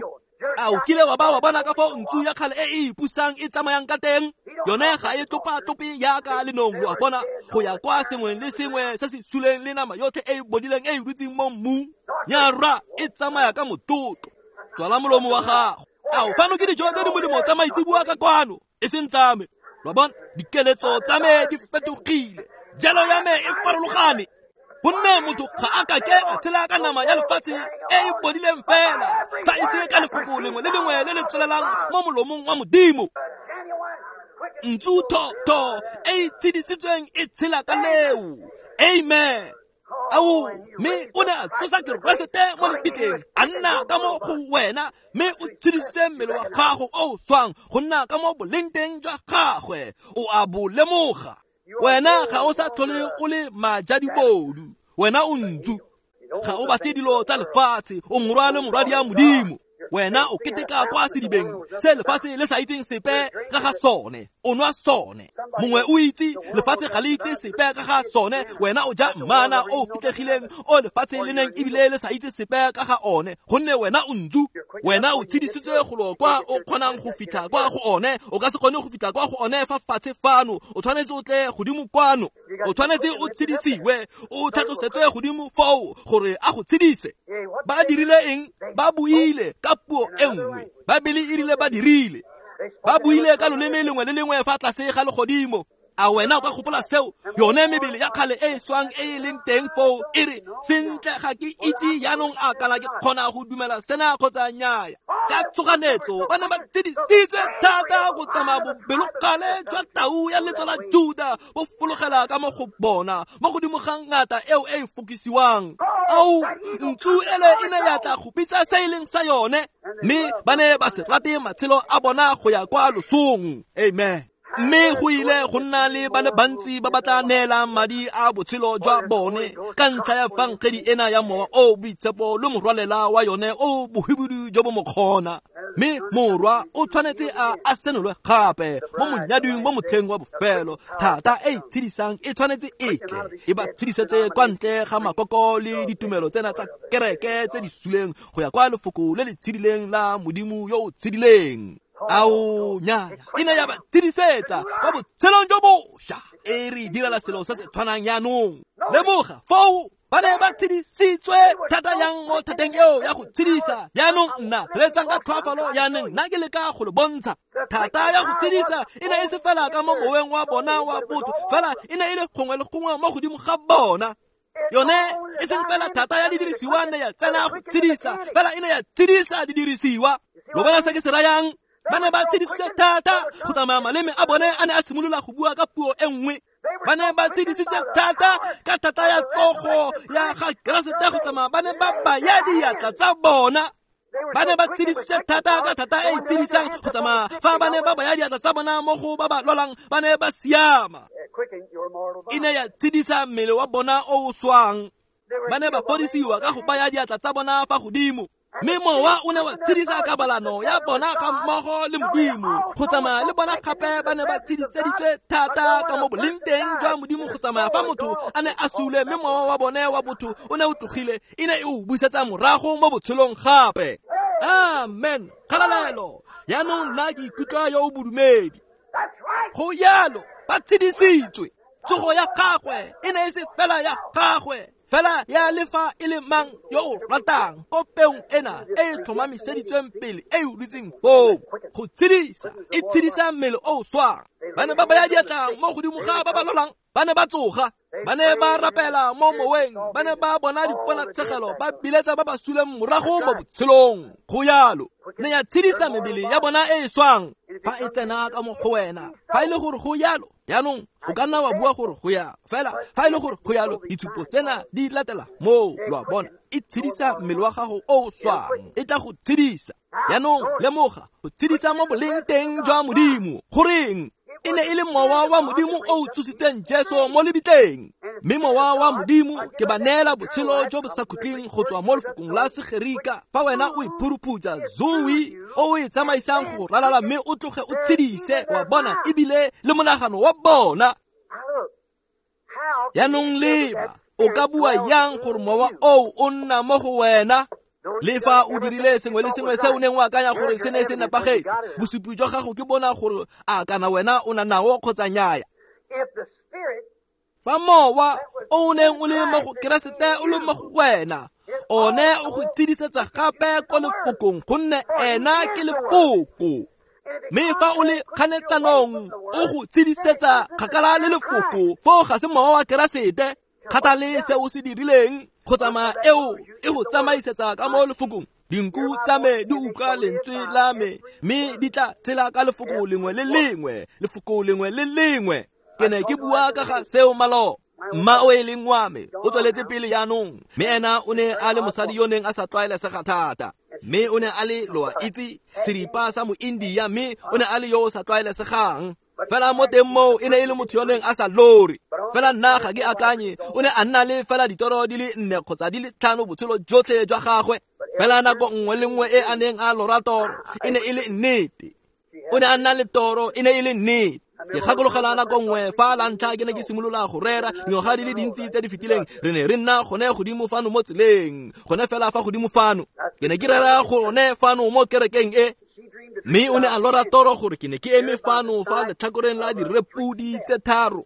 A o kile wa ba wa bona ka fao ntsu ya kgale e e ipusang e tsamayang ka teng? Yone ga e tlopa-tlope yaka lenong, lo a bona, go ya kwa sengwe le sengwe se se suleng le nama yotlhe e e bodileng e e dutseng mo mmung. Nyara e tsamaya ka motlotlo. Tswala molomo wa gago. Ao, fano ke dijo tse di molemo tsa maitseboa ka kwano, e seng tsa me. Lo a bona, dikeletso tsa me di fetogile, jalo ya me e farologane. Gonne motho ga a kake a tshela ka nama ya lefatshe e e bodileng fela, fa e se ka lefoko lengwe le lengwe le le tswelelang mo molomong wa Modimo. Ntsu tho-tho e e tshedisitsweng e tshela ka leo. Amen. Ao, mme o ne a tsosa Keresete mo lebitleng, a nna ka mo go wena, mme o tshedisitse mmele wa gago o o swang go nna ka mo boleng teng jwa gagwe. O a bo lemoga. Wena ga o sa tlhole o le majadibodu, wena o ntsu. Ga o batle dilo tsa lefatshe, o morwa le morwadi ya Modimo. Wena o keteka kwa sedibeng se lefatshe le sa itseng sepe ka ga sone, o nwa sone. Mongwe o itse lefatshe ga le itse sepe ka ga sone, wena o ja mmana o fitlhegileng o lefatshe le neng ebile le sa itse sepe ka ga one, gonne wena o ntsu. Wena o tshedisitswe golo kwa o kgonang go fitlha kwa go one. O ka se kgone go fitlha kwa go one fa fatshe fano, o tshwanetse o tle godimo kwano. O tshwanetse o tshedisiwe, o tlhatlosetswe godimo foo gore a go tshedise. Ba dirile eng? Ba buile ka puo e nngwe. Baebele e rile ba dirile. Ba buile ka loleme lengwe le lengwe fa tlase ga legodimo. A wena o ka gopola seo? Yone mebele ya kgale e e swang e e leng teng foo e re, sentle ga ke itse jaanong a kana ke kgona go dumela sena kgotsa nnyaya. Ka tshoganetso ba ne ba tshedisitswe thata go tsamaya bobelokgale jwa tau ya letso la Juda bo fologela ka mo go bona, mo godimo ga ngata eo e e fokisiwang. Ao, ntsu ele e ne ya tla go bitsa se e leng sa yone, mme ba ne ba se rate matshelo a bona go ya kwa losong. Amen. Mme go ile go nna le ba le bantsi ba ba tla neelang madi a botshelo jwa bone ka ntlha ya fangedi ena ya mowa o boitshepo le morwalela wa yone o bohibidu jo bo mokgona. Mme morwa o tshwanetse a a senolwe gape mo monyading mo motlheng wa bofelo. Thata e e tshedisang e tshwanetse e tle e ba tshedisetse kwa ntle ga makoko le ditumelo tsena tsa kereke tse di suleng go ya kwa lefoko le le tshedileng la Modimo yo o tshedileng. Ao, nyaya e ne ya ba tshedisetsa kwa botshelong jo bošwa. E re direla selo se se tshwanang jaanong. Lemoga foo ba ne ba tshedisitswe thata yang mo thateng eo ya go tshedisa. Jaanong nna reetsang ka tlhoafalo, jaanong nna ke leka go le bontsha. Thata ya go tshedisa e ne e se fela ka mo moweng wa bona wa botho, fela e ne e le gongwe le gongwe mo godimo ga bona. Yone e seng fela thata ya didirisiwa ne ya tsena go tshedisa, fela e ne ya tshedisa didirisiwa. Lo bona se ke se rayang? Ba ne ba tshedisitse thata go tsamaya maleme a bone a ne a simolola go bua ka puo e nngwe. Ba ne ba tshedisitse thata ka thata ya tsogo ya ga Keresete go tsamaya ba ne ba baya diatla tsa bona. Ba ne ba tshedisitse thata ka thata e e tshedisang go tsamaya fa ba ne ba baya diatla tsa bona mo go ba ba lwalang, ba ne ba siama. E ne ya tshedisa mmele wa bona o o swang. Ba ne ba fodisiwa ka go baya diatla tsa bona fa godimo. Mme mowa o ne wa tshedisa kabalano ya bona ka mmogo le Modimo go tsamaya le bona gape ba ne ba tshediseditswe thata ka mo boleng teng jwa Modimo go tsamaya fa motho a ne a sule mme mowa wa bone wa botho o ne o tlogile e ne e o busetsa morago mo botshelong gape. Amen. Kgalalelo. Jaanong nna ke ikutlwa yo o bodumedi. Go jalo ba tshedisitswe. Tsogo ya gagwe e ne e se fela ya gagwe fela ya le fa e le mang yo o ratang ko peong ena e e tlhomamiseditsweng pele e o dutseng foo go tshedisa e tshedisa mmele o o swang. Ba ne ba baya diatla mo godimo ga ba ba lwalang, ba ne ba tsoga, ba ne ba rapela mo moweng, ba ne ba bona diponatshegelo, ba biletsa ba ba suleng morago mo botshelong. Go jalo ne ya tshedisa mebele ya bona e e swang fa e tsena ka mo go wena. Fa e le gore go jalo, jaanong o ka nna wa bua gore go ya fela fa e le gore go jalo ditshupo tsena di latela moo, lo a bona, e tshedisa mmele wa gago o o swang, e tla go tshedisa. Jaanong lemoga go tshedisa mo boleng teng jwa Modimo. Goreng? E ne e le mowa wa Modimo o o tsositseng Jesu mo lebitleng. Mme mowa wa Modimo ke ba neela botshelo jo bo sa khutleng go tswa mo lefokong la Segerika. Fa wena o iphuruphutsa zoe o e tsamaisang go ralala mme o tloge o tshedise wa bona ebile le monagano wa bona. Jaanong leba, o ka bua yang gore mowa oo o nna mo go wena? Le fa o dirile sengwe le sengwe se o neng o akanya gore se ne se nepagetse, bosupi jwa gago ke bona gore a kana wena o na nao kgotsa nnyaya. Fa mowa o o neng o le mo go Keresete o le mo go wena, one o go tshedisetsa gape ko lefokong gonne ena ke lefoko. Mme fa o le kganetsanong o go tshedisetsa kgakala le lefoko, foo ga se mowa wa Keresete. Kgathale se o se dirileng go tsamaya eo e go tsamaisetsa ka mo lefokong. Dinku tsa me di utlwa lentswe la me mme di tla tshela ka lefoko lengwe le lengwe, lefoko lengwe le lengwe. Ke ne ke bua ka ga seo maloba. Mma o e leng wa me o tsweletse pele jaanong, mme ena o ne a le mosadi yo neng a sa tlwaelesega thata, mme o ne a le, lo a itse, seripa sa mo-India, mme o ne a le yo o sa tlwaelesegang. Fela mo teng moo e ne e le motho yo neng a sa lore. Fela nna ga ke akanye o ne a nna le fela ditoro di le nne kgotsa di le tlhano botshelo jotlhe jwa gagwe. Fela nako nngwe le nngwe e a neng a lora toro e ne e le nnete. O ne a nna le toro e ne e le nnete. Ke gakologela nako nngwe fa la ntlha ke ne ke simolola go rera dingwaga di le dintsi tse di fetileng, re ne re nna gone godimo fano mo tseleng, gone fela fa godimo fano. Ke ne ke rera gone fano mo kerekeng e. Mme o ne a lora toro gore ke ne ke eme fano fa letlhakoreng la direpodi tse tharo.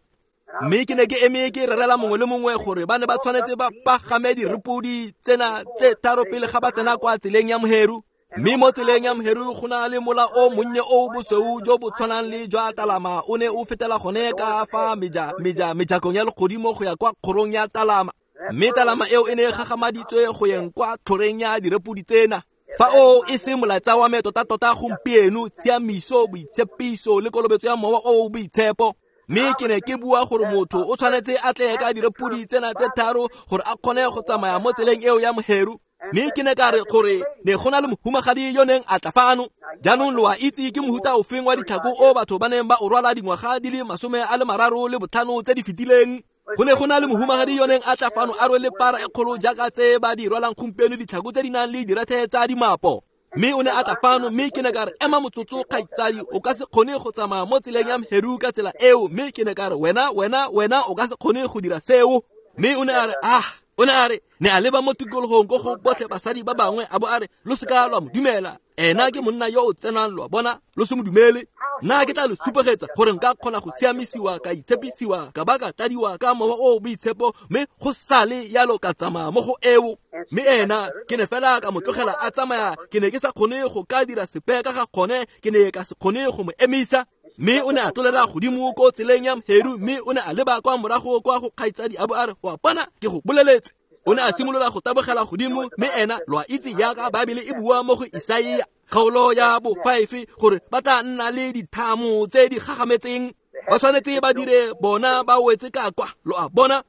Mme ke ne ke eme ke rerela mongwe le mongwe gore ba ne ba tshwanetse ba pagame direpodi tsena tse tharo pele ga ba tsena kwa tseleng ya Moheru. Mme mo tseleng ya Moheru go na le mola o monnye o bosweu jo bo tshwanang le jwa talama, o ne o fetela gone ka fa meja meja mejakong ya legodimo go ya kwa kgorong ya talama. Mme talama eo e ne e gagamaditswe go yeng kwa tlhoreng ya direpodi tsena. Fa o e se molaetsa wa me tota-tota gompieno, tshiamiso, boitshepiso le kolobetso ya mowa o o boitshepo. Mme ke ne ke bua gore motho o tshwanetse a tle ka direpodi tsena tse tharo gore a kgone go tsamaya mo tseleng eo ya Moheru. Mme ke ne ka re gore ne go na le mohumagadi yo neng a tla fano. Jaanong lo a itse ke mohuta ofeng wa ditlhako o batho ba neng ba o rwala dingwaga di le masome a le mararo le botlhano tse di fetileng. Go ne go na le mohumagadi yo neng a tla fano a rwele para e kgolo jaaka tse ba di rwalang gompieno, ditlhako tse di nang le direthe tsa dimapo. Mme o ne a tla fano, mme ke ne ka re, ema motsotso kgaitsadi, o ka se kgone go tsamaya mo tseleng ya Moheru ka tsela eo. Mme ke ne ka re, wena wena wena o ka se kgone go dira seo. Mme o ne a re, ah, o ne a re, ne a leba mo tikologong ko go botlhe basadi ba bangwe, a bo a re, lo seka lwa mo dumela, ena ke monna yo o tsenang, lo a bona, lo se mo dumele. Nna ke tla lo supegetsa gore nka kgona go siamisiwa, ka itshepisiwa, ka ba ka tladiwa ka mowa o o boitshepo, mme go sale yalo ka tsamaya mo go eo. Mme ena ke ne fela ka mo tlogela a tsamaya, ke ne ke sa kgone go ka dira sepe ka ga kgone, ke ne ka se kgone go mo emisa. Mme o ne a tlolela godimo ko tseleng ya Moheru, mme o ne a leba kwa morago kwa go kgaitsadi a bo a re, wa bona, ke go boleletse. O ne a simolola go tabogela godimo, mme ena lo a itse jaaka Baebele e bua mo go Isaia kgaolo ya bo five gore ba tla nna le dithamo tse di gagametseng, ba tshwanetse ba dire bona ba wetse ka kwa, lo a bona.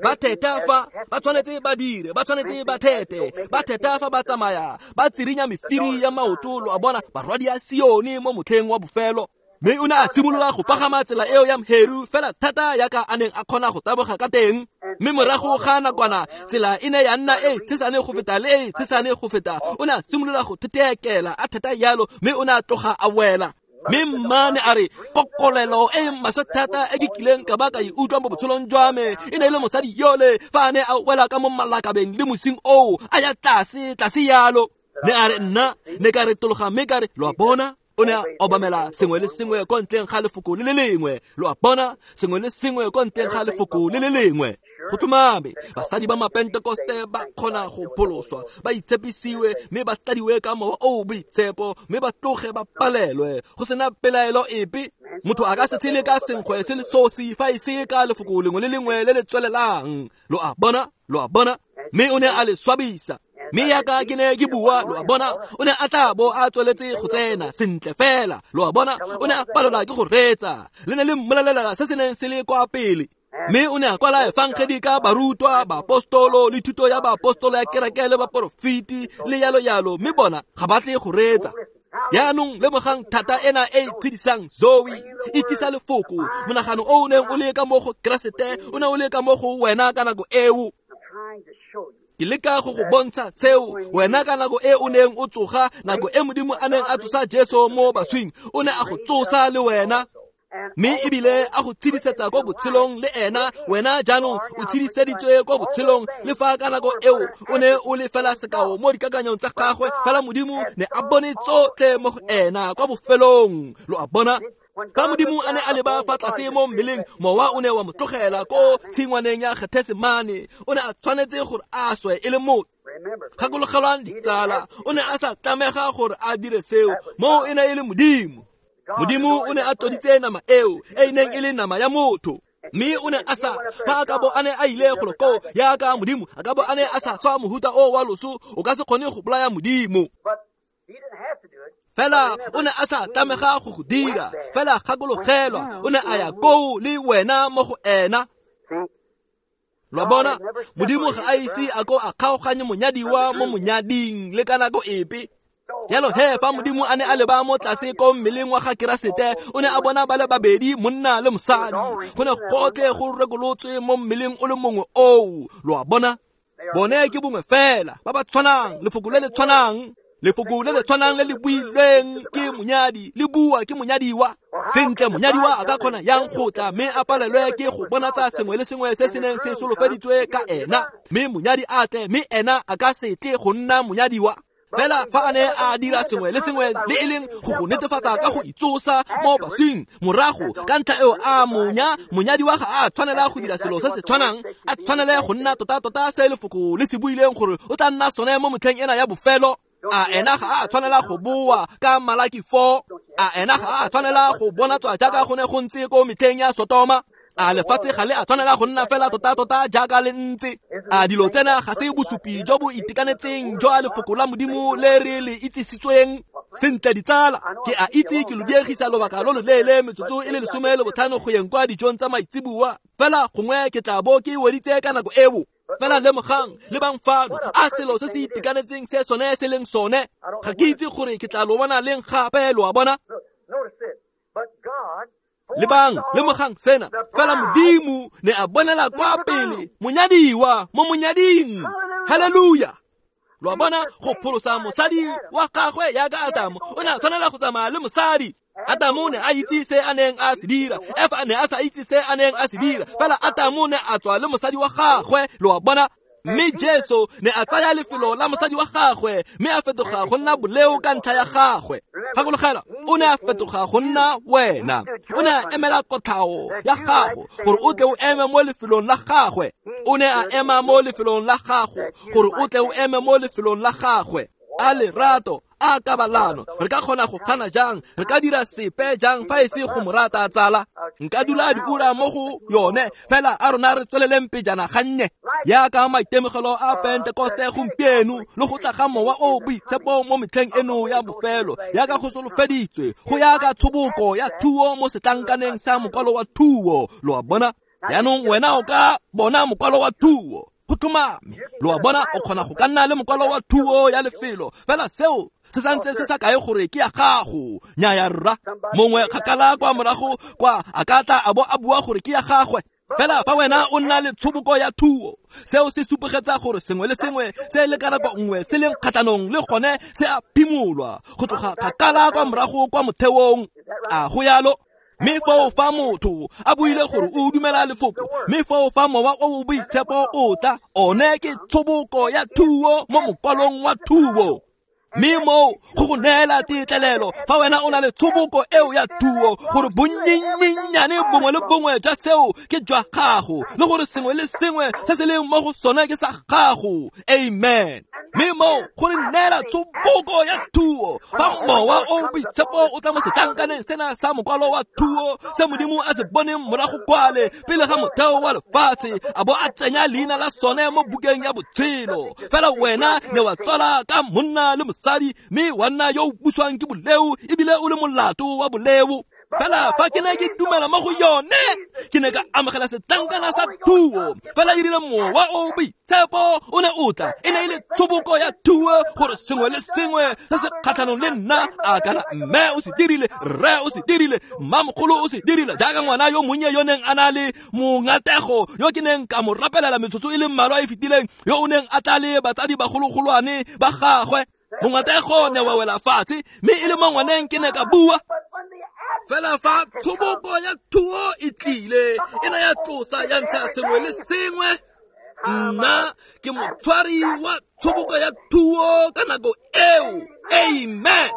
Ba theta fa ba tshwanetse ba dire, ba tshwanetse ba thete, ba theta fa ba tsamaya, ba tsirinya mefiri ya maoto, lo a bona, barwadi ya Sione mo motlheng wa bofelo. Mme o ne a simolola go pagama tsela eo ya mheru fela thata yaka a neng a kgona go taboga ka teng. Mme morago ga nakwana tsela e ne ya nna e tshesane go feta le e tshesane go feta. O ne a simolola go thetheekela a thata yalo, mme o ne a tloga a wela. Mme mmane a re kokolelo e maswe thata e ke kileng ka ba ka e utlwa mo botshelong jwa me e ne e le mosadi yole fa a ne a wela ka mo malakabeng le mosing oo a ya tlase tlase yalo. Ne a re nna ne ka re tologa mme ka re lo a bona. O ne a obamela sengwe le sengwe ko ntleng ga lefoko le le lengwe. Lo a bona, sengwe le sengwe ko ntleng ga lefoko le le lengwe. Go tlhomame basadi ba mapentekoste ba kgona go pholoswa, ba itshepisiwe mme ba tladiwe ka mowa o o boitshepo, mme ba tloge ba palelwe go sena pelaelo epe. Motho a ka se tshele ka senkgwe se le sosi fa e se ka lefoko lengwe le lengwe le le tswelelang. Lo a bona, lo a bona. Mme o ne a le swabisa. Mme yaka ke ne ke bua, lo a bona, o ne a tla bo a tsweletse go tsena sentle fela. Lo a bona, o ne a palelwa ke go reetsa. Le ne le mmolelela se se neng se le kwa pele. Mme o ne a kwala efangedi ka barutwa, baapostolo le thuto ya baapostolo ya kereke le baporofiti le yalo yalo, mme bona ga ba tle go reetsa. Jaanong lemogang thata ena e e tshedisang Zoe e tlisa lefoko. Monagano o o neng o le ka mo go Keresete o ne o le ka mo go wena ka nako eo. Ke leka go go bontsha seo wena ka nako e o neng o tsoga, nako e Modimo a neng a tsosa Jesu mo baswing, o ne a go tsosa le wena. Mme ebile a go tshedisetsa ko botshelong le ena. Wena jaanong o tshediseditswe ko botshelong, le fa ka nako eo o ne o le fela sekao mo dikakanyong tsa gagwe, fela Modimo ne a bone tsotlhe mo go ena kwa bofelong. Lo a bona? Fa Modimo a ne a leba fa tlase mo mmeleng, mowa o ne wa mo tlogela ko tshingwaneng ya Gethesemane. O ne a tshwanetse gore a swe e le motho. Gakologelwang ditsala, o ne a sa tlamega gore a dire seo, moo e ne e le Modimo. Modimo o ne a tloditse nama eo e neng e le nama ya motho. Mme o ne a sa fa a ka bo a ne a ile golo koo yaka Modimo a ka bo a ne a sa swa mohuta o wa loso, o ka se kgone go bolaya Modimo. Fela o ne a sa tlamega go go dira, fela gakologelwa o ne a ya koo le wena mo go ena. Lo a bona, Modimo ga a ise a ko a kgaoganye monyadiwa mo monyading le ka nako epe. Jalo he fa Modimo a ne a leba mo tlase ko mmeleng wa ga Keresete, o ne a bona ba le babedi, monna le mosadi. Go ne gotlhe go rekolotswe mo mmeleng o le mongwe oo. Lo a bona, bone ke bongwe fela ba ba tshwanang, lefoko le le tshwanang. Lefoko le le tshwanang le le builweng ke monyadi le bua ke monyadiwa. Sentle monyadiwa a ka kgona yang go tla mme a palelwe ke go bonatsa sengwe le sengwe se se neng se solofeditswe ka ena, mme monyadi a tle mme ena a ka se tle go nna monyadiwa. Fela fa a ne a dira sengwe le sengwe le e leng go go netefatsa ka go itsosa mo baswing morago, ka ntlha eo a monya monyadiwa ga a tshwanela go dira selo se se tshwanang, a tshwanele go nna tota-tota se lefoko le se buileng gore o tla nna sone mo motlheng ena ya bofelo. A ena ga a tshwanela go boa ka Malaki four? A ena ga a tshwanela go bonatswa jaaka go ne go ntse ko metlheng ya Sotoma? A lefatshe ga le a tshwanela go nna fela tota-tota jaaka le ntse? A dilo tsena ga se bosupi jo bo itekanetseng jwa lefoko la Modimo le re le itsisitsweng? Sentle ditsala, ke a itse ke lo diegisa lobaka lo lo leele, metsotso e le lesome le botlhano go yeng kwa dijong tsa maitseboa, fela gongwe ke tla bo ke weditse ka nako eo. Fela lemogang, lebang fano, a selo se se itekanetseng se sone se leng sone. Ga ke itse gore ke tla lo bona leng gape, lo a bona. Lebang, lemogang sena, fela Modimo ne a bonela kwa pele monyadiwa mo monyading. Haleluya! Lo a bona, go pholosa mosadi wa gagwe yaka Adamo, o ne a tshwanela go tsamaya le mosadi. Adamo ne a itse se a neng a se dira, Efa ne a sa itse se a neng a se dira, fela Adamo ne a tswa le mosadi wa gagwe. Lo a bona. Mme Jesu ne a tsaya lefelo la mosadi wa gagwe, mme a fetoga go nna boleo ka ntlha ya gagwe. Gakologelwa, o ne a fetoga go nna wena. O ne a emela kotlhao ya gago gore o tle o eme mo lefelong la gagwe. O ne a ema mo lefelong la gago gore o tle o eme mo lefelong la gagwe. A lerato, a kabalano, re ka kgona go gana jang? Re ka dira sepe jang fa e se go mo rata tsala? Nka dula diura mo go yone, fela a rona re tsweleleng pejana gannye. Yaka maitemogelo a Pentekoste gompieno le go tla ga mowa o boitshepo mo metlheng eno ya bofelo, yaka go solofeditswe go ya ka tshoboko ya thuo mo setlankaneng sa mokwalo wa thuo. Lo a bona? Jaanong wena o ka bona mokwalo wa thuo go tlhomame. Lo a bona, o kgona go ka nna le mokwalo wa thuo ya lefelo, fela seo Se santse se sa kae gore ke ya gago. Nnyaya rra, mongwe kgakala kwa morago kwa a ka tla a bo a bua gore ke ya gagwe. Fela fa wena o nna le tshoboko ya thuo, seo se supegetsa gore sengwe le sengwe se le ka nako nngwe se leng kgatlhanong le gone se a phimolwa go tloga kgakala kwa morago kwa motheong. A go yalo? Mme foo fa motho a buile gore o dumela lefoko, mme foo fa mowa o o boitshepo o tla, one ke tshoboko ya thuo mo mokwalong wa thuo. Mme moo go go neela tetlelelo fa wena o na le tshoboko eo ya thuo gore bonnyennyane bongwe le bongwe jwa seo ke jwa gago, le gore sengwe le sengwe se se leng mo go sone ke sa gago. Amen. Mme moo go re neela tshoboko ya thuo fa mowa o boitshepo o tla mo setlankaneng sena sa mokwalo wa thuo se Modimo a se boneng morago kwale pele ga motheo wa lefatshe, a bo a tsenya leina la sone mo bukeng ya botshelo. Fela wena ne wa tswala ka monna le mosadi, mme wa nna yo o buswang ke boleo ebile o le molato wa boleo. Fela fa ke ne ke dumela mo go yone, ke ne ka amogela setlankana sa thuo. Fela e rile mowa o boitshepo o ne o tla, e ne e le tshoboko ya thuo gore sengwe le sengwe se se kgatlhanong le nna, a kana mme o se dirile, rre o se dirile, mmamogolo o se dirile, jaaka ngwana yo monnye yo neng a na le mongatego yo ke neng ka mo rapelela metsotso e le mmalwa e fetileng, yo o neng a tla le batsadi bagologolwane ba gagwe. Mongatego ne wa wela fatshe, mme e le mo ngwaneng ke ne ka bua. Fela fa tshoboko ya thuo e tlile, e ne ya tlosa ya ntsha sengwe le sengwe. Nna ke motshwari wa tshoboko ya thuo ka nako eo. Amen.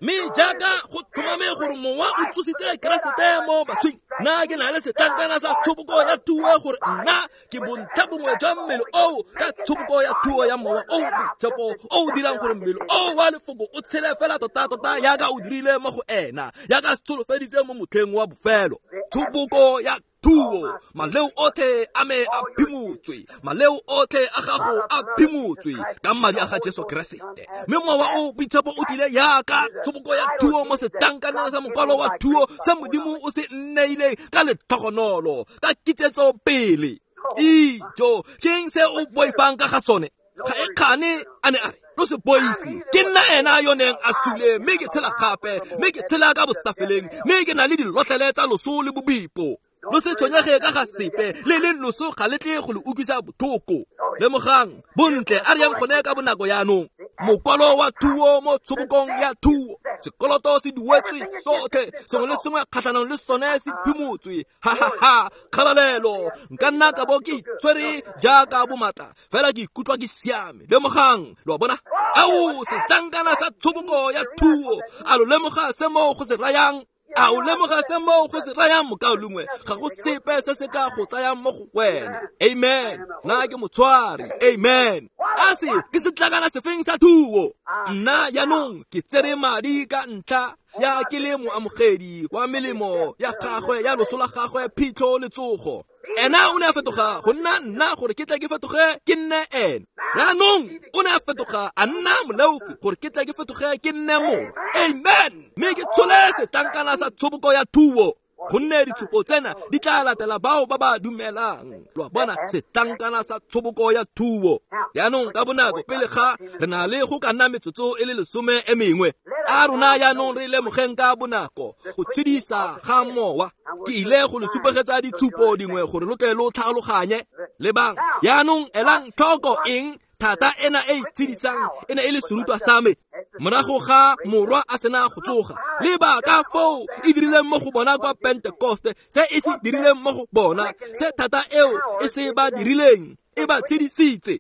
Mme jaaka go tlhomame gore mowa o tsositse Keresete mo baswing, nna ke na le setlankana sa tshoboko ya thuo gore nna ke bontlha bongwe jwa mmele oo ka tshoboko ya thuo ya mowa o boitshepo o o dirang gore mmele oo wa lefoko o tshele fela tota-tota jaaka o dirile mo go ena, jaaka se tsholofeditse mo motlheng wa bofelo. Tshoboko ya thuo, maleo otlhe a me a phimotswe, maleo otlhe a gago a phimotswe ka madi a ga Jesu Keresete. Mme mowa o boitshepo o tlile jaaka tshoboko ya thuo mo setlankaneng sa mokwalo wa thuo se Modimo o se nneileng ka letlhogonolo, ka kitsetso pele. Ijo, ke eng se o boifang ka ga sone? Ga e kgane a ne a re, lo se boife, ke nna ena yo neng a sule, mme ke tshela gape, mme ke tshela ka bosafeleng, mme ke na le dilotlele tsa loso le bobipo. Lo se tshwenyege ka ga sepe, le leng loso ga le tle go le utlwisa botlhoko. Lemogang, bontle a re yang gone ka bonako jaanong. Mokwalo wa thuo mo tshobokong ya thuo, sekoloto se duetswe sotlhe, sengwe le sengwe kgatlhanong le sone se phimotswe. Ha ha ha, kgalalelo. Nka nna ka bo ke itshwere jaaka bomatla, fela ke ikutlwa ke siame. Lemogang, lo a bona? Ao, setlankana sa tshoboko ya thuo, a lo lemoga se mo go se rayang? A o lemoga se mo go se rayang, mokaulengwe? Ga go sepe se se ka go tsayang mo go wena. Amen. Nna ke motshwari. Amen. A se ke setlankana sefeng sa thuo? Nna jaanong ke tsere madi ka ntlha ya ke le moamogedi wa melemo ya gagwe, ya loso la gagwe, phitlho le tsogo. Ena o ne a fetoga go nna nna gore ke tle ke fetoge ke nne ene. Jaanong o ne a fetoga a nna moleofi gore ke tle ke fetoge ke nne morwa. Amen. Mme ke tshole setlankana sa tshoboko ya thuo, gonne ditshupo tsena di tla latela bao ba ba dumelang. Lo a bona, setlankana sa tshoboko ya thuo. Jaanong ka bonako pele ga re na le go ka nna metsotso e le lesome e mengwe, a rona jaanong re lemogeng ka bonako go tshedisa ga mowa. Ke ile go le supegetsa ditshupo dingwe gore lo tle lo tlhaloganye. Lebang jaanong, elang tlhoko eng thata ena e itshedisang e ne e le serutwa sa me morago ga morwa a sena go tsoga. Leba ka foo e dirileng mo go bona kwa Pentekoste, se e se dirileng mo go bona, se thata eo e se ba dirileng, e ba tshedisitse.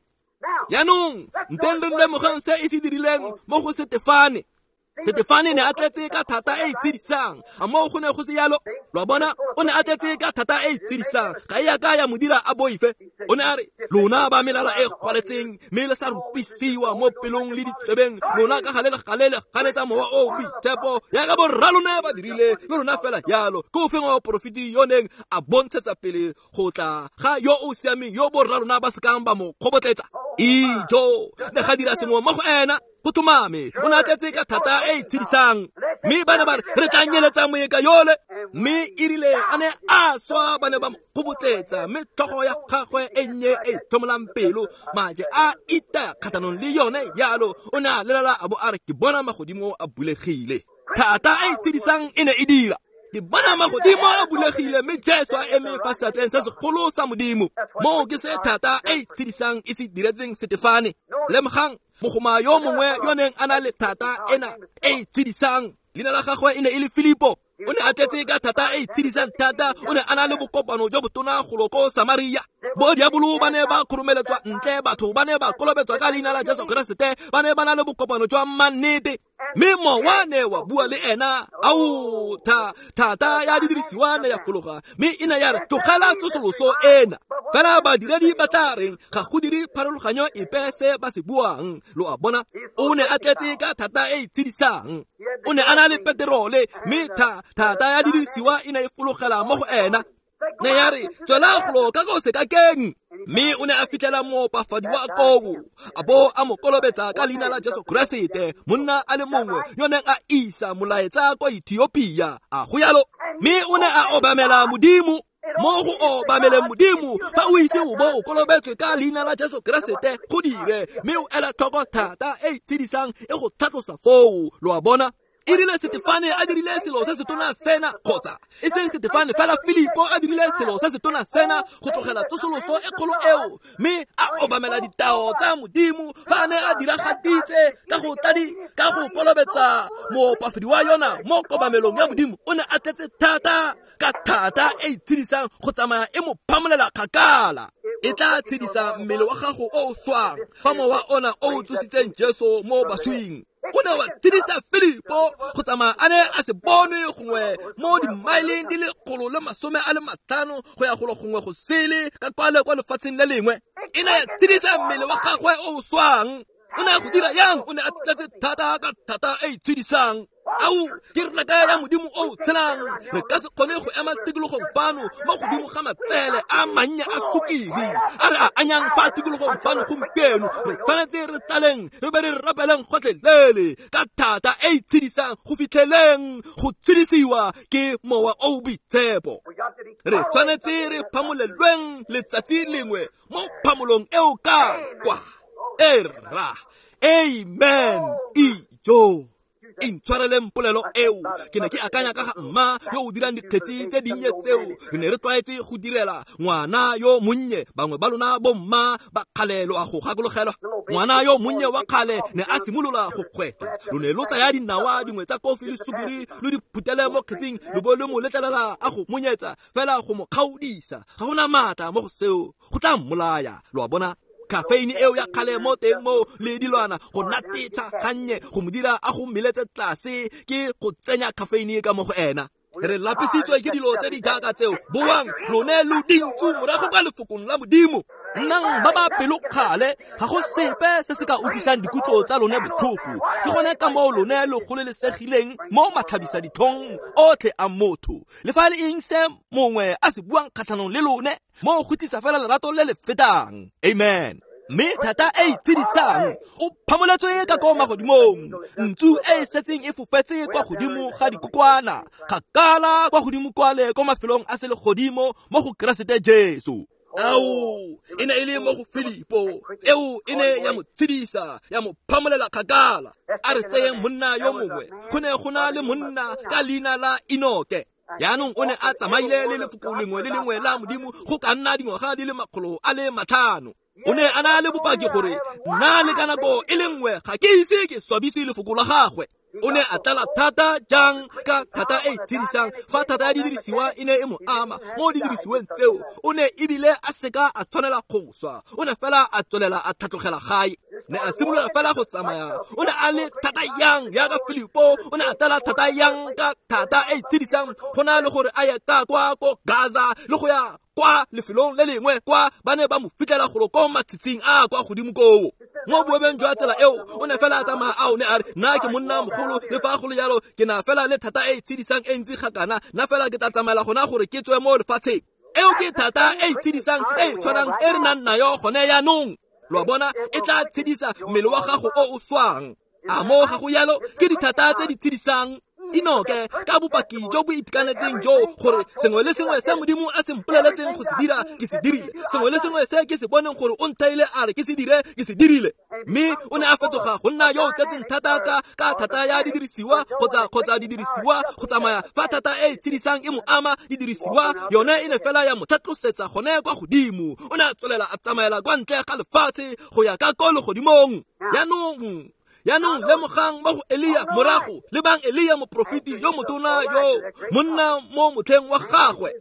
Jaanong nteng re lemogang se e se dirileng mo go Setefane. Setefane ne a tletse ka thata e e tshedisang. A moo go ne go se yalo? Lo a bona, o ne a tletse ka thata e e tshedisang. Ga e a ka ya mo dira a boife. O ne a re, lona ba melala e gwaletseng, mme le sa rupisiwa mo pelong le ditsebeng, lona ka gale le gale le ganetsa mowa o boitshepo, jaaka borra lona ba dirile, le lona fela jalo. Ke ofeng wa baporofeti yo neng a bontshetsa pele go tla ga yo o siameng, yo borra lona ba sekang ba mo kgobotletsa? Ijo, ne ga dira sengwe mo go ena. Go tlhomame o ne a tletse ka thata e e tshedisang. Mme ba ne ba re re tla nyeletsa moeka yole. Mme e rile a ne a swa ba ne ba mo kgobotletsa, mme tlhogo ya gagwe e nnye e tlhomolang pelo maje a ita kgatlhanong le yone yalo. O ne a lelala a bo a re ke bona magodimo a bulegile. Thata e e tshedisang e ne e dira. Ke bona magodimo a bulegile mme Jesu a eme fa seatleng se segolo sa Modimo. Moo ke se thata e e tshedisang e se diretseng Setefane. Lemogang mogoma yo mongwe yo neng a na le thata ena e e tshedisang. Leina la gagwe e ne e le Filipo. O ne a tletse ka thata e e tshedisang thata. O ne a na le bokopano jo botona golo ko Samaria. Bo diabolo ba ne ba khurumeletswa ntle, batho ba ne ba kolobetswa ka leina la Jesu Keresete, ba ne ba na le bokopano jwa mannete. Mme mowa ne wa bua le ena. Ao, tha thata ya didirisiwa ne ya fologa, mme e ne ya re tlogela tsosoloso ena. Fela badiredi ba tla reng ga go dire pharologanyo epe se ba se buang. Lo a bona, o ne a tletse ka thata e e tshedisang. O ne a na le peterole, mme thata ya didirisiwa e ne e fologela mo go ena. Ne ya re tswela golo ka ko sekakeng. Mme o ne a fitlhela moopafadi wa koo, a bo a mo kolobetsa ka leina la Jesu Keresete, monna a le mongwe yo neng a isa molaetsa kwa Ethiopia. A go yalo. Mme o ne a obamela Modimo. Mo go obameleng Modimo, fa o ise o bo o kolobetswe ka leina la Jesu Keresete, go dire mme o ela tlhoko thata e e tshedisang e go tlhatlosa foo. Lo a bona. E rile Setefane a dirile selo se se tona sena, kgotsa e seng Setefane fela, Filipo a dirile selo se se tona sena go tlogela tsosoloso e kgolo eo, mme a obamela ditao tsa Modimo fa a ne a diragaditse ka go tadi ka go kolobetsa moopafedi wa yona mo kobamelong ya Modimo. O ne a tletse thata ka thata e e tshedisang go tsamaya e mo phamolela kgakala. E tla tshedisa mmele wa gago o o swang fa mowa ona o o tsositseng Jesu mo baswing. O ne wa tshedisa Filipo go tsamaya a ne a se bone gongwe mo dimaeleng di le kgolo le masome a le matlhano go ya golo gongwe go sele ka kwale kwa lefatsheng le lengwe. E ne ya tshedisa mmele wa gagwe o o swang. O ne a go dira yang? O ne a tletse thata ka thata e e tshedisang. Ao, ke reka ya Modimo o tshelang. Re ka se kgone go ema tikologong fano mo godimo ga matsele a mannye a sukiri a re a anyang fa tikologong fano gompieno. Re tshwanetse re tlaleng re be re rapeleng gotlhelele ka thata e e tshedisang go fitlheleng go tshedisiwa ke mowa o boitshepo. Re tshwanetse re phamolelweng letsatsi lengwe mo phamolong eo ka kwa. Era. Amen. Ijo. Intshwareleng polelo eo. Ke ne ke akanya ka ga mma yo o dirang dikgetsi tse dinnye tseo re ne re tlwaetse go direla ngwana yo monnye. Bangwe ba lona bomma ba kgale lo a go gakologelwa. Ngwana yo monnye wa kgale ne a simolola go kgweta. Lo ne lo tsaya dinawa dingwe tsa kofi le sukiri lo di phutele mo kgetsing, lo bo lo mo letlelela a go monyetsa fela go mo kgaodisa. Ga gona maatla mo go seo, go tla mmolaya. Lo a bona. Caffeine eo ya kgale mo teng mo le dilwana go natetsha gannye go mo dira a go meletse tlase ke go tsenya caffeine ka mo go ena. Re lapisitswe ke dilo tse di jaaka tseo. Boang lone lo dintsu morago kwa lefokong la Modimo. Nnang ba ba pelokgale, ga go sepe se se ka utlwisang dikutlo tsa lone botlhoko. Ke gone ka moo lone lo gololesegileng mo matlhabisa ditlhong otlhe a motho. Le fa le eng se mongwe a se buang kgatlhanong le lone, mo go tlisa fela lerato le le fetang. Amen. Mme thata e e tshedisang o phamoletswe ka ko magodimong. Ntsu e e setseng e fofetse kwa godimo ga dikokwana, kgakala kwa godimo kwale ko mafelong a selegodimo mo go Keresete Jesu. Ao, e ne e le mo go Filipo eo e ne ya mo tshedisa, ya mo phamolela kgakala. A re tseyeng monna yo mongwe. Go ne go na le monna ka leina la Enoke. Jaanong o ne a tsamaile le lefoko lengwe le lengwe la Modimo go ka nna dingwaga di le makgolo a le matlhano. O ne a na le bopaki gore nna le ka nako e le nngwe ga ke ise ke swabise lefoko la gagwe. O ne a tlala thata jang ka thata e e tshedisang fa thata ya didirisiwa e ne e mo ama mo didirisiweng tseo. O ne ebile a seka a tshwanela go swa. O ne fela a tswelela a tlhatlogela gae. Ne a simolola fela go tsamaya. O ne a le thata yang jaaka Filipo. O ne a tlala thata yang ka thata e e tshedisang go na le gore a ye ka kwa ko Gaza le go ya kwa lefelong le lengwe kwa ba ne ba mo fitlhela golo ko matshitshing a kwa godimo koo. Mo boebeng jwa tsela eo o ne fela a tsamaya a o ne a re nna ke monna mogolo, le fa go le jalo ke na fela le thata e e tshedisang e ntsi gakana, nna fela ke tla tsamaela gona gore ke tswe mo lefatsheng. Eo ke thata e e tshedisang e e tshwanang e re nang nayo gone jaanong. Lo a bona, e tla tshedisa mmele wa gago o o swang. A mo ga go yalo ke dithata tse di tshedisang. Enoke ka bopaki jo bo itekanetseng jo gore sengwe le sengwe se Modimo a se mpoleletseng go se dira ke se dirile, sengwe le sengwe se ke se boneng gore o nthaile a re ke se dire ke se dirile. Mme o ne a fetoga go nna yo o tletseng thata ka ka thata ya didirisiwa kgotsa kgotsa didirisiwa go tsamaya fa thata e e tshedisang e mo ama didirisiwa yone e ne fela ya mo tlhatlosetsa gone kwa godimo. O ne a tswelela a tsamaela kwa ntle ga lefatshe go ya ka ko legodimong. Jaanong Jaanong lemogang mo go Elia morago, lebang Elia moprofeti yo motona yo monna mo motlheng wa gagwe.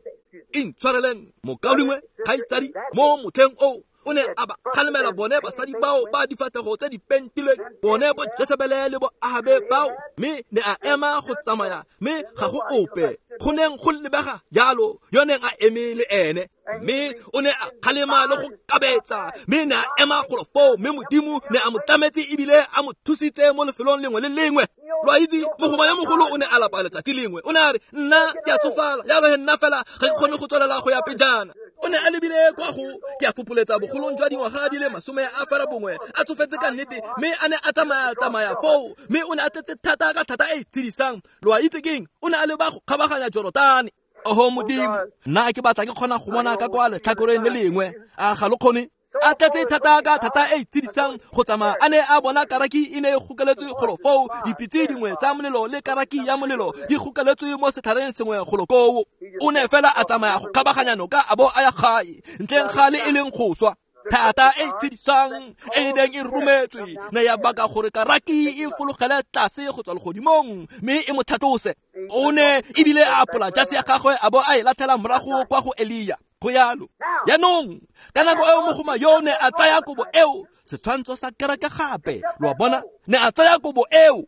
Intshwareleng mokaulengwe kgaitsadi, mo motlheng oo o ne a ba kgalemela bone basadi bao ba difatlhego tse di pentilweng, bone bo Jesebele le bo Ahabe bao, mme ne a ema go tsamaya, mme ga go ope go neng go lebega jalo yo neng a eme le ene. Mme o ne a kgalema le go kabetsa, mme ne a ema golo foo, mme Modimo ne a mo tlametse ebile a mo thusitse mo lefelong lengwe le lengwe. Lo a itse, mogoma yo mogolo o ne a lapa letsatsi lengwe, o ne a re nna ke a tsofala, jalo he nna fela ga ke kgone go tswelela go ya pejana. O ne a lebile kwa go ke a fopoletsa bogolong jwa dingwaga di le masome a fera bongwe, a tsofetse ka nnete, mme a ne a tsamaya tsamaya foo, mme o ne a tletse thata ka thata e e tshedisang. Lo a itse keng? O ne a leba go kgabaganya Jorotane. Oho Modimo, nna ke batla ke kgona go bona ka kwa letlhakoreng le lengwe, a ga lo kgone? A tletse thata ka thata e e tshedisang go tsamaya a ne a bona karaki e ne e gokeletswe golo foo, dipitse dingwe tsa molelo le karaki ya molelo di gokeletswe mo setlhareng sengwe golo koo. O ne fela a tsamaya go kgabaganya noka a bo a ya gae ntleng ga le e leng go swa. Thata e e tshedisang e neng e rometswe ne ya baka gore karaki e fologele tlase go tswa legodimong mme e mo tlhatlose. O ne ebile a apola jase ya gagwe a bo a e latlhela morago kwa go Elia. Go yalo. Jaanong ka nako eo mogoma yo ne a tsaya kobo eo, setshwantsho sa kereke gape, lo a bona, ne a tsaya kobo eo.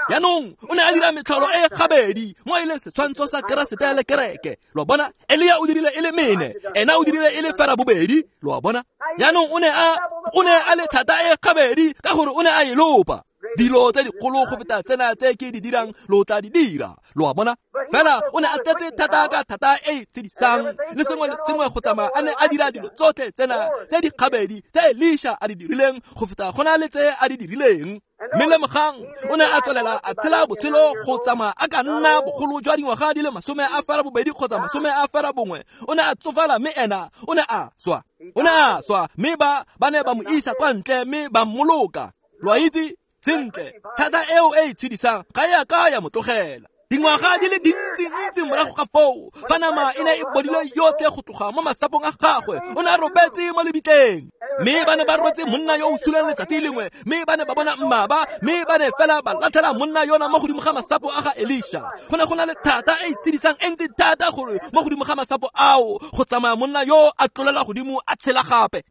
Jaanong o ne a dira metlholo e gabedi mo e leng setshwantsho sa Keresete le kereke. Lo a bona, Elia o dirile e le mene, ena o dirile e le fera bobedi, lo a bona. Jaanong o ne a o ne a le thata e gabedi ka gore o ne a e lopa. Dilo tse dikgolo go feta tsena tse ke di dirang lo tla di dira, lo a bona. Fela o ne a tletse thata ka thata e e tshedisang le sengwe le sengwe go tsamaya a ne a dira dilo tsotlhe tsena tse di gabedi tse Elisha a di dirileng go feta go na le tse a di dirileng. Mme lemogang o ne a tswelela a tshela botshelo go tsamaya a ka nna bogolo jwa dingwaga di le masome a fera bobedi kgotsa masome a fera bongwe. O ne a tsofala mme ena o ne a swa, o ne a swa, mme ba ba ne ba mo isa kwa ntle mme ba mmoloka. Lo a itse sentle, thata eo e e tshedisang ga e a ka ya mo tlogela. Dingwaga di le dintsi-ntsi morago ga foo, fa nama e ne e bodile yotlhe go tloga mo masapong a gagwe, o ne a robetse mo lebitleng. Mme ba ne ba rwetse monna yo o suleng letsatsi lengwe, mme ba ne ba bona mmaba, mme ba ne fela ba latlhela monna yona mo godimo ga masapo a ga Elisha. Go ne go na le thata e e tshedisang e ntsi thata gore mo godimo ga masapo ao go tsamaya monna yo a tlolela godimo a tshela gape.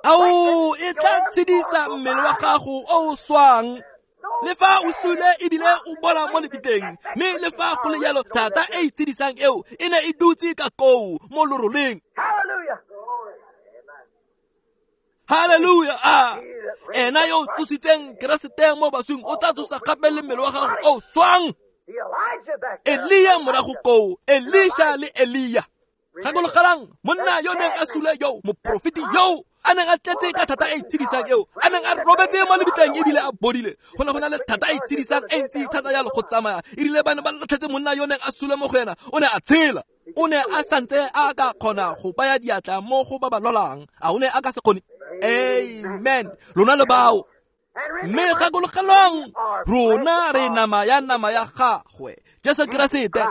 Ao, e tla tshedisa mmele wa gago o o swang. Le fa o sule ebile o bola mo lebitleng, mme le fa go le jalo thata e e tshedisang eo e ne e dutse ka koo mo loroleng. Hallelujah! A ena yo o tsositseng Keresete mo baswing o tla tsosa gape le mmele wa gago o swang. Elia morago koo, Elisha le Elia. Gakologelang monna yo neng a sule yo, moprofeti yo a neng a tletse ka thata e e tshedisang eo, a neng a robetse mo lebitleng ebile a bodile. Go ne go na le thata e e tshedisang e ntsi thata jalo go tsamaya. Erile ba ne ba latlhetse monna yo neng a sule mo go ena, o ne a tshela. O ne a santse a ka kgona go baya diatla mo go ba ba lwalang. A o ne a ka se kgone? Amen. Lona le bao. Mme gakologelwang, rona re nama ya nama ya gagwe, Jesu Keresete.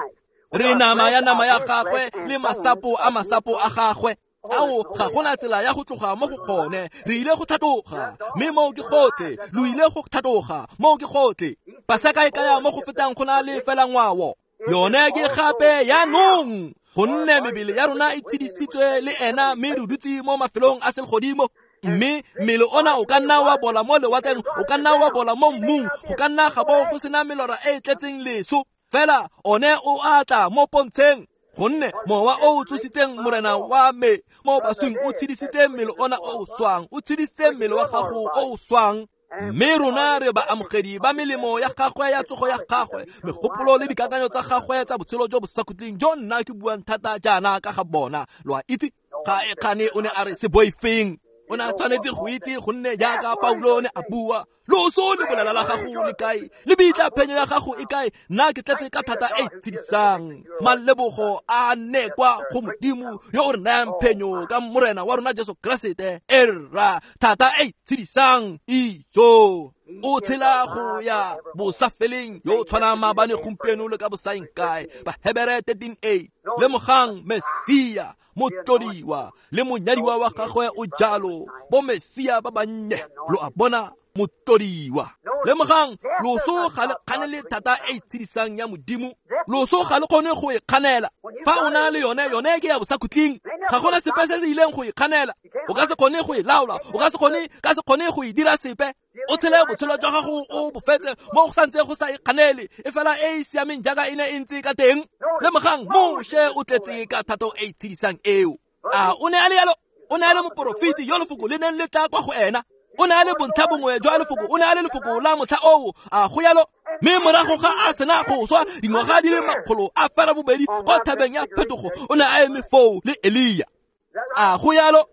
Re nama ya nama ya gagwe le masapo a masapo a gagwe. Ao, ga gona tsela ya go tloga mo go gone. Re ile go tlhatloga, mme moo ke gotlhe. Lo ile go tlhatloga, moo ke gotlhe. Paseka e kaya mo go fetang go na le fela ngwao. Yone ke gape jaanong, gonne mebele ya rona e tshedisitswe le ena, mme re dutse mo mafelong a selegodimo. Mme mmele ona o ka nna wa bola mo lewatleng, o ka nna wa bola mo mmung, go ka nna ga bo go sena melora e e tletseng leso. Fela one o a tla mo pontsheng, gonne mowa o o tsositseng Morena wa me mo baswing o tshedisitse mmele ona o o swang, o tshedisitse mmele wa gago o o swang. Mme rona re baamogedi ba melemo ya gagwe ya tsogo ya gagwe, megopolo le dikakanyo tsa gagwe tsa botshelo jo bo sa khutleng jo nna ke buang thata jaana ka ga bona. Lo a itse, ga e kgane o ne a re se boifeng. O O ne a tshwanetse go itse gonne jaaka Paulo ne a bua, loso le bolela la gago le kae, le bitla phenyo ya gago e kae, nna ke tletse ka thata e tshedisang. Malebogo a ne kwa go Modimo yo o re nayang phenyo ka Morena wa rona Jesu Keresete. Erra, thata e tshedisang ijo. O tshela go ya bosafeleng yo tshwana maabane gompieno le ka bosaeng kae. Bahebere thirteen a. Lemogang Mesia motlodiwa le monyadiwa wa gagwe o jalo, bo Mesia ba bannye lo a bona motlodiwa. Lemogang loso ga le kganele thata e tshedisang ya Modimo. Loso ga le kgone go e kganela. Fa o na le yone, yone ke ya bosakhutleng. Ga gona sepe se se ileng go e kganela. O ka se kgone go e laola, o ka se kgone ka se kgone go e dira sepe. O tshele botshelo jwa gago o bofetse mo go santse go sa e kganele, e fela e e siameng jaaka e ne e ntse ka teng. Lemogang Moshe o tletse ka thato e tshedisang eo. A o ne a le yalo? O ne a le moporofeti yo lefoko le neng le tla kwa go ena. O ne a le bontlha bongwe jwa lefoko, o ne a le lefoko la motlha oo. A go yalo? Mme morago ga a sena go swa dingwaga di le makgolo a fera bobedi kwa thabeng ya phetogo, o ne a eme foo le Elia. A go yalo?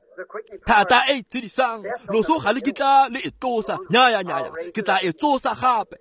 Thata e tshedisang, loso ga le kitla le e tlosa. Nyaya nyaya, ke tla e tsosa gape.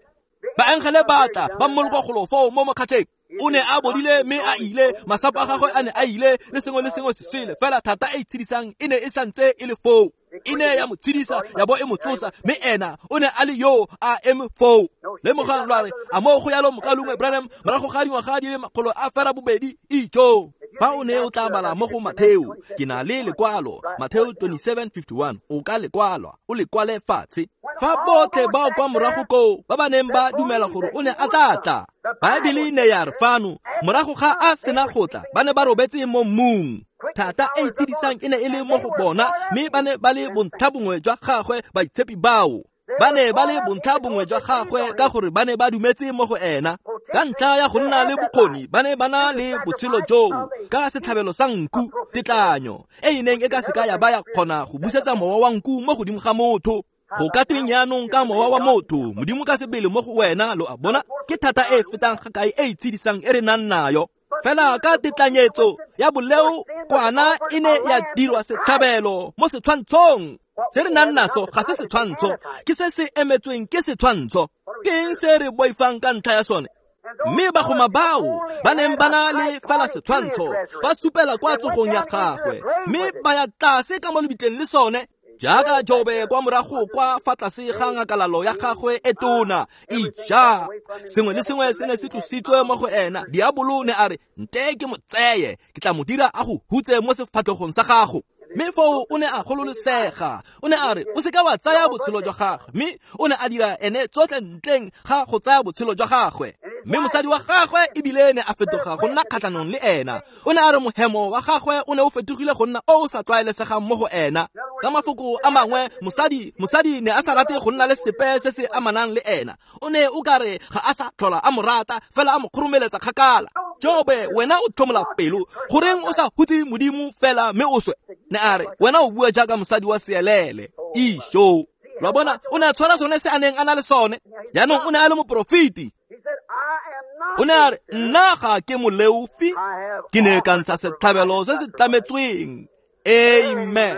Baengele ba tla ba mmoloka golo foo mo mokgatlheng. O ne a bodile mme a ile, masapo a gagwe a ne a ile, le sengwe le sengwe se sele. Fela thata e tshedisang e ne e santse e le foo. E ne ya mo tshedisa, ya bo e mo tsosa, mme ena o ne a le yo a eme foo. Lemogang lwa re, a mo go yalo mokalungwe Branham morago ga dingwaga di le makgolo a fera bobedi ijo. Fa o ne o tla bala mo go Matheo, ke na le lekwalo, Matheo twenty-seven fifty-one, o ka lekwalwa, o lekwale fatshe. Fa botlhe bao kwa morago koo ba ba neng ba dumela gore o ne a tla tla, Baebele ne ya re fano, morago ga a sena go tla, ba ne ba robetse mo mmung. Thata e tshedisang e ne e le mo go bona, mme ba ne ba le bontlha bongwe jwa gagwe baitshepi bao. Ba ne ba le bontlha bongwe jwa gagwe ka gore ba ne ba dumetse mo go ena. Ka ntlha ya go nna le bokgoni, ba ne ba na le botshelo joo ka setlhabelo sa nku, tetlanyo e e neng e ka seka ya ba ya kgona go busetsa mowa wa nku mo godimo ga motho. Go ka tweng jaanong ka mowa wa motho, Modimo ka sebele mo go wena, lo a bona, ke thata e fetang ga kae e itshedisang e re nang nayo. Fela ka tetlanyetso ya boleo, kwana e ne ya dirwa setlhabelo mo setshwantshong. Se re nang naso ga se setshwantsho, ke se se emetsweng ke setshwantsho. Ke eng se re boifang ka ntlha ya sone? Mme bagoma bao ba neng ba na le fela setshwantsho ba supela kwa tsogong ya gagwe, mme ba ya tlase ka mo lebitleng le sone. Jaaka Jobe kwa morago kwa fa tlase ga ngakalalo ya gagwe e tona, ija sengwe le sengwe se ne se tlositswe mo go ena. Diabolo ne a re, nte ke mo tseye, ke tla mo dira a go hutse mo sefatlhegong sa gago. Mme foo o ne a gololosega. O ne a re, o seka wa tsaya botshelo jwa gagwe. Mme o ne a dira ene tsotlhe ntleng ga go tsaya botshelo jwa gagwe. Mme mosadi wa gagwe ebile ne a fetoga go nna kgatlhanong le ena. O ne a re mohemo wa gagwe o ne o fetogile go nna o o sa tlwaelesegang mo go ena. Ka mafoko a mangwe, mosadi mosadi ne a sa rate go nna le sepe se se amanang le ena. O ne o ka re ga a sa tlhola a mo rata, fela a mo kgoromeletsa kgakala. Jobe, wena o tlhomola pelo, goreng o sa hutse Modimo fela mme o swe? Ne a re, wena o bua jaaka mosadi wa seelele. Ijo. Lo bona, o ne a tshwara sone se a neng a na le sone. Jaanong o ne a le moporofeti. O ne a re, nna ga ke moleofi, ke ne ka ntsha setlhabelo se se tlametsweng. Amen.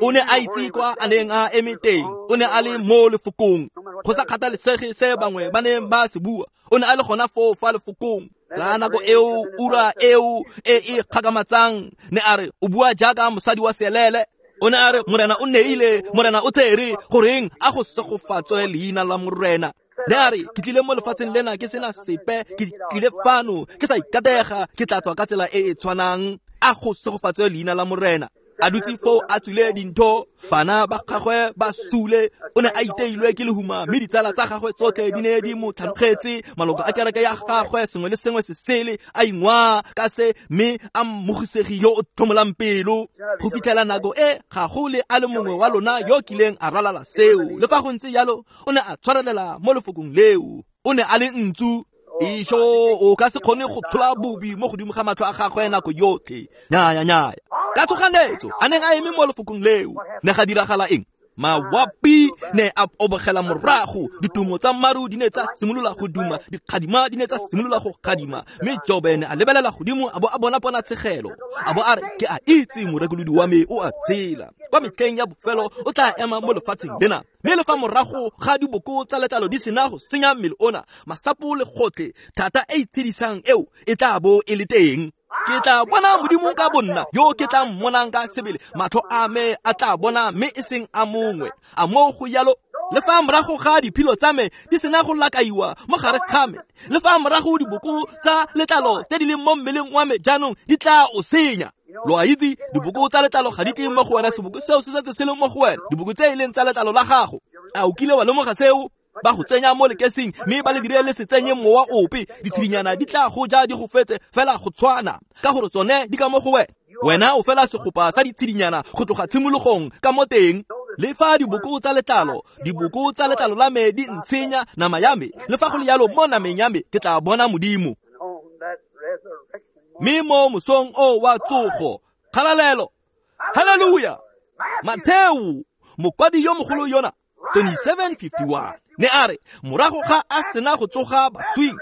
O ne a itse kwa a neng a eme teng. O ne a le mo lefokong. Go sa kgathalesege se bangwe ba neng ba se bua, o ne a le gona foo fa lefokong. Ka nako eo, ura eo e e kgakamatsang, ne a re, o bua jaaka mosadi wa seelele. O ne a re, Morena o neile, Morena o tsere, goreng a go segofatswe leina la Morena. Ne a re, ke tlile mo lefatsheng lena ke sena sepe, ke tlile fano ke sa ikatega, ke tla tswa ka tsela e e tshwanang. A go segofatswe leina la Morena. A dutse foo a tswile dintho, bana ba gagwe ba sule, o ne a iteilwe ke lehuma, mme ditsala tsa gagwe tsotlhe di ne di mo tlhanogetse, maloko a kereke ya gagwe sengwe le sengwe se sele, a ingwa ka se, mme a mmogisegi yo o tlhomolang pelo. Go fitlhela nako e ga go le a le mongwe wa lona yo kileng a ralala seo. Le fa go ntse jalo, o ne a tshwarelela mo lefokong leo. O ne a le ntsu. Isho, o ka se kgone go tshola bobi mo godimo ga matlho a gagwe nako yotlhe. Nyaya nyaya. Ka tshoganetso, a neng a eme mo lefokong leo, ne ga diragala eng? Mawapi ne a obogela morago, ditumo tsa maru di ne tsa simolola go duma, dikgadima di ne tsa simolola go kgadima, mme Jobe ne a lebelela godimo a bo a bona ponatshegelo, a bo a re, ke a itse morekolodi wa me o a tshela, kwa metlheng ya bofelo o tla ema mo lefatsheng lena, mme le fa morago ga diboko tsa letlalo di sena go senya mmele ona, masapo le gotlhe, thata e itshedisang eo e tla bo e le teng. Ke tla bona Modimo ka bonna, yo ke tla mmonang ka sebele, matlho a me a tla bona mme e seng a mongwe. A moo go yalo, le fa morago ga diphilo tsa me di sena go lakaiwa mo gare ga me, le fa morago diboko tsa letlalo tse di leng mo mmeleng wa me jaanong di tla o senya. Lo a itse, diboko tsa letlalo ga di tle mo go wena, seboko seo se setse se le mo go wena, diboko tse e leng tsa letlalo la gago. A o kile wa lemoga seo? Ba go tsenya mo lekesing mme ba le dire le se tsenye mowa ope, ditshedinyana di tla go ja di go fetse fela go tshwana, ka gore tsone di ka mo go wena. Wena o fela segopa sa ditshedinyana go tloga tshimologong ka mo teng. Le fa diboko tsa letlalo, diboko tsa letlalo la me di ntshenya nama ya me, le fa go le yalo mo nameng ya me ke tla bona Modimo. Mme mo mosong o wa tsogo, kgalalelo, haleluya. Matheo, mokwadi yo mogolo yona, twenty-seven fifty-one, ne a re morago ga a sena go tsoga baswing,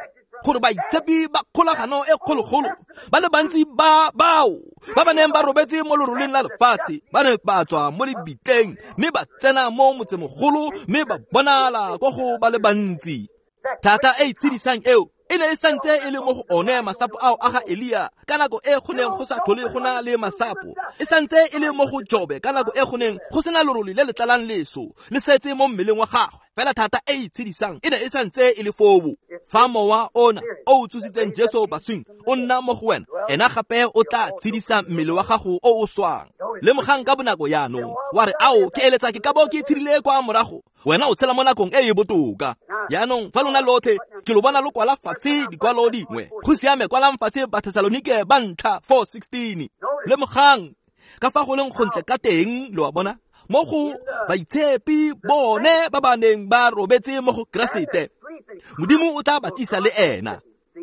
gore baitshepi ba kgolagano e kgologolo ba le bantsi ba bao ba ba neng ba robetse mo loroleng la lefatshe ba ne ba tswa mo lebitleng mme ba tsena mo motsemogolo mme ba bonala ko go ba le bantsi. Thata e itshedisang eo e ne e santse e le mo go one masapo ao a ga Elia ka nako e go neng go sa tlhole go na le masapo, e santse e le mo go Jobe ka nako e go neng go sena lorole le le tlalang leso le setse mo mmeleng wa gagwe. Fela thata e itshedisang e ne e santse e le foo. Fa mowa ona o o tsositseng Jesu baswing o nna mo go wena, ena gape o tla tshedisa mmele wa gago o o swang. Lemogang ka bonako jaanong, wa re, ao ke eletsa ke ka bo ke tshedile kwa morago. Wena o tshela mo nakong e e botoka. Jaanong fa lona lotlhe ke lo bona lo kwala fatshe dikwalo dingwe, go siame, kwalang fatshe Bathesalonike ba ntlha four sixteen. Lemogang ka fa go leng gontle ka teng, lo a bona, mo go baitshepi bone ba ba neng ba robetse mo go Keresete, Modimo o tla ba tlisa le ena.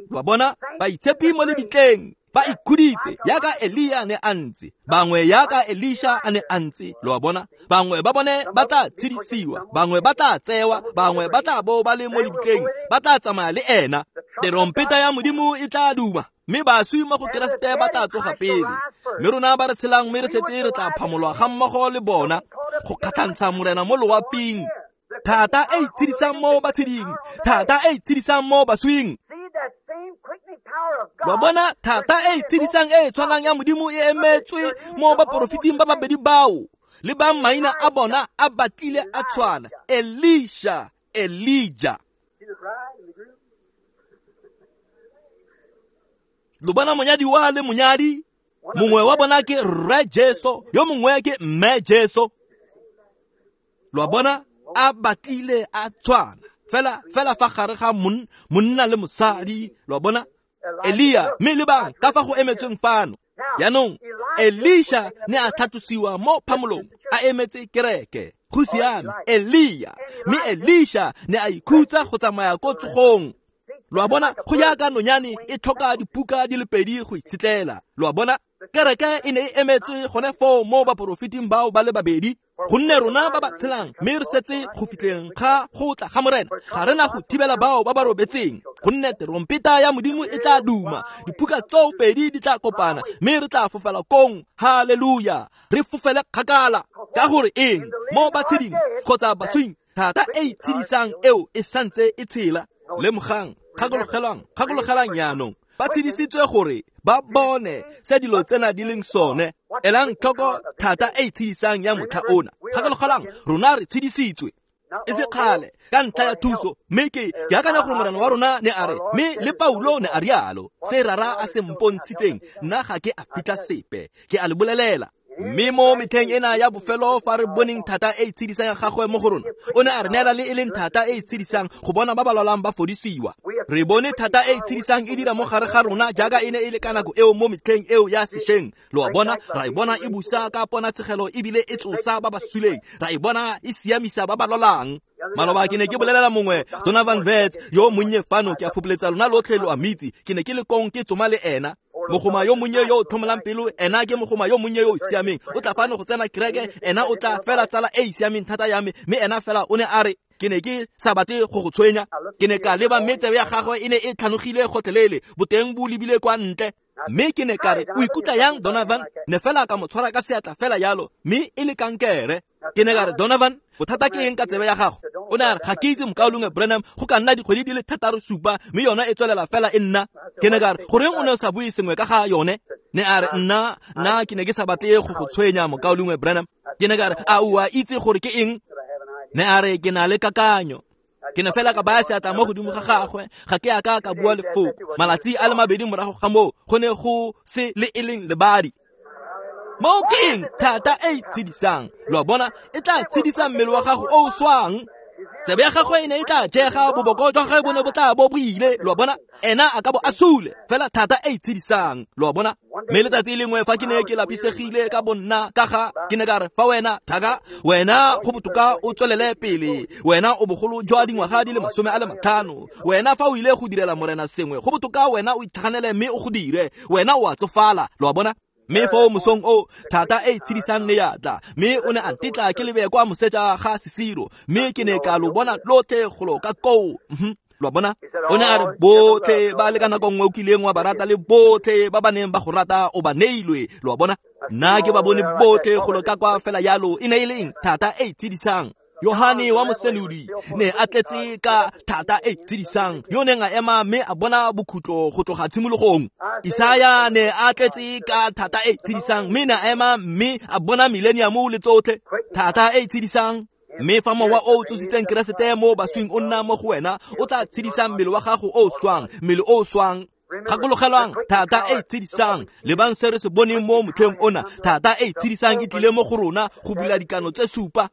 Lo a bona, baitshepi mo lebitleng ba ikhuditse yaka Elia ne a ntse, bangwe yaka Elisha a ne a ntse. Lo a bona, bangwe ba bone ba tla tshedisiwa, bangwe ba tla tsewa, bangwe ba tla bo ba le mo lebitleng, ba tla tsamaya le ena. Terompeta ya Modimo e tla duma, mme baswi mo go Keresete ba tla tsoga pele, mme rona ba re tshelang mme re setse re tla phamolwa ga mmogo le bona go kgatlhantsha Morena mo loaping. Thata e itshedisang mo batsheding, thata e itshedisang mo baswing. Lo bona, thata e itshedisang e tshwanang ya Modimo e emetswe mo baporofeting ba babedi bao, le ba maina a bona a batlile a tshwana, Elisha, Elijah. Lo bona monyadi wa le monyadi, mongwe wa bona ke Rre Jesu, yo mongwe ke Mme Jesu. Lo bona a batlile a tshwana fela fela fa gare ga monna le mosadi. Lo bona Elia, mme le bang ka fa go emetsweng fano. Jaanong Elisha ne a tlhatlosiwa mo phamolong a emetse kereke. Go siame, Elia, mme Elisha ne a ikhutsa go tsamaya ko tsogong. Lo a bona, go jaaka nonyane e tlhoka dipuka di le pedi go itshetlela. Lo a bona, kereke e ne e emetswe gone foo mo baporofeting bao ba le babedi, gonne rona ba ba tshelang mme re setse go fitlheng ga go tla ga Morena, ga re na go thibela bao ba ba robetseng, gonne terompeta ya Modimo e tla duma, dipuka tseo pedi di tla kopana, mme re tla fofela kong. Haleluya, re fofele kgakala. Ka gore eng? Mo batsheding kgotsa baswing, thata e itshedisang eo e santse e tshela. Lemogang, gakologelang, gakologelang jaanong, ba tshedisitswe gore ba bone se dilo tsena di leng sone. Elang tlhoko thata e itshedisang ya motlha ona. Gakologelang, rona re tshedisitswe e se kgale ka ntlha ya thuso, mme ke ke akanya gore Morena wa rona ne a re, mme le Paulo ne a rialo, se rara a se mpontshitseng, nna ga ke a fitlha sepe, ke a le bolelela. Mme mo metlheng ena ya bofelo fa re boneng thata e itshedisang ya gagwe mo go rona, o ne a re neela le e leng thata e itshedisang go bona ba ba lwalang ba fodisiwa. Re bone thata e itshedisang e dira mo gare ga rona jaaka e ne e le ka nako eo mo metlheng eo ya sešweng. Lo a bona, ra e bona e busa ka ponatshegelo ebile e tsosa ba ba suleng, ra e bona e siamisa ba ba lwalang. Maloba ke ne ke bolelela mongwe, Donovan Vets, yo monnye fano, ke a fopholetsa lona lotlhe lo a mitse, ke ne ke le kong ke tsoma le ena. Mogoma yo monnye yo o tlhomolang pelo, ena ke mogoma yo monnye yo o siameng. O tla fano go tsena kereke, ena o tla fela tsala e e siameng thata ya me. Mme ena fela o ne a re, ke ne ke sa batle go go tshwenya. Ke ne ka leba mme tsebe ya gagwe e ne e tlhanogile gotlhelele, boteng bo lebile kwa ntle. Mme ke ne ka re, o ikutlwa yang Donovan? Ne fela ka mo tshwara ka seatla fela yalo, mme e le kankere. Ke ne ka re, Donovan, bothata ke eng ka tsebe ya gago? O ne a re, ga ke itse mokaulengwe Branham, go ka nna dikgwedi di le thataro supa, mme yona e tswelela fela e nna. Ke ne ka re, goreng o ne o sa bue sengwe ka ga yone? Ne a re, nna, nna ke ne ke sa batle go go tshwenya mokaulengwe Branham. Ke ne ka re, a o a itse gore ke eng? Ne a re, ke na le kakanyo. Ke ne fela ka baya seatla mo godimo ga gagwe, ga ke a ka ka bua lefoko. Malatsi a le mabedi morago ga moo, go ne go se le e leng lebadi. Moo ke eng? Thata e e tshedisang. Lo a bona, e tla tshedisa mmele wa gago o o swang. Tsebe ya gagwe e ne e tla jega, boboko jwa gagwe bo ne bo tla bo bo ile. Lo a bona, ena a ka bo a sule, fela thata e e tshedisang. Lo a bona. Mme letsatsi lengwe fa ke ne ke lapisegile ka bonna ka ga, ke ne ka re, fa wena thaka, wena go botoka o tswelele pele, wena o bogolo jwa dingwaga di le masome a le matlhano, wena fa o ile go direla morena sengwe, go botoka wena o itlhaganele mme o go dire, wena o a tsofala. Lo a bona. Mme foo mosong o, thata e e tshedisang ne ya tla, mme o ne a ntetla ke lebe kwa moseja ga sesiro, mme ke ne ka lo bona lotlhe golo ka koo. Lo a bona. O ne a re, botlhe ba le ka nako nngwe o kileng wa ba rata le botlhe ba ba neng ba go rata o ba neilwe. Lo a bona. Nna ke ba bone botlhe golo ka kwa fela yalo. E ne e le eng? Thata e e tshedisang. Yohane wa Mosenodi ne a tletse ka thata e tshedisang, yo neng a ema mme a bona bokhutlo go tloga tshimologong. Isaya ne a tletse ka thata e tshedisang, mme ne a ema mme a bona millennium le tsotlhe. Thata e tshedisang. Mme fa mowa o o tsositseng Keresete mo baswing o nna mo go wena, o tla tshedisa mmele wa gago o o swang, mmele o o swang. Gakologelwang, thata e tshedisang. Lebang se re se boneng mo motlheng ona, thata e tshedisang e tlile mo go rona go bula dikano tse supa.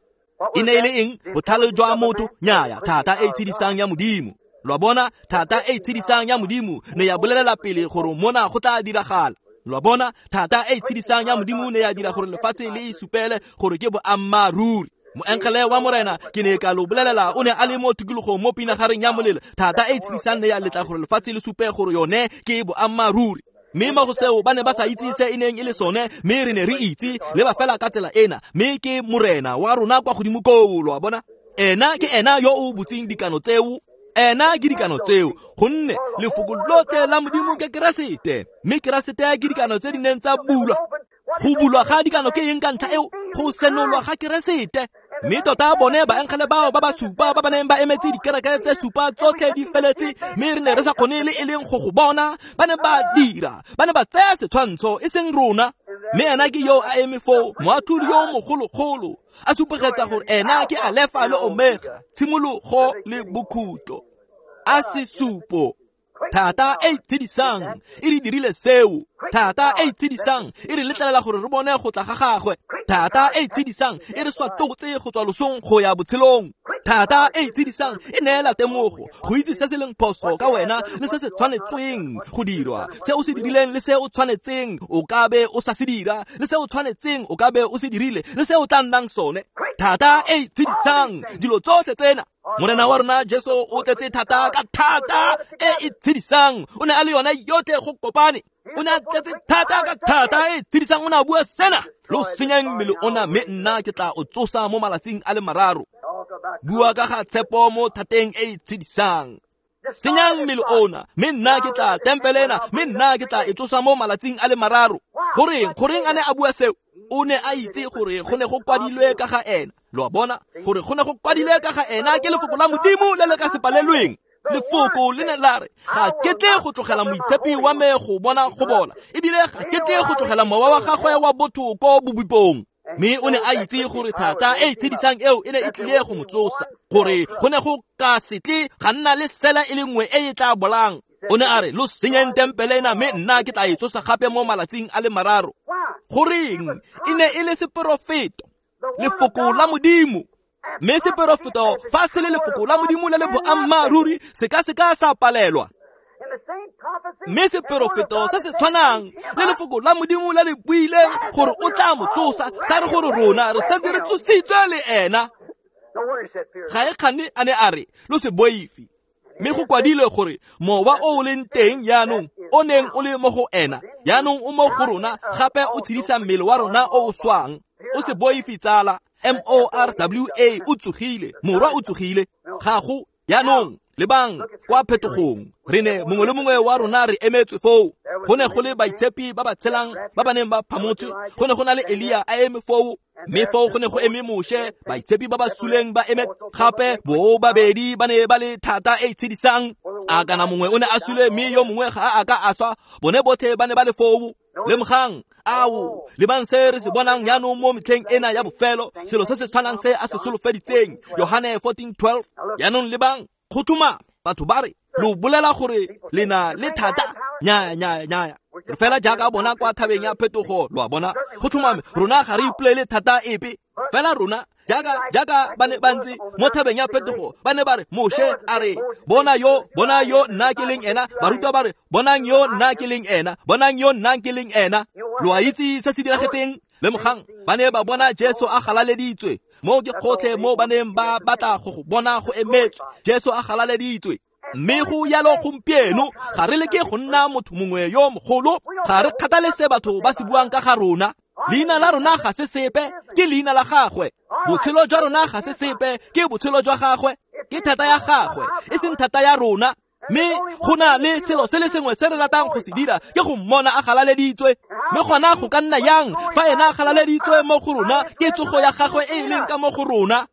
E ne e le eng? Botlhale jwa motho? Nnyaya, thata e tshedisang ya Modimo. Lo a bona, thata e tshedisang ya Modimo ne ya bolelela pele gore mona go tla diragala. Lo a bona, thata e tshedisang ya Modimo ne ya dira gore lefatshe le e supele gore ke boammaaruri. Moengele wa morena, ke ne ka lo bolelela, o ne a le mo tikologong mo pinagareng ya molelo. Thata e tshedisang ne ya letla gore lefatshe le supe gore yone ke boammaaruri. Mme mo go seo ba ne ba sa itse se e neng e le sone, mme re ne re itse le ba fela ka tsela ena, mme ke morena wa rona kwa godimo koo. Lo a bona, ena ke ena yo o butseng dikano tseo, ena ke dikano tseo, gonne lefoko lotlhe la Modimo ke Keresete, mme Keresete ke dikano tse di neng tsa bulwa. Go bulwa ga dikano ke eng ka ntlha eo? Go senolwa ga Keresete. Mme tota bone baengele bao ba ba supa ba ba neng ba emetse dikereke tse supa tsotlhe di feletse, mme re ne re sa kgone le e leng go go bona. Ba ne ba dira, ba ne ba tsaya setshwantsho e seng rona. Mme ena ke yo a eme foo, moatlhodi yo mogologolo, a supegetsa gore ena ke Alefa le Omega, tshimologo le bokhutlo. A sesupo. Thata e tshedisang e re dirile seo. Thata e tshedisang e re letlelela gore re bone go tla ga gagwe. Thata e tshedisang e re swatotse go tswa losong go ya botshelong. Thata e tshedisang e neela temogo go itse se se leng phoso ka wena le se se tshwanetseng go dirwa, se o se dirileng le se o tshwanetseng o ka be o sa se dira, le se o tshwanetseng o ka be o se dirile, le se o tla nnang sone. Thata e tshedisang dilo tsotlhe tsena. Morena wa rona Jesu o tletse thata ka thata e e tshedisang. O ne a le yone yotlhe go kopane. O ne a tletse thata ka thata e tshedisang. O ne a bua sena, lo senyang mmele ona, mme nna ke tla o tsosa mo malatsing a le mararo. Bua ka ga tshepo mo thateng e e tshedisang. Senyang mmele ona, mme nna ke tla tempele ena, mme nna ke tla e tsosa mo malatsing a le mararo. Goreng? Goreng a ne a bua seo? O ne a itse gore go ne go kwadilwe ka ga ena. Lo a bona, gore go ne go kwadilwe ka ga ena ke lefoko la Modimo le le ka se palelweng. Lefoko le ne la re, ga ke tle go tlogela moitshepi wa me go bona go bola, ebile ga ke tle go tlogela mowa wa gagwe wa botho ko bobipong. Mme o ne a itse gore thata e tshedisang eo e ne e tlile go mo tsosa, gore go ne go ka se tle ga nna le sela e le nngwe e e tla bolang. O ne a re, lo senyeng tempele ena, mme nna ke tla e tsosa gape mo malatsing a le mararo. Goreng? E ne e le seporofeto, lefoko la Modimo. Mme seporofeto fa se le lefoko la Modimo le le boammaaruri, se ka se ka sa palelwa. Mme seporofeto se se tshwanang le lefoko la Modimo le le buileng gore o tla mo tsosa, sa re gore rona re santse re tsositswe le ena. Ga e kgane a ne a re, lo se boife. Mme go kwadilwe gore mowa o o leng teng jaanong o neng o le mo go ena jaanong o mo go rona gape o tshedisa mmele wa rona o o swang. O se boife tsala, M O R W A o tsogile, morwa o tsogile. Ga go jaanong lebang kwa phetogong, re ne mongwe le mongwe wa rona re emetswe foo. Go ne go le baitshepi ba ba tshelang ba ba neng ba phamotswe, go ne go na le Elia a eme foo, mme foo go ne go eme Moshe, baitshepi ba ba suleng ba eme gape. Bo babedi ba ne ba le thata e e tshedisang. A kana mongwe o ne a sule mme yo mongwe ga a ka a swa, bone botlhe ba ne ba le foo. Lemogang, ao, lebang se re se bonang jaanong mo metlheng ena ya bofelo, selo se se tshwanang se a se solofeditseng, Yohane fourteen twelve. Jaanong lebang, go tlhoma batho ba re lo bolela gore le na le thata. Nya nya nya, re fela jaaka bona kwa thabeng ya phetogo, lo a bona. Go tlhomame rona ga re ipolele thata epe, fela rona jaaka jaaka ba ne ba ntse mo thabeng ya phetogo, ba ne ba re Moshe a re bona yo, bona yo nna ke leng ena. Barutwa ba re bonang yo nna ke leng ena, bonang yo nna ke leng ena. Lo a itse se se diragetseng? Lemogang, ba ne ba bona Jesu a galaleditswe. Mo ke kgotlhe mo ba neng ba batla go go bona go emetswe, Jesu a galaleditswe. Mme go yalo gompieno ga re leke go nna motho mongwe yo mogolo, ga re kgathale se batho ba se buang ka ga rona. Leina la rona ga se sepe, ke leina la gagwe. Botshelo jwa rona ga se sepe, ke botshelo jwa gagwe. Ke thata ya gagwe, e seng thata ya rona. Mme go na le selo se le sengwe se re ratang go se dira, ke go mmona a galaleditswe. Mme gona go ka nna yang fa ena a galaleditswe mo go rona? Ke tsogo ya gagwe e e leng ka mo go rona.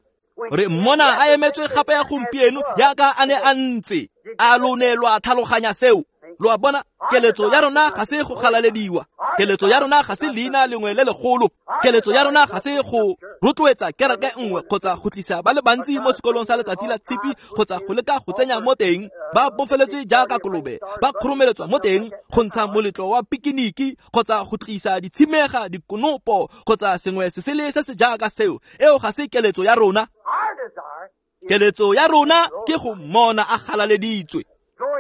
Re mmona a emetswe gape ya gompieno jaaka a ne a ntse. A lo ne lwa tlhaloganya seo? Lo a bona, keletso ya rona ga se go galalediwa, keletso ya rona ga se leina lengwe le legolo, keletso ya rona ga se go rotloetsa kereke nngwe kgotsa go tlisa ba le bantsi mo sekolong sa letsatsi la tshipi kgotsa go leka go tsenya mo teng ba bofeletswe jaaka kolobe, ba kgoromeletswa mo teng go ntsha moletlo wa pikiniki kgotsa go tlisa ditshimega, dikonopo kgotsa sengwe se sele se se jaaka seo. Eo ga se keletso ya rona. Keletso ya rona ke go mmona a galaleditswe.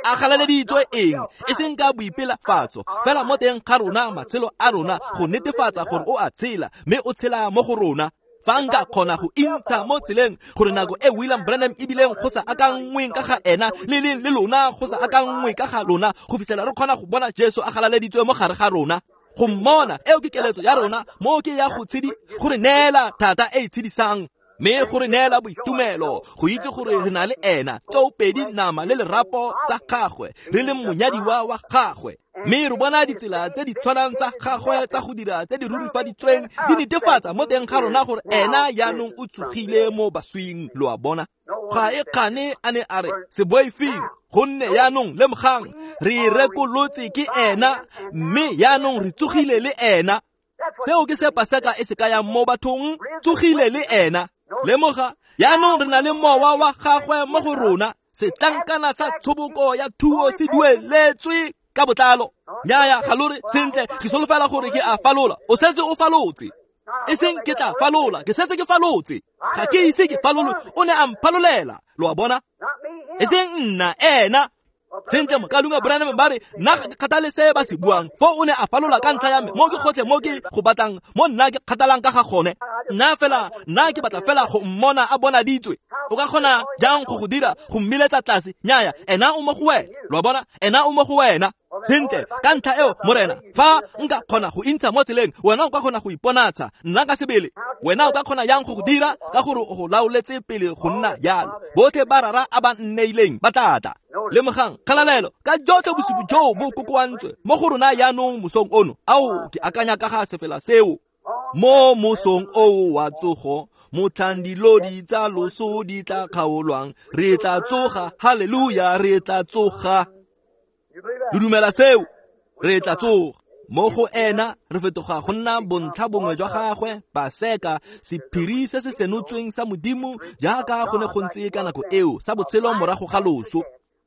A galaleditswe eng? E seng ka boipelafatso, fela mo teng ga rona, matshelo a rona, go netefatsa gore o a tshela, mme o tshela mo go rona. Fa nka kgona go intsha mo tseleng gore nako e William Branham ebileng go sa akanngweng ka ga ena, le leng le lona go sa akanngwe ka ga lona, go fitlhela re kgona go bona Jesu a galaleditswe mo gare ga rona. Go mmona, eo ke keletso ya rona, mo ke ya go tshedi, go re neela thata e e tshedisang, mme go re neela boitumelo, go itse gore re na le ena, tsoopedi nama le lerapo tsa gagwe, re le monyadiwa wa gagwe. Mme re bona ditsela tse di tshwanang tsa gagwe tsa go dira tse di rurifaditsweng di netefatsa mo teng ga rona gore ena jaanong o tsogile mo baswing. Lo a bona, ga e kgane a ne a re se boifeng, gonne jaanong lemogang re rekolotse ke ena, mme jaanong re tsogile le ena. Seo ke se Paseka e se kayang mo bathong, tsogile le ena. Lemoga, jaanong re na le mowa wa gagwe mo go rona. Setlankana sa tshoboko ya thuo se dueletswe ka botlalo. Nyaya, ga lo re sentle, ke solofela gore ke a falola. O setse o falotse. E seng ke tla falola, ke setse ke falotse. Ga ke ise ke falole, o ne a mphalolela. Lo a bona? E seng nna, ena. Sentle, mokalunga Branham ba re nna ga ke kgathale se ba se buang. Foo o ne a falola ka ntlha ya me, mo ke gotlhe mo ke go batlang, mo nna ke kgathalang ka ga gone. Nna fela, nna ke batla fela go mmona a bonaditswe. O ka kgona jang go go dira, go mmiletsa tlase? Nyaya, ena o mo go wena. Lo a bona? Ena o mo go wena. Sentle, ka ntlha eo, Morena, fa nka kgona go intsha mo tseleng, wena o ka kgona go iponatsha nna ka sebele. Wena o ka kgona yang go go dira, ka gore o go laoletse pele go nna jalo. Botlhe ba rara a ba nneileng ba tla tla. Lemogang, kgalalelo ka jotlhe bosupi joo bo kokoantswe mo go rona jaanong mosong ono. Ao, ke akanya ka ga sefela seo. Mo mosong oo wa tsogo, motlhang dilodi tsa loso di tla kgaolwang, re tla tsoga, haleluya, re tla tsoga. Lo dumela seo? Re tla tsoga. Mo go ena re fetoga go nna bontlha bongwe jwa gagwe, Paseka, sephiri se se senotsweng sa Modimo jaaka go ne go ntse ka nako eo, sa botshelo morago ga loso.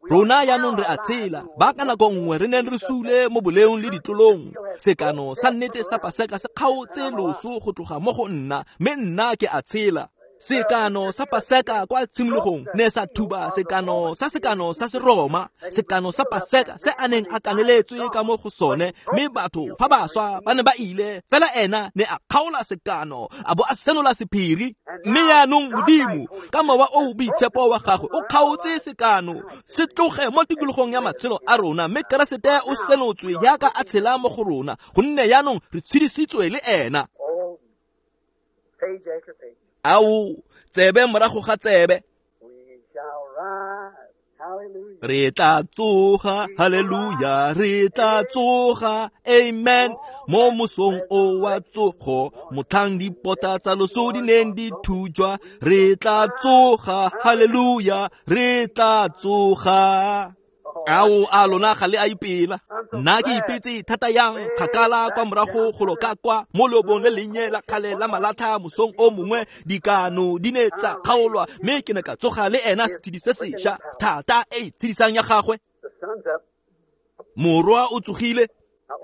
Rona jaanong re a tshela, ba ka nako nngwe re neng re sule mo boleong le ditlolong. Sekano sa nnete sa Paseka se kgaotse loso go tloga mo go nna, mme nna ke a tshela. Sekano sa Paseka kwa tshimologong ne sa thuba sekano sa sekano sa Seroma, sekano sa Paseka se a neng a kaneletswe ka mo go sone, mme batho fa ba swa ba ne ba ile, fela ena ne a kgaola sekano a bo a senola sephiri. Mme yaanong Modimo ka mowa o o boitshepo wa gagwe o kgaotse sekano se tloge mo tikologong ya matshelo a rona, mme Keresete o senotswe jaaka a tshela mo go rona, gonne yaanong re tshedisitswe le ena. Ao, tsebe morago ga tsebe. Re tla tsoga, haleluya, re tla tsoga, amen. Mo mosong o wa tsogo, motlhang dipota tsa loso di neng di thujwa, re tla tsoga, haleluya, re tla tsoga. Ao, a lona ga le a ipela. Nna ke ipetse thata yang kgakala kwa morago golo ka kwa mo leobong le lennye la kgale la malatha mosong o mongwe, dikano di ne tsa kgaolwa, mme ke ne ka tsoga le ena setshedi se sešwa, thata e e tshedisang ya gagwe. Morwa o tsogile,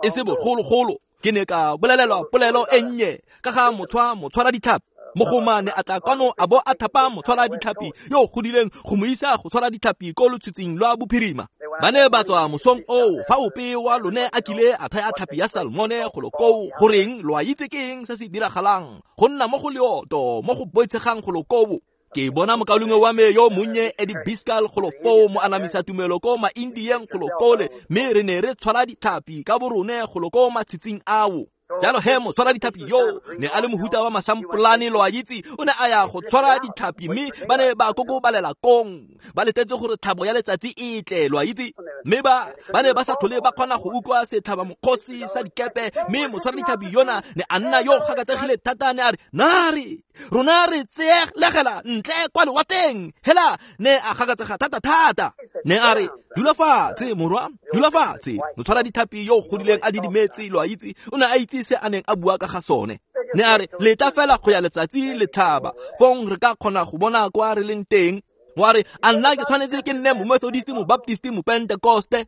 e se bogologolo. Ke ne ka bolelelwa polelo e nnye ka ga motshwa motshwara ditlhapi. Mogomane a tla kwano a bo a thapa motshwara ditlhapi yo o godileng go mo isa go tshwara ditlhapi ko lotshitshing lwa bophirima. Ba ne ba tswa mosong oo, fa ope wa lone a kile a thaya tlhapi ya salmone golo koo, goreng lo a itse ke eng se se diragalang, go nna mo go leoto mo go boitshegang golo koo. Ke bona mokaulengwe wa me yo monnye Eddie Biscal golo foo mo anamisa tumelo ko ma-Indieng golo kole, mme re ne re tshwara ditlhapi ka borone golo ko matshitsing ao. Jalo he motshwara ditlhapi yo ne a le mohuta wa masampolane, lo a itse, o ne a ya go tshwara ditlhapi, mme ba ne ba kokobalela kong, ba letetse gore tlhabo ya letsatsi e tle, lo a itse. Mme ba ba ne ba sa tlhole ba kgona go utlwa setlhaba mokgosi sa dikepe, mme motshwara ditlhapi yona ne a nna yo gakatsegile thata, ne a re, nare rona re tseeglegela ntle kwa lewatleng. Hela ne a gakatsega thata thata, ne a re, dula fatshe morwa, dula fatshe. Motshwara ditlhapi yo o godileng a didimetse, lo a itse, o ne a itse se a neng a bua ka ga sone. Ne a re, leta fela go ya letsatsi le tlhaba, fong re ka kgona go bona kwa re leng teng. Wa re, a nna ke tshwanetse ke nne mo Methodist, mo Baptist, mo Pentecoste.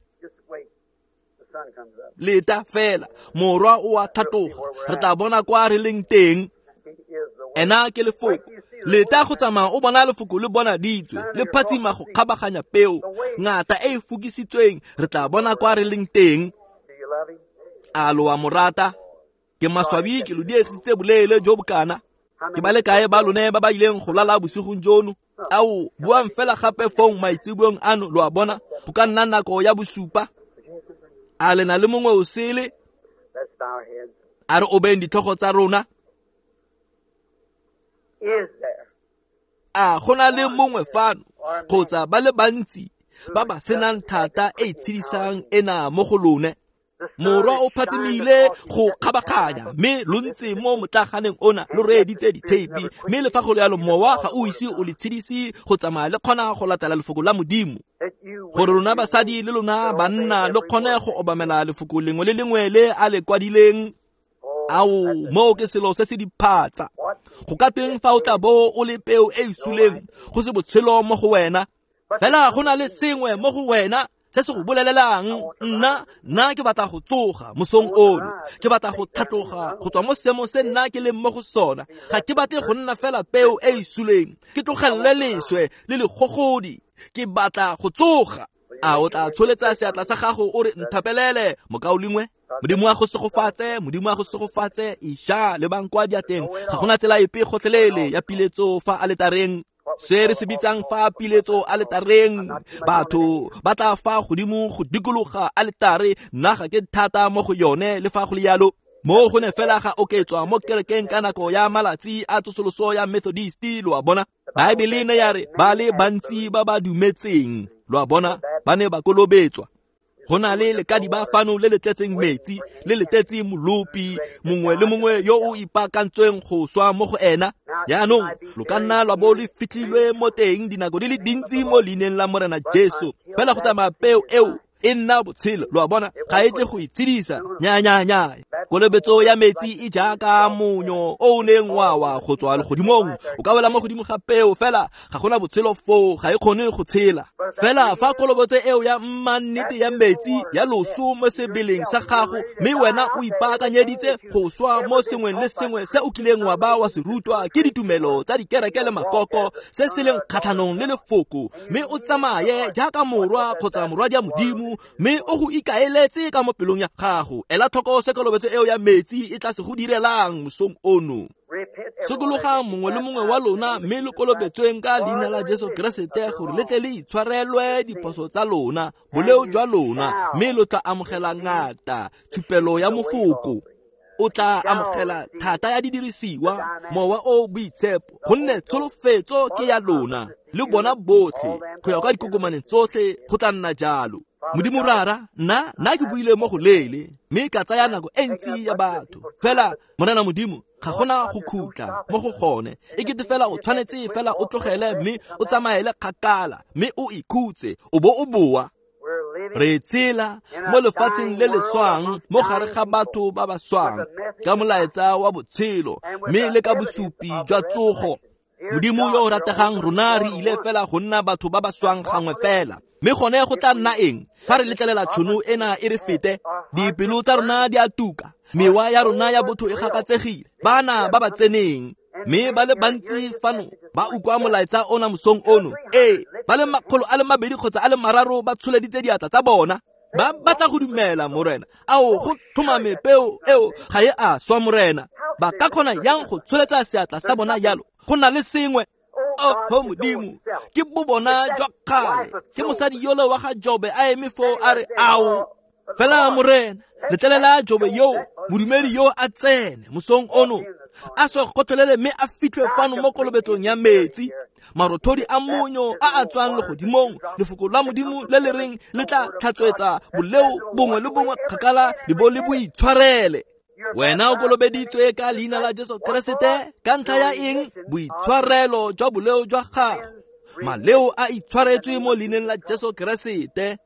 Leta fela, morwa o a thatoga, re tla bona kwa re leng teng. Ena ke lefoko. Leta go tsamaya o bona lefoko le bonaditswe, le phatsima go kgabaganya peo, ngata e e fokisitsweng, re tla bona kwa re leng teng. A lo a mo rata? Ke maswabi ke lo diegisitse boleele jo bokana. Ke ba le kae ba lone ba ba ileng go lala bosigong jono? Ao, buang fela gape fong maitseboeng ano, lo a bona, go ka nna nako ya bosupa. A le na le mongwe o sele? A re obeng ditlhogo tsa rona. A go na le mongwe fano kgotsa ba le bantsi ba ba senang thata e e tshedisang ena mo go lone? Morwa o phatsimile go kgabaganya, mme lo ntse mo motlaganeng ona lo reeditse ditheipi, mme le fa go le yalo mowa ga o ise o le tshedise go tsamaya le kgona go latela lefoko la Modimo, gore lona basadi le lona banna lo kgone go obamela lefoko lengwe le lengwe le a le kwadileng. Ao, moo ke selo se se diphatsa. Go ka teng fa o tla bo o le peo e e suleng, go se botshelo mo go wena, fela go na le sengwe mo go wena se se go bolelelang, nna nna ke batla go tsoga mosong ono, ke batla go tlhatloga go tswa mo seemong se nna ke leng mo go sona. Ga ke batle go nna fela peo e e suleng, ke tlogelele leswe le legogodi, ke batla go tsoga. A o tla tsholetsa seatla sa gago o re, nthapelele mokaulengwe? Modimo a go segofatse, Modimo a go segofatse. Iša lebang kwa diateng, ga gona tsela epe gotlhelele ya piletso fa aletareng. Se re se bitsang fa piletso aletareng, batho ba tla fa godimo go dikologa aletare, nna ga ke thata mo go yone. Le fa go le yalo, mo go ne fela ga oketswa mo kerekeng ka nako ya malatsi a tsosoloso ya Methodist, lo a bona. Baebele ne ya re ba le bantsi ba ba dumetseng, lo a bona, ba ne ba kolobetswa. Go na le lekadiba fano le le tletseng metsi, le le tletse molopi mongwe le mongwe yo o ipaakantsweng go swa mo go ena. Jaanong lo ka nna lwa bo le fitlhilwe mo teng dinako di le dintsi mo leineng la Morena Jesu, fela go tsamaya peo eo e nna botshelo, lo a bona, ga e tle go itshedisa. Nya nya nya. Kolobetso ya metsi e jaaka monyo o o neng wa wa go tswa legodimong, o ka wela mo godimo ga peo, fela ga gona botshelo foo, ga e kgone go tshela. Fela fa kolobetso eo ya mmannete ya metsi ya loso mo sebeleng sa gago, mme wena o ipaakanyeditse go swa mo sengweng le sengwe se o kileng wa ba wa se rutwa ke ditumelo tsa dikereke le makoko, se se leng kgatlhanong le lefoko, mme o tsamaye jaaka morwa kgotsa morwadi ya Modimo, mme o go ikaeletse ka mo pelong ya gago. Ela tlhoko se kolobetso eo ya metsi e tla se go direlang mosong ono. Sokologang mongwe le mongwe wa lona mme lo kolobetsweng ka leina la Jesu Keresete gore le tle le itshwarelwe diphoso tsa lona, boleo jwa lona, mme lo tla amogela ngata tshupelo ya mofoko. O tla amogela thata ya didirisiwa, mowa o boitshepo, gonne tsholofetso ke ya lona le bona botlhe go ya kwa dikokomaneng tsotlhe go tla nna jalo. Modimo Rara, nna nna ke buile mo go leele mme ka tsaya nako e ntsi ya batho. Fela Morena Modimo, ga gona go khutla mo go gone. E kete fela o tshwanetse fela o tlogele mme o tsamaele kgakala mme o ikhutse o bo o boa. Re tshela mo lefatsheng le le swang mo gare ga batho ba ba swang ka molaetsa wa botshelo mme le ka bosupi jwa tsogo. Modimo yo o rategang, rona re ile fela go nna batho ba ba swang gangwe fela. Mme gone go tla nna eng fa re letlelela tšhono ena e re fete? Dipelo tsa rona di a tuka, mewa ya rona ya botho e gakatsegile, bana ba ba tseneng mme ba le bantsi fano ba utlwa molaetsa ona mosong ono. Ee, ba le makgolo a le mabedi kgotsa a le mararo ba tsholeditse diatla tsa bona, ba batla go dumela Morena. Ao, go tlhomame peo eo ga e a swa Morena. Ba ka kgona yang go tsholetsa seatla sa bona jalo? Go na le sengwe. Oh Modimo, ke bobona jwa kgale, ke mosadi yole wa ga Jobe a eme foo a re ao. Fela Morena, letlelela Jobe yo, modumedi yo a tsene mosong ono, a se gotlhelele mme a fitlhwe fano mo kolobetsong ya metsi. Marothodi a monyo a a tswang legodimong, lefoko la Modimo le le reng le tla tlhatswetsa boleo bongwe le bongwe kgakala le bo le bo itshwarele. Wena o kolobeditswe ka leina la Jesu Keresete ka ntlha ya eng? Boitshwarelo jwa boleo jwa gago. Maleo a itshwaretswe mo leineng la Jesu Keresete.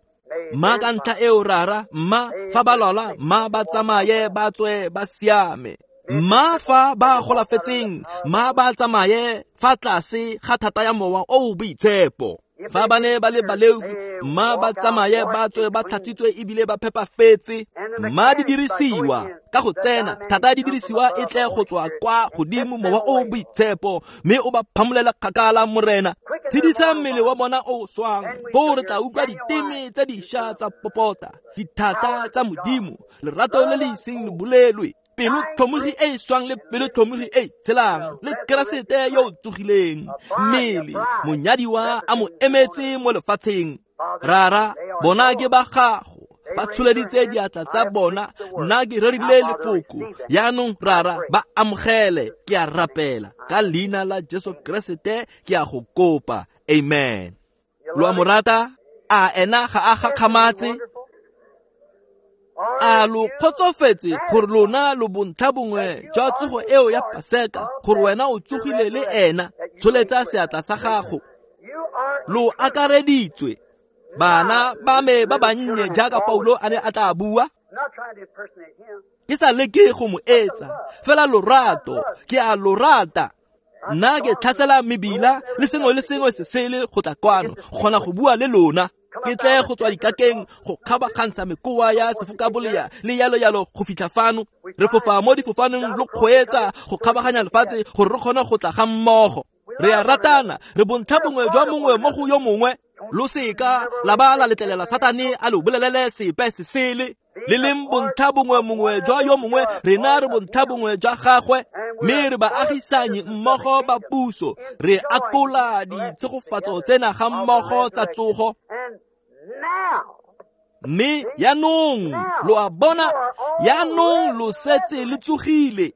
Mma ka ntlha eo Rara, mma fa ba lwala, mma ba tsamaye ba tswe ba siame. Mma fa ba golafetseng, mma ba tsamaye fa tlase ga thata ya mowa o boitshepo. Fa ba ne ba le baleofi, mma ba tsamaye ba tswe ba tlhatswitswe ebile ba phepafetse. Mma di dirisiwa ka go tsena, thata ya didirisiwa e tle go tswa kwa godimo mowa o boitshepo, mme o ba phamolela kgakala Morena. Tshedisa mmele wa bona o swang, foo re tla utlwa diteme tse dišwa tsa popota, dithata tsa Modimo, lerato le le iseng le bolelwe, pelo tlhomogi e e swang le pelo tlhomogi e e tshelang, le Keresete yo o tsogileng, mmele monyadiwa a mo emetse mo lefatsheng. Rara, bona ke ba gago, ba tsholeditse diatla tsa bona, nna ke rerile lefoko. Yaanong Rara, ba amogele, ke a rapela ka leina la Jesu Keresete, ke a go kopa. Amen. Lo a mo rata? A ena ga a gakgamatse? A lo kgotsofetse gore lona lo bontlha bongwe jwa tsogo eo ya Paseka, gore wena o tsogile le ena? Tsholetsa seatla sa gago. Lo akareditswe, bana ba me ba bannye, jaaka Paulo a ne a tla bua. Ke sa leke go mo etsa, fela lorato, ke a lo rata. Nna ke tlhasela mebila le sengwe le sengwe se sele go tla kwano, go kgona go bua le lona. Ke tle go tswa dikakeng go kgabakgantsha mekoa ya sefokabolea le yalo yalo go fitlha fano. Re fofa mo difofaneng lo kgweetsa go kgabaganya lefatshe gore re kgone go tla ga mmogo. Re a ratana, re bontlha bongwe jwa mongwe mo go yo mongwe. Lo seka la ba la letlelela Satane a lo bolelele sepe se sele. Le leng bontlha bongwe mongwe jwa yo mongwe, rena re bontlha bongwe jwa gagwe, mme re baagisanyi mmogo ba puso. Re akola ditshegofatso tsena ga mmogo tsa tsogo. Mme yaanong lo a bona, yaanong lo setse le tsogile.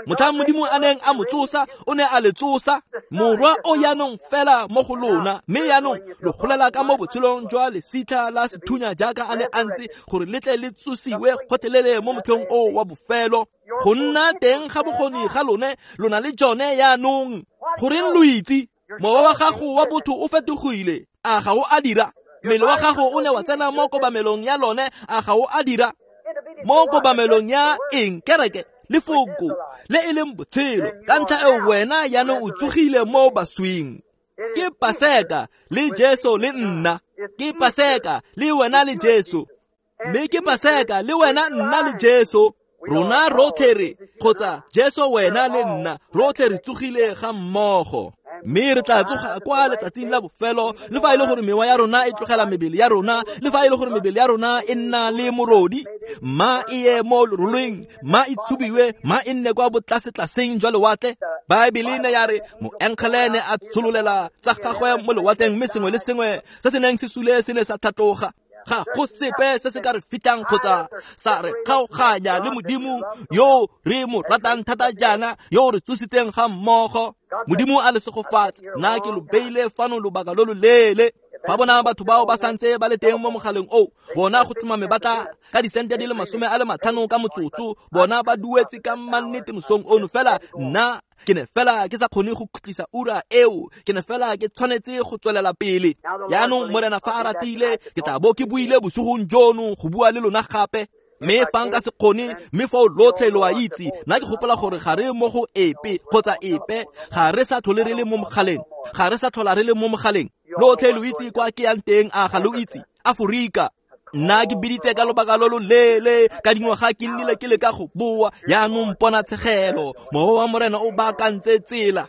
Motlhang Modimo a neng a mo tsosa, o ne a le tsosa. Morwa o yaanong fela mo go lona, mme yaanong lo golela ka mo botshelong jwa lesitlha la sethunya jaaka a ne a ntse, gore le tle le tsosiwe gotlhelele mo motlheng o wa bofelo. Go nna teng ga bokgoni ga lone, lona le jone yaanong. Goreng lo itse? Mowa wa gago wa botho o fetogile, a ga o a dira? Mmele wa gago o ne wa tsena mo kobamelong ya lone, a ga o a dira? Mo kobamelong ya eng? Kereke, lefoko le e leng botshelo. Ka ntlha eo wena yaanong o tsogile mo baswing. Ke Paseka le Jesu le nna. Ke Paseka le wena le Jesu. Mme ke Paseka le wena nna le Jesu. Rona rotlhe re, kgotsa Jesu wena le nna, rotlhe re tsogile ga mmogo. Mme re tla tsoga kwa letsatsing la bofelo, le fa e le gore mewa ya rona e tlogela mebele ya rona, le fa e le gore mebele ya rona e nna le morodi, ma e ye mo leroleng, ma e tshubiwe, ma e nne kwa botlasetlaseng jwa lewatle. Baebele ne ya re moengele ne a tshololela tsa gagwe mo lewatleng, mme sengwe le sengwe se se neng se sule se ne sa tlhatloga. Ga go sepe se se ka re fitang kgotsa sa re kgaoganya le Modimo yo re mo ratang thata jaana, yo re tsositseng ga mmogo. Modimo a le segofatse. Nna ke lo beile fano lobaka lo lo leele. Fa bona batho bao ba santse ba le teng mo mogaleng oo, bona go tlhomame ba tla ka disente di le masome a le matlhano ka motsotso, bona ba duetse ka mannete mosong ono. Fela nna ke ne fela ke sa kgone go khutlisa ura eo, ke ne fela ke tshwanetse go tswelela pele. Jaanong Morena fa a ratile, ke tla bo ke buile bosigong jono go bua le lona gape. Mme fa nka se kgone, mme foo lotlhe lo a itse, nna ke gopola gore ga re mo go epe kgotsa epe, ga re sa tlhole re le mo mogaleng, ga re sa tlhola re le mo mogaleng. Lotlhe lo itse kwa ke yang teng, a ga lo itse? Aforika. Nna ke biditse ka lobaka lo lo leele, ka dingwaga ke nnile ke leka go boa. Jaanong ponatshegelo, mowa wa Morena o baakantse tsela.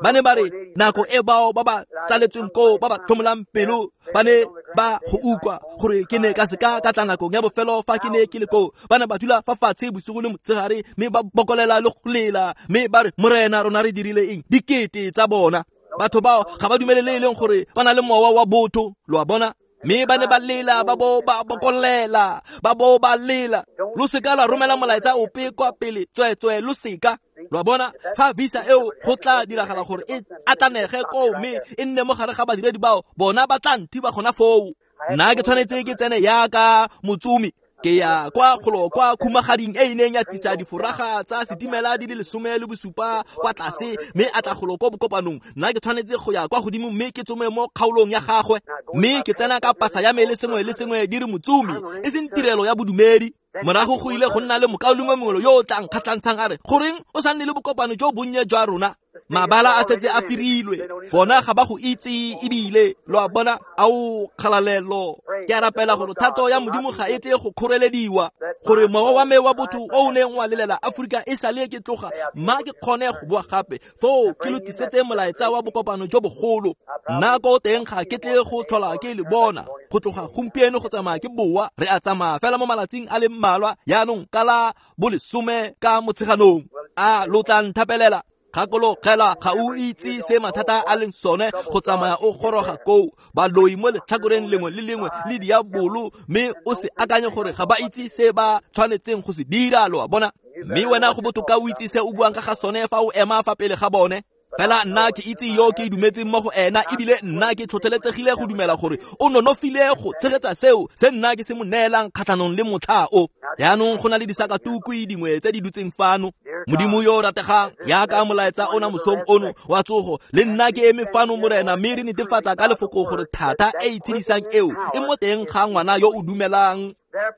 Ba ne ba re nako e bao ba ba tsaletsweng koo ba ba tlhomolang pelo ba ne ba go utlwa gore ke ne ka seka ka tla nakong ya bofelo fa ke ne ke le koo. Ba ne ba dula fa fatshe bosigo le motshegare, mme ba bokolela le go lela, mme ba re Morena rona re dirile eng? Dikete tsa bona. Batho bao ga ba dumele le e leng gore ba na le mowa wa botho, lo a bona. Mme ba ne ba lela, ba bo ba bokolela, ba bo ba lela. Lo seka la romela molaetsa ope kwa pele, tsweetswee lo seka. Lo a bona, fa visa eo go tla diragala gore e atlanege koo mme e nne mo gare ga badiredi bao, bona ba tla nthiba gona foo. Nna ke tshwanetse ke tsene yaka motsomi, ke ya kwa kgolo kwa khumagading e e neng ya tlisa diforaga tsa setimela di le lesome le bosupa kwa tlase, mme a tla golo ko bokopanong. Nna ke tshwanetse go ya kwa godimo mme ke tsome mo kgaolong ya gagwe, mme ke tsena ka pasa ya me le sengwe le sengwe di re motsomi, e seng tirelo ya bodumedi. Morago go ile go nna le mokaulengwe mongwe yo o tla nkgatlhantshang a re, goreng o sa nne le bokopano jo bonnye jwa rona? Mabala a setse a firilwe, bona ga ba go itse ebile, lo a bona. Ao kgalalelo. Ke a rapela gore thato ya Modimo ga e tle go kgorelediwa, gore mowa wa me wa botho o o neng wa lelela Aforika e sale ke tloga, mma ke kgone go boa gape foo ke lo tlisetse molaetsa wa bokopano jo bogolo. Nna ko teng ga ke tle go tlhola ke le bona go tloga gompieno go tsamaya ke boa. Re a tsamaya fela mo malatsing a le mmalwa jaanong ka la bolesome ka Motsheganong. A lo tla nthapelela? Gakologela, ga o itse se mathata a leng sone go tsamaya o goroga koo, baloi mo letlhakoreng lengwe le lengwe le diabolo, mme o se akanye gore ga ba itse se ba tshwanetseng go se dira, lo a bona. Mme wena go botoka o itse se o buang ka ga sone fa o ema fa pele ga bone. Fela nna ke itse yo ke dumetseng mo go ena, ebile nna ke tlhotlheletsegile go dumela gore o nonofile go tshegetsa seo se nna ke se mo neelang kgatlhanong le motlha o. Jaanong go na le disakatukwi dingwe tse di dutseng fano. Modimo yo o rategang, yaka molaetsa ona mosong ono wa tsogo, le nna ke eme fano Morena, mme re netefatsa ka lefoko gore thata e e tshedisang eo e mo teng ga ngwana yo o dumelang.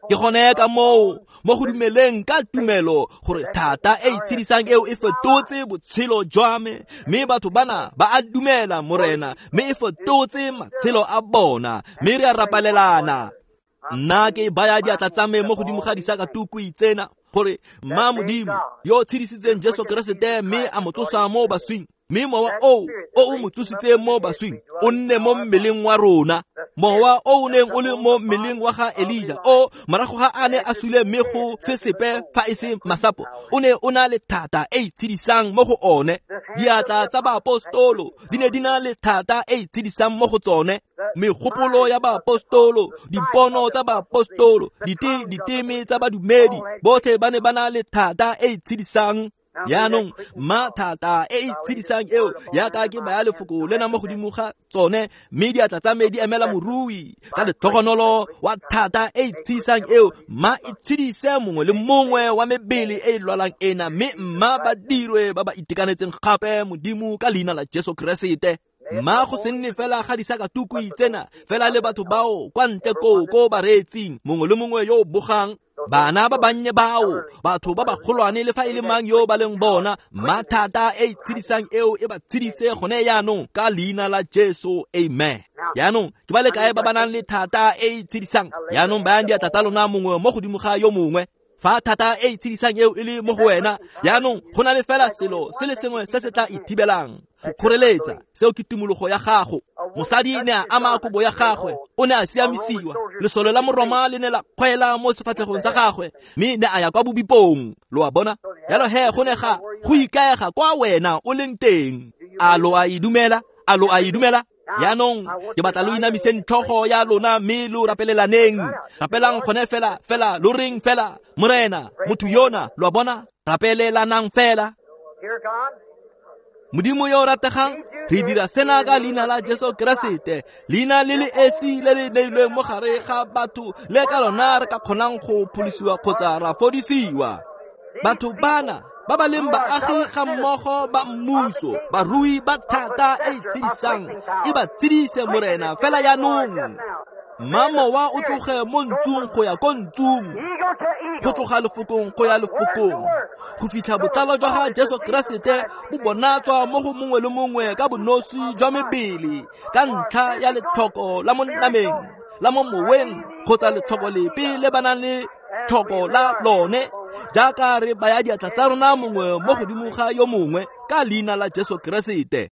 Ke gone ka moo mo go dumeleng ka tumelo gore thata e e tshedisang eo e fetotse botshelo jwa me, mme batho bana ba a dumela Morena, mme e fetotse matshelo a bona, mme re a rapalelana. Nna ke baya diatla tsa me mo godimo ga disakatukwi tsena gore mma Modimo yo tshedisitseng Jesu Keresete mme a mo tsosa mo baswing, mme mowa oo o o mo tsositseng mo baswing o nne mo mmeleng wa rona. Mowa o o neng o le mo mmeleng wa ga Elija o morago ga a ne a sule mme go se sepe fa e se masapo, o ne o na le thata e e tshedisang mo go one. Diatla tsa baapostolo di ne di na le thata e e tshedisang mo go tsone. Megopolo ya baapostolo, dipono tsa baapostolo, dite diteme tsa badumedi, botlhe ba ne ba na le thata e e tshedisang. Jaanong mma thata e e tshedisang eo yaka ke baya lefoko lena mo godimo ga tsone, mme diatla tsa me di emela morui ka letlhogonolo wa thata e e tshedisang eo, mma e tshedise mongwe le mongwe wa mebele e e lwalang ena, mme mma ba dirwe ba ba itekanetseng gape Modimo ka leina la Jesu Keresete. Mma go se nne fela ga disakatukwi tsena, fela le batho bao kwa ntle koo ko ba reetsing, mongwe le mongwe yo o bogang, bana ba bannye bao, batho ba bagolwane le fa e le mang yo ba leng bona, mma thata e e tshedisang eo e ba tshedise gone jaanong ka leina la Jesu, amen. Jaanong ke ba le kae ba ba nang le thata e e tshedisang? Jaanong bayang diatla tsa lona mongwe mo godimo ga yo mongwe. Fa thata e e tshedisang eo e le mo go wena, jaanong go na le fela selo se le sengwe se se tla ithibelang go kgoreletsa, seo ke tumologo ya gago. Mosadi ne a ama kobo ya gagwe, o ne a siamisiwa. Lesole la Moroma le ne la kgwela mo sefatlhegong sa gagwe, mme ne a ya kwa bobipong. Lo a bona? Jalo he go ne ga go ikaega kwa wena o leng teng. A lo a e dumela? A lo a e dumela? Jaanong ke batla lo inamiseng tlhogo ya lona mme lo rapelelaneng. Rapelang gone fela fela, lo reng fela, Morena, motho yona, lo a bona? Rapelelanang fela. Dear God, Modimo yo o rategang, re dira sena ka leina la Jesu Keresete, leina le le esi le le neilweng mo gare ga batho le ka lona re ka kgonang go pholosiwa kgotsa ra fodisiwa. Batho bana ba ba leng baagi ga mmogo ba mmuso, barui ba thata e e tshedisang, e ba tshedise Morena fela jaanong. Mmamowa o tloge mo ntsung go ya ko ntsung, eagle to eagle, go tloga lefokong go ya lefokong, go fitlha botlalo jwa ga Jesu Keresete bo bonatswa mo go mongwe le mongwe ka bonosi jwa mebele, ka ntlha ya letlhoko la mo nameng, la mo moweng, kgotsa letlhoko lepe le ba nang le tlhoko la lone, jaaka re baya diatla tsa rona mongwe mo godimo ga yo mongwe ka leina la Jesu Keresete.